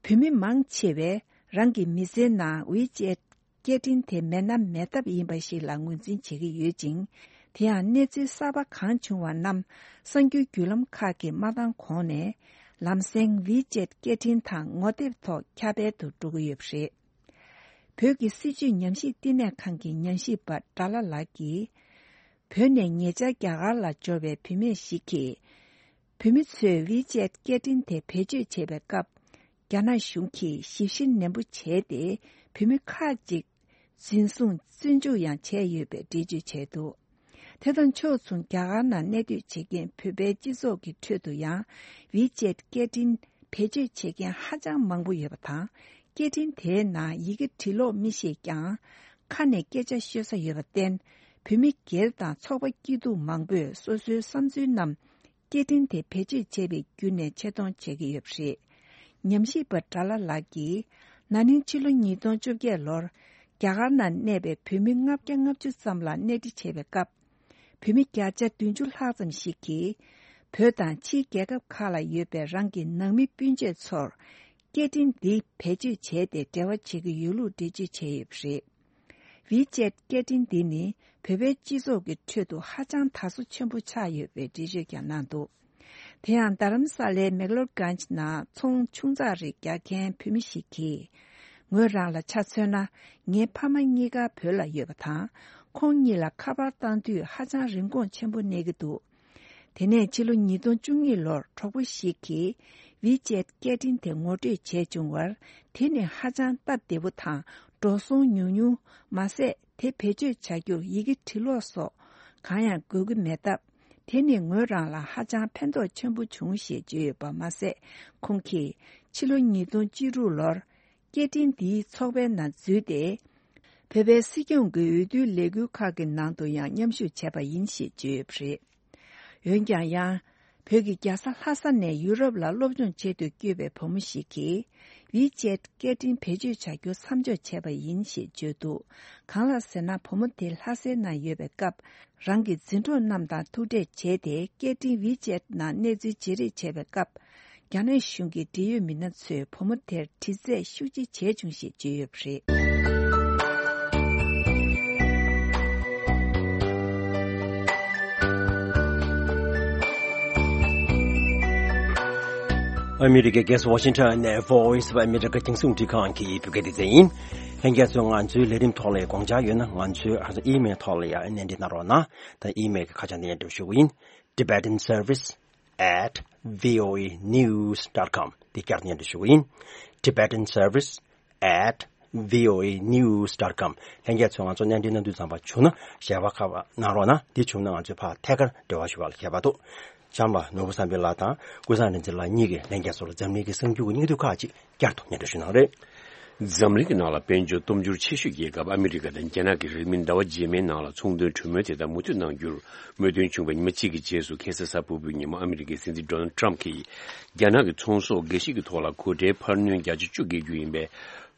བོད་མི་མང་ཆེ་བས་རང་གི་མི་ཚེའི་ནང་WeChat་སྐད་འཕྲིན་དེ་མེད་ན་མེད་ཐབས་ཡིན་པ་ཞིག་ལ་ངོས་འཛིན་བྱེད་ཀྱི་ཡོད་ཅིང་། དེ་ཡང་གནས་ཚུལ་གསར་པ་གང་བྱུང་བ་རྣམས་གསར་འགྱུར་བརྒྱུད་ལམ་ཁག་གིས་མ་བཏང་གོང་ནས་ལམ་སེང་WeChat་སྐད་འཕྲིན་དང་ངོ་དེབ་ཐོག་ཁྱབ་སྤེལ་དུ་འགྲོ་གི་ཡོད་པ་རེད། བོད་ཀྱི་སྲིད་བྱུས་ཉམས་ཞིབ་བསྟི་གནས་ཁང་གི་ཉམས་ཞིབ་པ་དགྲ་ལྷ་ལགས་ཀྱིས། བོད་ནས་ཉེ་ཆར་རྒྱ་གར་ལ་འབྱོར་བའི་བུད་མེད་ཞིག་གིས། བོད་མི་ཚོས་WeChat་སྐད་འཕྲིན་དེ་བེད་སྤྱོད་བྱེད་པའི་སྐབས། རྒྱ་ནག་གཞུང་གིས་ཞིབ་བཤེར་ནན་པོ་བྱས་ཏེ། བོད་མི་ཁག་ཅིག་འཛིན་བཟུང་བཙོན་འཇུག་ཡང་བྱས་ཡོད་པའི་འགྲེལ་བརྗོད་བྱས་འདུག་དེ་དང་ཕྱོགས་མཚུངས། རྒྱ་གར་ནང་གནས་སྡོད་བྱེད་མཁན་བོད་པའི་སྤྱི་ཚོགས་ཀྱི་ཁྲོད་དུ་ཡང་། WeChat་སྐད་འཕྲིན་བེད་སྤྱོད་བྱེད་མཁན་ཧ་ཅང་མང་པོ་ཡོད་པ་དང་། སྐད་འཕྲིན་དེའི་ནང་ཡི་གེ་འབྲི་ཀློག་མི་ཤེས་ཀྱང་། ཁ་ནས་སྐད་ཆ་ཤོད་ས་ཡོད་པར་བརྟེན། བོད་མི་སྒེར་དང་ཚོགས་པ་སྐྱིད་སྡུག་མང་པོས་སོ་སོའི་བསམ་ཚུལ་རྣམས། སྐད་འཕྲིན་དེ་བེད་སྤྱོད་བྱས་པའི་བརྒྱུད་ནས་ཆེད་གཏོང་བྱེད་ཀྱི་ཡོད་པ་རེད། ཉམས་ཞིབ་པ་དགྲ་ལྷ་ལགས་ཀྱིས། ན་ནིང་ཕྱི་ལོ་ཉིས་སྟོང་བཅོ་བརྒྱད་ལོར། རྒྱ་གར་ནང་གནས་པའི་བོད་མི་ལྔ་བརྒྱ་ལྔ་བཅུ་ཙམ་ལ་གནས་འདྲི་བྱས་པའི་སྐབས། བོད་མི་བརྒྱ་ཆ་བདུན་ཅུ་ལྷག་ཙམ་ཞིག་གིས། བོད་དང་ཕྱིའི་རྒྱལ་ཁབ་ཁག་ལ་ཡོད་པའི་རང་གི་ནང་མི་སྤུན་མཆེད་ཚོར། སྐད་འཕྲིན་འདི་བེད་སྤྱོད་བྱས་ཏེ་འབྲེལ་བ་བྱེད་ཀྱི་ཡོད་ལུགས་འགྲེལ་བརྗོད་བྱས་ཡོད་པ་རེད། WeChat་སྐད་འཕྲིན་འདི་ནི་བོད་པའི་སྤྱི་ཚོགས་ཀྱི་ཁྲོད་དུ་ཧ་ཅང་དར་སོ་ཆེན་པོ་ཆགས་ཡོད་པའི་འགྲེལ་བརྗོད་ཀྱང་གནང་འདུག་དེ་ཡང་རྡ་རམ་ས་ལའི་མེག་ལོར་གྷན་ཇི་ནང་ཚོང་ཆུང་ཙག་རེ་རྒྱག་མཁན་བུད་མེད་ཞིག་གིས། ངོས་རང་ལ་ཆ་མཚོན་ན། ངའི་ཕ་མ་གཉིས་ཀ་བོད་ལ་ཡོད་པ་དང་། ཁོང་གཉིས་ལ་ཁ་པར་བཏང་དུས་ཧ་ཅང་རིན་གོང་ཆེན་པོ་གནས་ཀྱི་འདུག་དེ་ནས་ཕྱི་ལོ་ཉིས་སྟོང་བཅུ་གཉིས་ལོར་གྲོགས་པོ་ཞིག་གིས་WeChat་སྐད་འཕྲིན་དེ་ངོ་སྤྲོད་བྱས་བྱུང་བར། དེ་ནི་ཧ་ཅང་སྟབས་བདེ་པོ་དང་འགྲོ་སོང་ཉུང་ཉུང་མ་ཟད། དེ་བེད་སྤྱོད་བྱ་རྒྱུར་ཡི་གེ་འབྲི་ཀློག་སོགས་གང་ཡང་དགོས་ཀྱི་མེད་སྟབས། དེ་ནི་ངོས་རང་ལ་ཧ་ཅང་ཕན་ཐོགས་ཆེན་པོ་བྱུང་ཞེས་བརྗོད་ཡོད་པ་མ་ཟད། ཁོང་གིས་ཕྱི་ལོ་ཉིས་སྟོང་བཅུ་དྲུག་ལོར། སྐད་འཕྲིན་འདིའི་ཚོགས་པའི་ནང་འཛུལ་ཏེ། བོད་པའི་སྲིད་སྐྱོང་གི་འོས་བསྡུའི་ལས་འགུལ་ཁག་གི་ནང་དུ་ཡང་མཉམ་ཞུགས་བྱས་པ་ཡིན་ཞེས་བརྗོད་ཡོད་པ་རེད། འོན་ཀྱང་ཡང་། བོད་ཀྱི་རྒྱལ་ས་ལྷ་ས་ནས་ཡུ་རོབ་ལ་སློབ་སྦྱོང་ཆེད་དུ་བསྐྱོད་པའི་བུ་མོ་ཞིག་གིས། WeChat་སྐད་འཕྲིན་བེད་སྤྱོད་བྱ་རྒྱུ་མཚམས་འཇོག་བྱས་པ་ཡིན་ཞེས་བརྗོད་འདུག་གང་ལགས་ཟེར་ན། བུ་མོ་དེ་ལྷ་སའི་ནང་ཡོད་པའི་སྐབས། རང་གི་འཛིན་གྲོགས་རྣམས་དང་ཐུག་འཕྲད་བྱས་ཏེ། སྐད་འཕྲིན་WeChat་ནང་གནས་ཚུལ་བརྗེ་རེས་བྱས་པའི་སྐབས། རྒྱ་ནག་གཞུང་གི་འབྲེལ་ཡོད་མི་སྣ་ཚོས་བུ་མོ་དེར་དྲི་རྩད་ཤུགས་ཆེ་བྱས་བྱུང་ཞེས་བརྗོད་ཡོད་པ་རེད། ཨ་མི་རི་ཀའི་རྒྱལ་ས་ཝ་ཤིང་ཊོན་ནས་Voice of America རྒྱང་སྲིང་རླུང་འཕྲིན་ཁང་གི་བོད་སྐད་སྡེ་ཚན་ཡིན། ལྷན་རྒྱས་ཚོས་ང་ཚོའི་ལས་རིམ་ཐོག་ལ་དགོངས་འཆར་ཡོད་ན། ང་ཚོའི་ཨ་ཨི་མེལ་ཐོག་ལ་ཡང་གནས་འདྲི་གནང་རོགས་གནང་། ད་ཨི་མེལ་གྱི་ཁ་བྱང་འདི་ནས་འབྲི་ཞུ་གི་ཡིན། Tibetan Service at voanews dot com འདི་བསྐྱར་དུ་སྙན་སྒྲོན་ཞུ་གི་ཡིན། Tibetan Service at voanews dot com ལྷན་རྒྱས་ཚོས་ང་ཚོ་གནས་འདྲི་གནང་དུས་ཙམ་པ་བྱུང་ན་ཞལ་པར་ཁ་པར་གནང་རོགས་གནང་། འདི་བྱུང་ན་ང་ཚོས་ཕར་ཐད་ཀར་འབྲེལ་བ་ཞུ་བ་ལ་ཁྱད་པར་འདུག་ལྕམ་པ་ནོར་བུ་བསམ་འཕེལ་ལགས་དང་ཀུན་བཟང་རིག་འཛིན་ལགས་གཉིས་ཀྱིས་ལྷན་རྒྱས་ཚོ་ལ་འཛམ་གླིང་གི་གསར་འགྱུར་གྱི་སྙིང་བསྡུས་ཁག་ཅིག་བསྐྱར་དུ་སྙན་སྒྲོན་ཞུ་གནང་རེད། འཛམ་གླིང་གི་ནང་ལ་དཔལ་འབྱོར་སྟོབས་འབྱོར་ཆེ་ཤོས་རྒྱལ་ཁབ་ཨ་མི་རི་ཀ་དང་རྒྱ་ནག་གི་རིང་མིན་ཟླ་བ་རྗེས་མའི་ནང་ལ་ཚོང་དོན་གྲོས་མོལ་དེ་དག་མུ་མཐུད་གནང་རྒྱུར་མོས་མཐུན་བྱུང་བའི་ཉི་མ་གཅིག་གི་རྗེས་སུ། ཁ་སང་གཟའ་ཕུར་བུའི་ཉིན་མོ་ཨ་མི་རི་ཀའི་སྲིད་འཛིན་ཌོ་ནལ་ཊམ་གྱིས་རྒྱ་ནག་གི་ཚོང་ཟོག་འགའ་ཞིག་གི་ཐོག་ལ་གོ་ཁྲལ་འཕར་སྣོན་བརྒྱ་ཆ་བཅུ་བཀལ་རྒྱུ་ཡིན་པའི་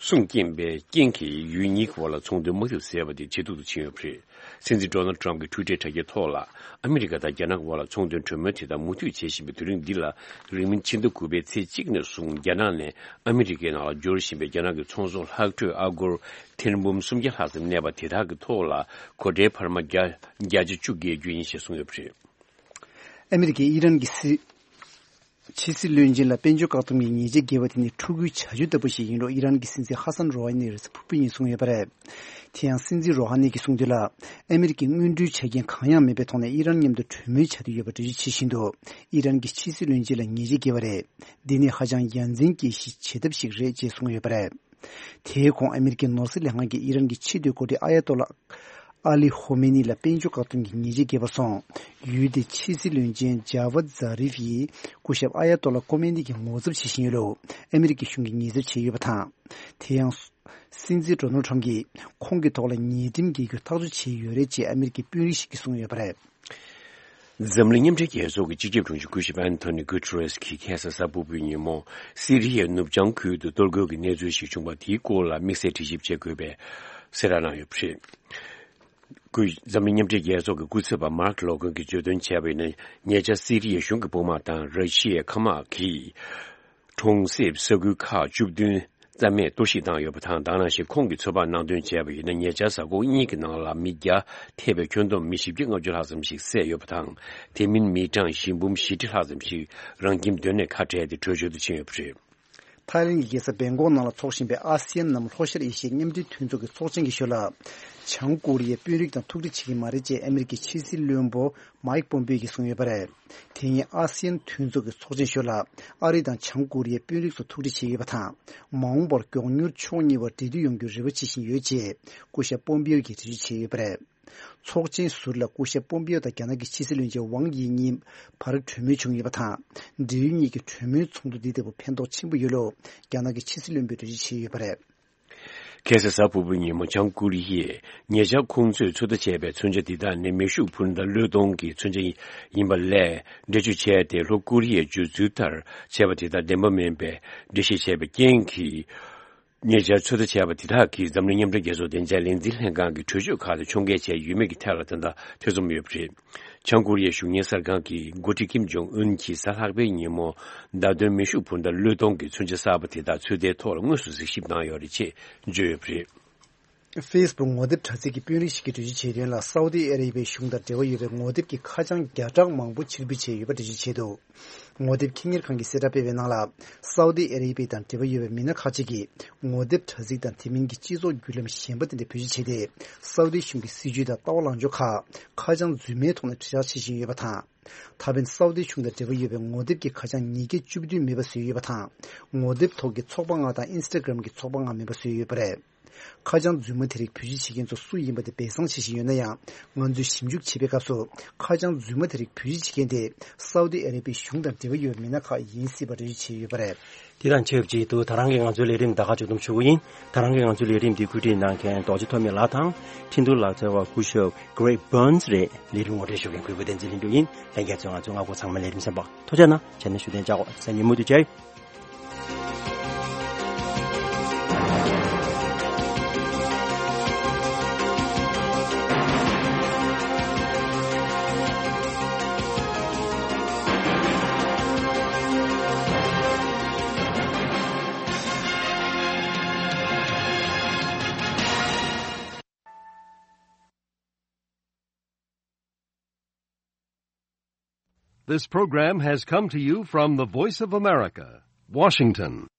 གསུང་སྐྱོན་པའི་རྐྱེན་གྱིས་ཡུལ་གཉིས་ཀྱི་དབར་ལ་ཚོང་དོན་དམག་འཐབ་ཟེར་བ་དེ་ཇེ་སྡུག་ཏུ་ཕྱིན་ཡོད་པ་རེད། སྲིད་འཛིན་ཌོ་ནལ་ཊམ་གྱི་ཊུའི་ཊར་དྲ་རྒྱའི་ཐོག་ལ། ཨ་མི་རི་ཀ་དང་རྒྱ་ནག་གི་དབར་ལ་ཚོང་དོན་གྲོས་མོལ་དེ་དག་མུ་མཐུད་བྱེད་བཞིན་པའི་དུས་རིང་འདི་ལ། རིང་མིན་ཕྱི་ཟླ་དགུ་པའི་ཚེས་གཅིག་ནས་བཟུང་རྒྱ་ནག་ནས་ཨ་མི་རི་ཀའི་ནང་ལ་འབྱོར་བཞིན་པའི་རྒྱ་ནག་གི་ཚོང་ཟོག་ལྷག་འཕྲོས་ཨ་སྒོར་ཐེར་འབུམ་སུམ་བརྒྱ་ལྷག་ཙམ་གནས་པ་དེ་དག་གི་ཐོག་ལ་གོ་ཁྲལ་འཕར་མ་བརྒྱ་བརྒྱ་ཆ་བཅུ་བཀལ་རྒྱུ་ཡིན་ཞེས་གསུངས་ཡོད་པ་རེད། ཨ་མི་རི་ཀས་ཨི་རན་གྱི་སྲིད། ཕྱི་སྲིད་བློན་ཆེན་ལ་དཔལ་འབྱོར་བཀག་སྡོམ་གྱི་ཉེས་ཆད་འགེལ་བ་དེ་ནི་ཕྲུ་གུའི་བྱ་སྤྱོད་ལྟ་བུ་ཞིག་ཡིན་ལུགས་ཨི་རན་གྱི་སྲིད་འཛིན་ཧ་སན་རོ་ཧ་ནི་རེས་གཟའ་ཕུར་བུ་ཉིན་གསུངས་ཡོད་པ་རེད། དེ་ཡང་སྲིད་འཛིན་རོ་ཧ་ནི་གིས་གསུངས་དོན་ལ། ཨ་མི་རི་ཀས་སྔོན་འགྲོའི་ཆ་རྐྱེན་གང་ཡང་མེད་པའི་ཐོག་ནས་ཨི་རན་མཉམ་དུ་གྲོས་མོལ་བྱ་འདོད་ཡོད་པ་འགྲེལ་བརྗོད་བྱེད་བཞིན་དུ། ཨི་རན་གྱི་ཕྱི་སྲིད་བློན་ཆེན་ལ་ཉེས་ཆད་འགེལ་བ་རེད། འདི་ནི་ཧ་ཅང་ཡ་མཚན་སྐྱེ་གཞི་བྱེད་ཐབས་ཤིག་རེད་ཅེས་གསུངས་ཡོད་པ་རེད། དེའི་གོང་ཨ་མི་རི་ཀའི་ནོར་སྲིད་ལས་ཁང་གིས་ཨི་རན་གྱི་ཕྱི་སྡོད་འགོ་ཁྲིད་ཨ་ཡ་ཏོ་ལ་ཨ་ལི་ཧོ་མེ་ནི་ལ་དཔལ་འབྱོར་བཀག་སྡོམ་གྱི་ཉེས་ཆད་འགེལ་བ་སོང་། ཡུལ་དེའི་ཕྱི་སྲིད་བློན་ཆེན་ཇཱ་ཝད་ཛཱ་རིབ་ཡིས་སྐུ་ཞབས་ཨ་ཡ་ཏོ་ལ་ཁོ་མེ་ནི་གྱི་ངོ་ཚབ་བྱེད་བཞིན་ཡོད་ལུགས་ཨ་མི་རི་ཀའི་གཞུང་གིས་ཉེས་ཚབས་བྱས་ཡོད་པ་དང་། དེ་ཡང་། སྲིད་འཛིན་ཌོ་ནལ་ཊམ་གྱིས་ཁོང་གི་ཐོག་ལ་ཉེས་ཁྲིམས་འགེལ་རྒྱུ་ཐག་གཅོད་བྱས་ཡོད་རེད་ཅེས་ཨ་མི་རི་ཀའི་དཔོན་རིགས་ཤིག་གིས་གསུངས་ཡོད་པ་རེད། འཛམ་གླིང་མཉམ་འབྲེལ་རྒྱལ་ཚོགས་ཀྱི་སྤྱི་ཁྱབ་དྲུང་ཆེ་སྐུ་ཞབས་ཨན་ཐོ་ནི་གུ་ཏེ་རེས་ཀྱིས་ཁ་སང་གཟའ་ཕུར་བུའི་ཉིན་མོ། སི་རི་ཡའི་ནུབ་བྱང་ཁུལ་དུ་གཏོར་རྒོལ་གྱི་གནས་ཚུལ་ཞིག་བྱུང་བ་དེའི་སྐོར་ལ་དམིགས་བསལ་དྲི་ཞིབ་བྱེད་དགོས་པའི་གསལ་བསྒྲགས་གནང་ཡོད་པ་རེད། སྐུ། འཛམ་གླིང་མཉམ་འབྲེལ་རྒྱལ་ཚོགས་ཀྱི་སྐུ་ཚབ་པ་མཱརྐ་ལོ་ཀན་གྱིས་བརྗོད་དོན་བྱས་པ་ཡིན་ན། ཉེ་ཆར་སི་རི་ཡའི་གཞུང་གི་དཔུང་དམག་དང་ར་ཤི་ཡའི་མཁའ་དམག་གིས། གྲོང་གསེབ་ས་ཁུལ་ཁག་བཅུ་བདུན་རྩ་མེད་གཏོར་བཤིག་བཏང་ཡོད་པ་དང་། དེ་ནང་བཞིན་ཁོང་གིས་ཚོད་དཔག་གནང་དོན་བྱས་པ་ཡིན་ན། ཉེ་ཆར་གཟའ་འཁོར་གཉིས་ཀྱི་ནང་ལ་མི་བརྒྱ་ཐེ་བའི་ཁྱོན་བསྡོམས་མི་བཞི་བརྒྱ་ལྔ་བཅུ་ལྷག་ཙམ་ཞིག་བསད་ཡོད་པ་དང་། དེ་མིན་མི་གྲངས་བཞི་འབུམ་བཞི་ཁྲི་ལྷག་ཙམ་ཞིག་རང་ཁྱིམ་མདུན་ནས་ཁ་བྲལ་ཏེ་བྲོས་བྱོལ་དུ་ཕྱིན་ཡོད་པ་རེད། ཐའི་ལེན་གྱི་རྒྱལ་ས་བེང་ཀོག་ནང་ལ་འཚོགས་བཞིན་པའི་ཨ་སི་ཡན་ནམ་ལྷོ་ཤར་ཨེ་ཤི་ཡའི་མཉམ་འབྲེལ་མཐུན་ཚོགས་ཀྱི་ཚོགས་ཆེན་གྱི་ཞོར་ལ། བྱང་ཀོ་རི་ཡའི་དཔོན་རིགས་དང་ཐུག་འཕྲད་བྱེད་ཀྱི་མ་རེད་ཅེས་ཨ་མི་རི་ཀའི་ཕྱི་སྲིད་བློན་པོ་མའིག་པོམ་པེ་ཡོ་གིས་གསུངས་ཡོད་པ་རེད། དེ་ཉིན་ཨ་སི་ཡན་མཐུན་ཚོགས་ཀྱི་ཚོགས་ཆེན་ཞོར་ལ་ཨ་རི་དང་བྱང་ཀོ་རི་ཡའི་དཔོན་རིགས་ཚོ་ཐུག་འཕྲད་བྱས་ཡོད་པ་དང་། མ་འོངས་པར་མགྱོགས་མྱུར་ཕྱོགས་གཉིས་བར་འབྲེལ་མཐུད་ཡོང་རྒྱུར་རེ་བ་བྱེད་བཞིན་ཡོད་ཅེས་སྐུ་ཞབས་པོམ་པེ་ཡོ་གིས་འགྲེལ་བརྗོད་བྱས་ཡོད་པ་རེད། ཚོགས་ཆེན་ཟུར་ལ་སྐུ་ཞབས་པོམ་པེ་ཡོ་དང་རྒྱ་ནག་གི་ཕྱི་སྲིད་བློན་ཆེན་ཝང་དབྱི་གཉིས་བར་གྲོས་མོལ་བྱུང་ཡོད་པ་དང་། འབྲེལ་ཡོད་གཉིས་ཀྱི་གྲོས་མོལ་ཚོགས་འདུ་འདི་ལྟ་བུ་ཕན་ཐོགས་ཆེན་པོ་ཡོད་ལུགས་རྒྱ་ནག་གི་ཕྱི་སྲིད་བློན་པོས་འགྲེལ་བརྗོད་བྱས་ཡོད་པ་རེད། ཁ་སང་གཟའ་ཕུར་བུའི་ཉིན་མོ་བྱང་ཀོ་རི་ཡས་ཉེ་ཆར་ཁོང་ཚོས་ཚོད་ལྟ་བྱས་པའི་མཚོན་ཆ་འདི་དག་ནི་མེ་ཤུགས་འཕུར་མདའ་བློས་གཏོང་གི་མཚོན་ཆ་ཡིན་པ་ལས་འགྲེལ་བརྗོད་བྱས་ཏེ། ལྷོ་ཀོ་རི་ཡའི་བརྗོད་ཚུལ་ལྟར་བྱས་པ་དེ་དག་བདེན་པ་མིན་པའི་འགྲེལ་བཤད་བྱས་པའི་རྐྱེན་གྱིས། ཉེ་ཆར་ཚོད་ལྟ་བྱས་པ་དེ་དག་གིས་འཛམ་གླིང་མཉམ་འབྲེལ་རྒྱལ་ཚོགས་བདེ་འཇགས་ལས་འཛིན་ལྷན་ཁང་གི་གྲོས་ཆོད་ཁག་ལ་མཆོང་བརྒལ་བྱས་ཡོད་མེད་ཀྱི་ཐད་ལ་ད་ལྟ་ཐེ་ཚོམ་ཡོད་པ་རེད། བྱང་ཀོ་རི་ཡའི་གཞུང་གཉེར་གསར་ཁང་གི་འགོ་ཁྲིད་ཀིམ་ཇོང་ཨུན་གྱིས་གཟའ་ལྷག་པའི་ཉིན་མོ་བརྡ་དོན་མེ་ཤུགས་འཕུར་མདའ་བློས་གཏོང་གི་མཚོན་ཆ་གསར་པ་དེ་དག་ཚོད་ལྟའི་ཐོག་ལ་དངོས་སུ་གཟིགས་ཞིབ་གནང་ཡོད་རེད་ཅེས་བརྗོད་ཡོད་པ་རེད། ཧྥེ་སི་བུག་ངོ་དེབ་དྲ་ཚིགས་ཀྱི་དཔོན་རིགས་ཤིག་གིས་འགྲེལ་བརྗོད་བྱས་དོན་ལ། སའུ་ཏི་ཨ་རེ་བྷིའི་གཞུང་དང་འབྲེལ་བ་ཡོད་པའི་ངོ་དེབ་ཀྱི་ཁ་བྱང་བརྒྱ་ཕྲག་མང་པོ་ཕྱིར་འབུད་བྱས་ཡོད་པ་འགྲེལ་བརྗོད་བྱས་འདུག་ངོ་དེབ་ཁྱི་གཉེར་ཁང་གིས་གསལ་བསྒྲགས་སྤེལ་བའི་ནང་ལ། སའུ་ཏི་ཨ་རེ་བྷི་དང་འབྲེལ་བ་ཡོད་པའི་མི་སྣ་ཁག་ཅིག་གིས་ངོ་དེབ་དྲ་ཚིགས་དང་དེ་མིན་གྱི་སྤྱི་ཚོགས་བརྒྱུད་ལམ་གཞན་པ་དེ་འདྲ་བེད་སྤྱོད་བྱས་ཏེ། སའུ་ཏི་གཞུང་གི་སྲིད་ཇུས་དང་ལྟ་བ་ལངས་ཕྱོགས་ཁག་ཁ་བྱང་རྫུན་མའི་ཐོག་ནས་དྲིལ་བསྒྲགས་བྱེད་བཞིན་ཡོད་པ་དང་། ད་ཕན་སའུ་ཏི་གཞུང་དང་འབྲེལ་བ་ཡོད་པའི་ངོ་དེབ་ཀྱི་ཁ་བྱང་ཉིས་བརྒྱ་བཅུ་བདུན་མེད་པ་བཟོས་ཡོད་པ་དང་། ངོ་དེབ་ཐོག་གི་ཚོགས་པ་ལྔ་དང་ཨིན་སི་ཊ་གྷི་རམ་གྱི་ཚོགས་པ་ལྔ་མེད་པ་བཟོས་ཡོད་པ་རེད། ཁ་བྱང་རྫུན་མ་དེ་རིགས་བེད་སྤྱོད་བྱེད་མཁན་ཚོ་སུ་ཡིན་པ་དེ་སྦས་གསང་བྱེད་བཞིན་ཡོད་ན་ཡང་། ང་ཚོས་ཞིབ་འཇུག་བྱེད་པའི་སྐབས་སུ་ཁ་བྱང་རྫུན་མ་དེ་རིགས་བེད་སྤྱོད་བྱེད་མཁན་དེ་སའུ་ཏི་ཨ་རེ་བྷིའི་གཞུང་དང་འབྲེལ་བ་ཡོད་པའི་མི་སྣ་ཁག་ཡིན་སྲིད་པ་འགྲེལ་བརྗོད་བྱས་ཡོད་པ་རེད། དེ་དང་ཆབས་ཅིག་ཏུ་ད་རང་གི་ང་ཚོའི་ལས་རིམ་ད་ག་མཇུག་བསྡོམས་ཞུ་གི་ཡིན། ད་རང་གི་ང་ཚོའི་ལས་རིམ་འདི་བཀོད་སྒྲིག་གནང་མཁན་རྡོ་རྗེ་ཐོགས་མེད་ལགས་དང་། ཁྲིན་ཏུའུ་ལག་རྩལ་བ་སྐུ་ཞབས་Greg Burns རེད། ལས་རིམ་ངོ་སྤྲོད་ཞུ་མཁན་གུས་པ་བསྟན་འཛིན་ལྷུན་གྲུབ་ཡིན། ལྷན་རྒྱས་ཚོས་ང་ཚོའི་སྔ་འགོ་ཚང་མ་ལས་རིམ་གསན་པར་ཐུགས་རྗེ་གནང་། ཕྱི་ནས་བཞུགས་གདན་འཇགས་འོ། སང་ཉིན་མུ་མཐུད་མཇལ་ཡོང་། This program has come to you from the Voice of America, Washington.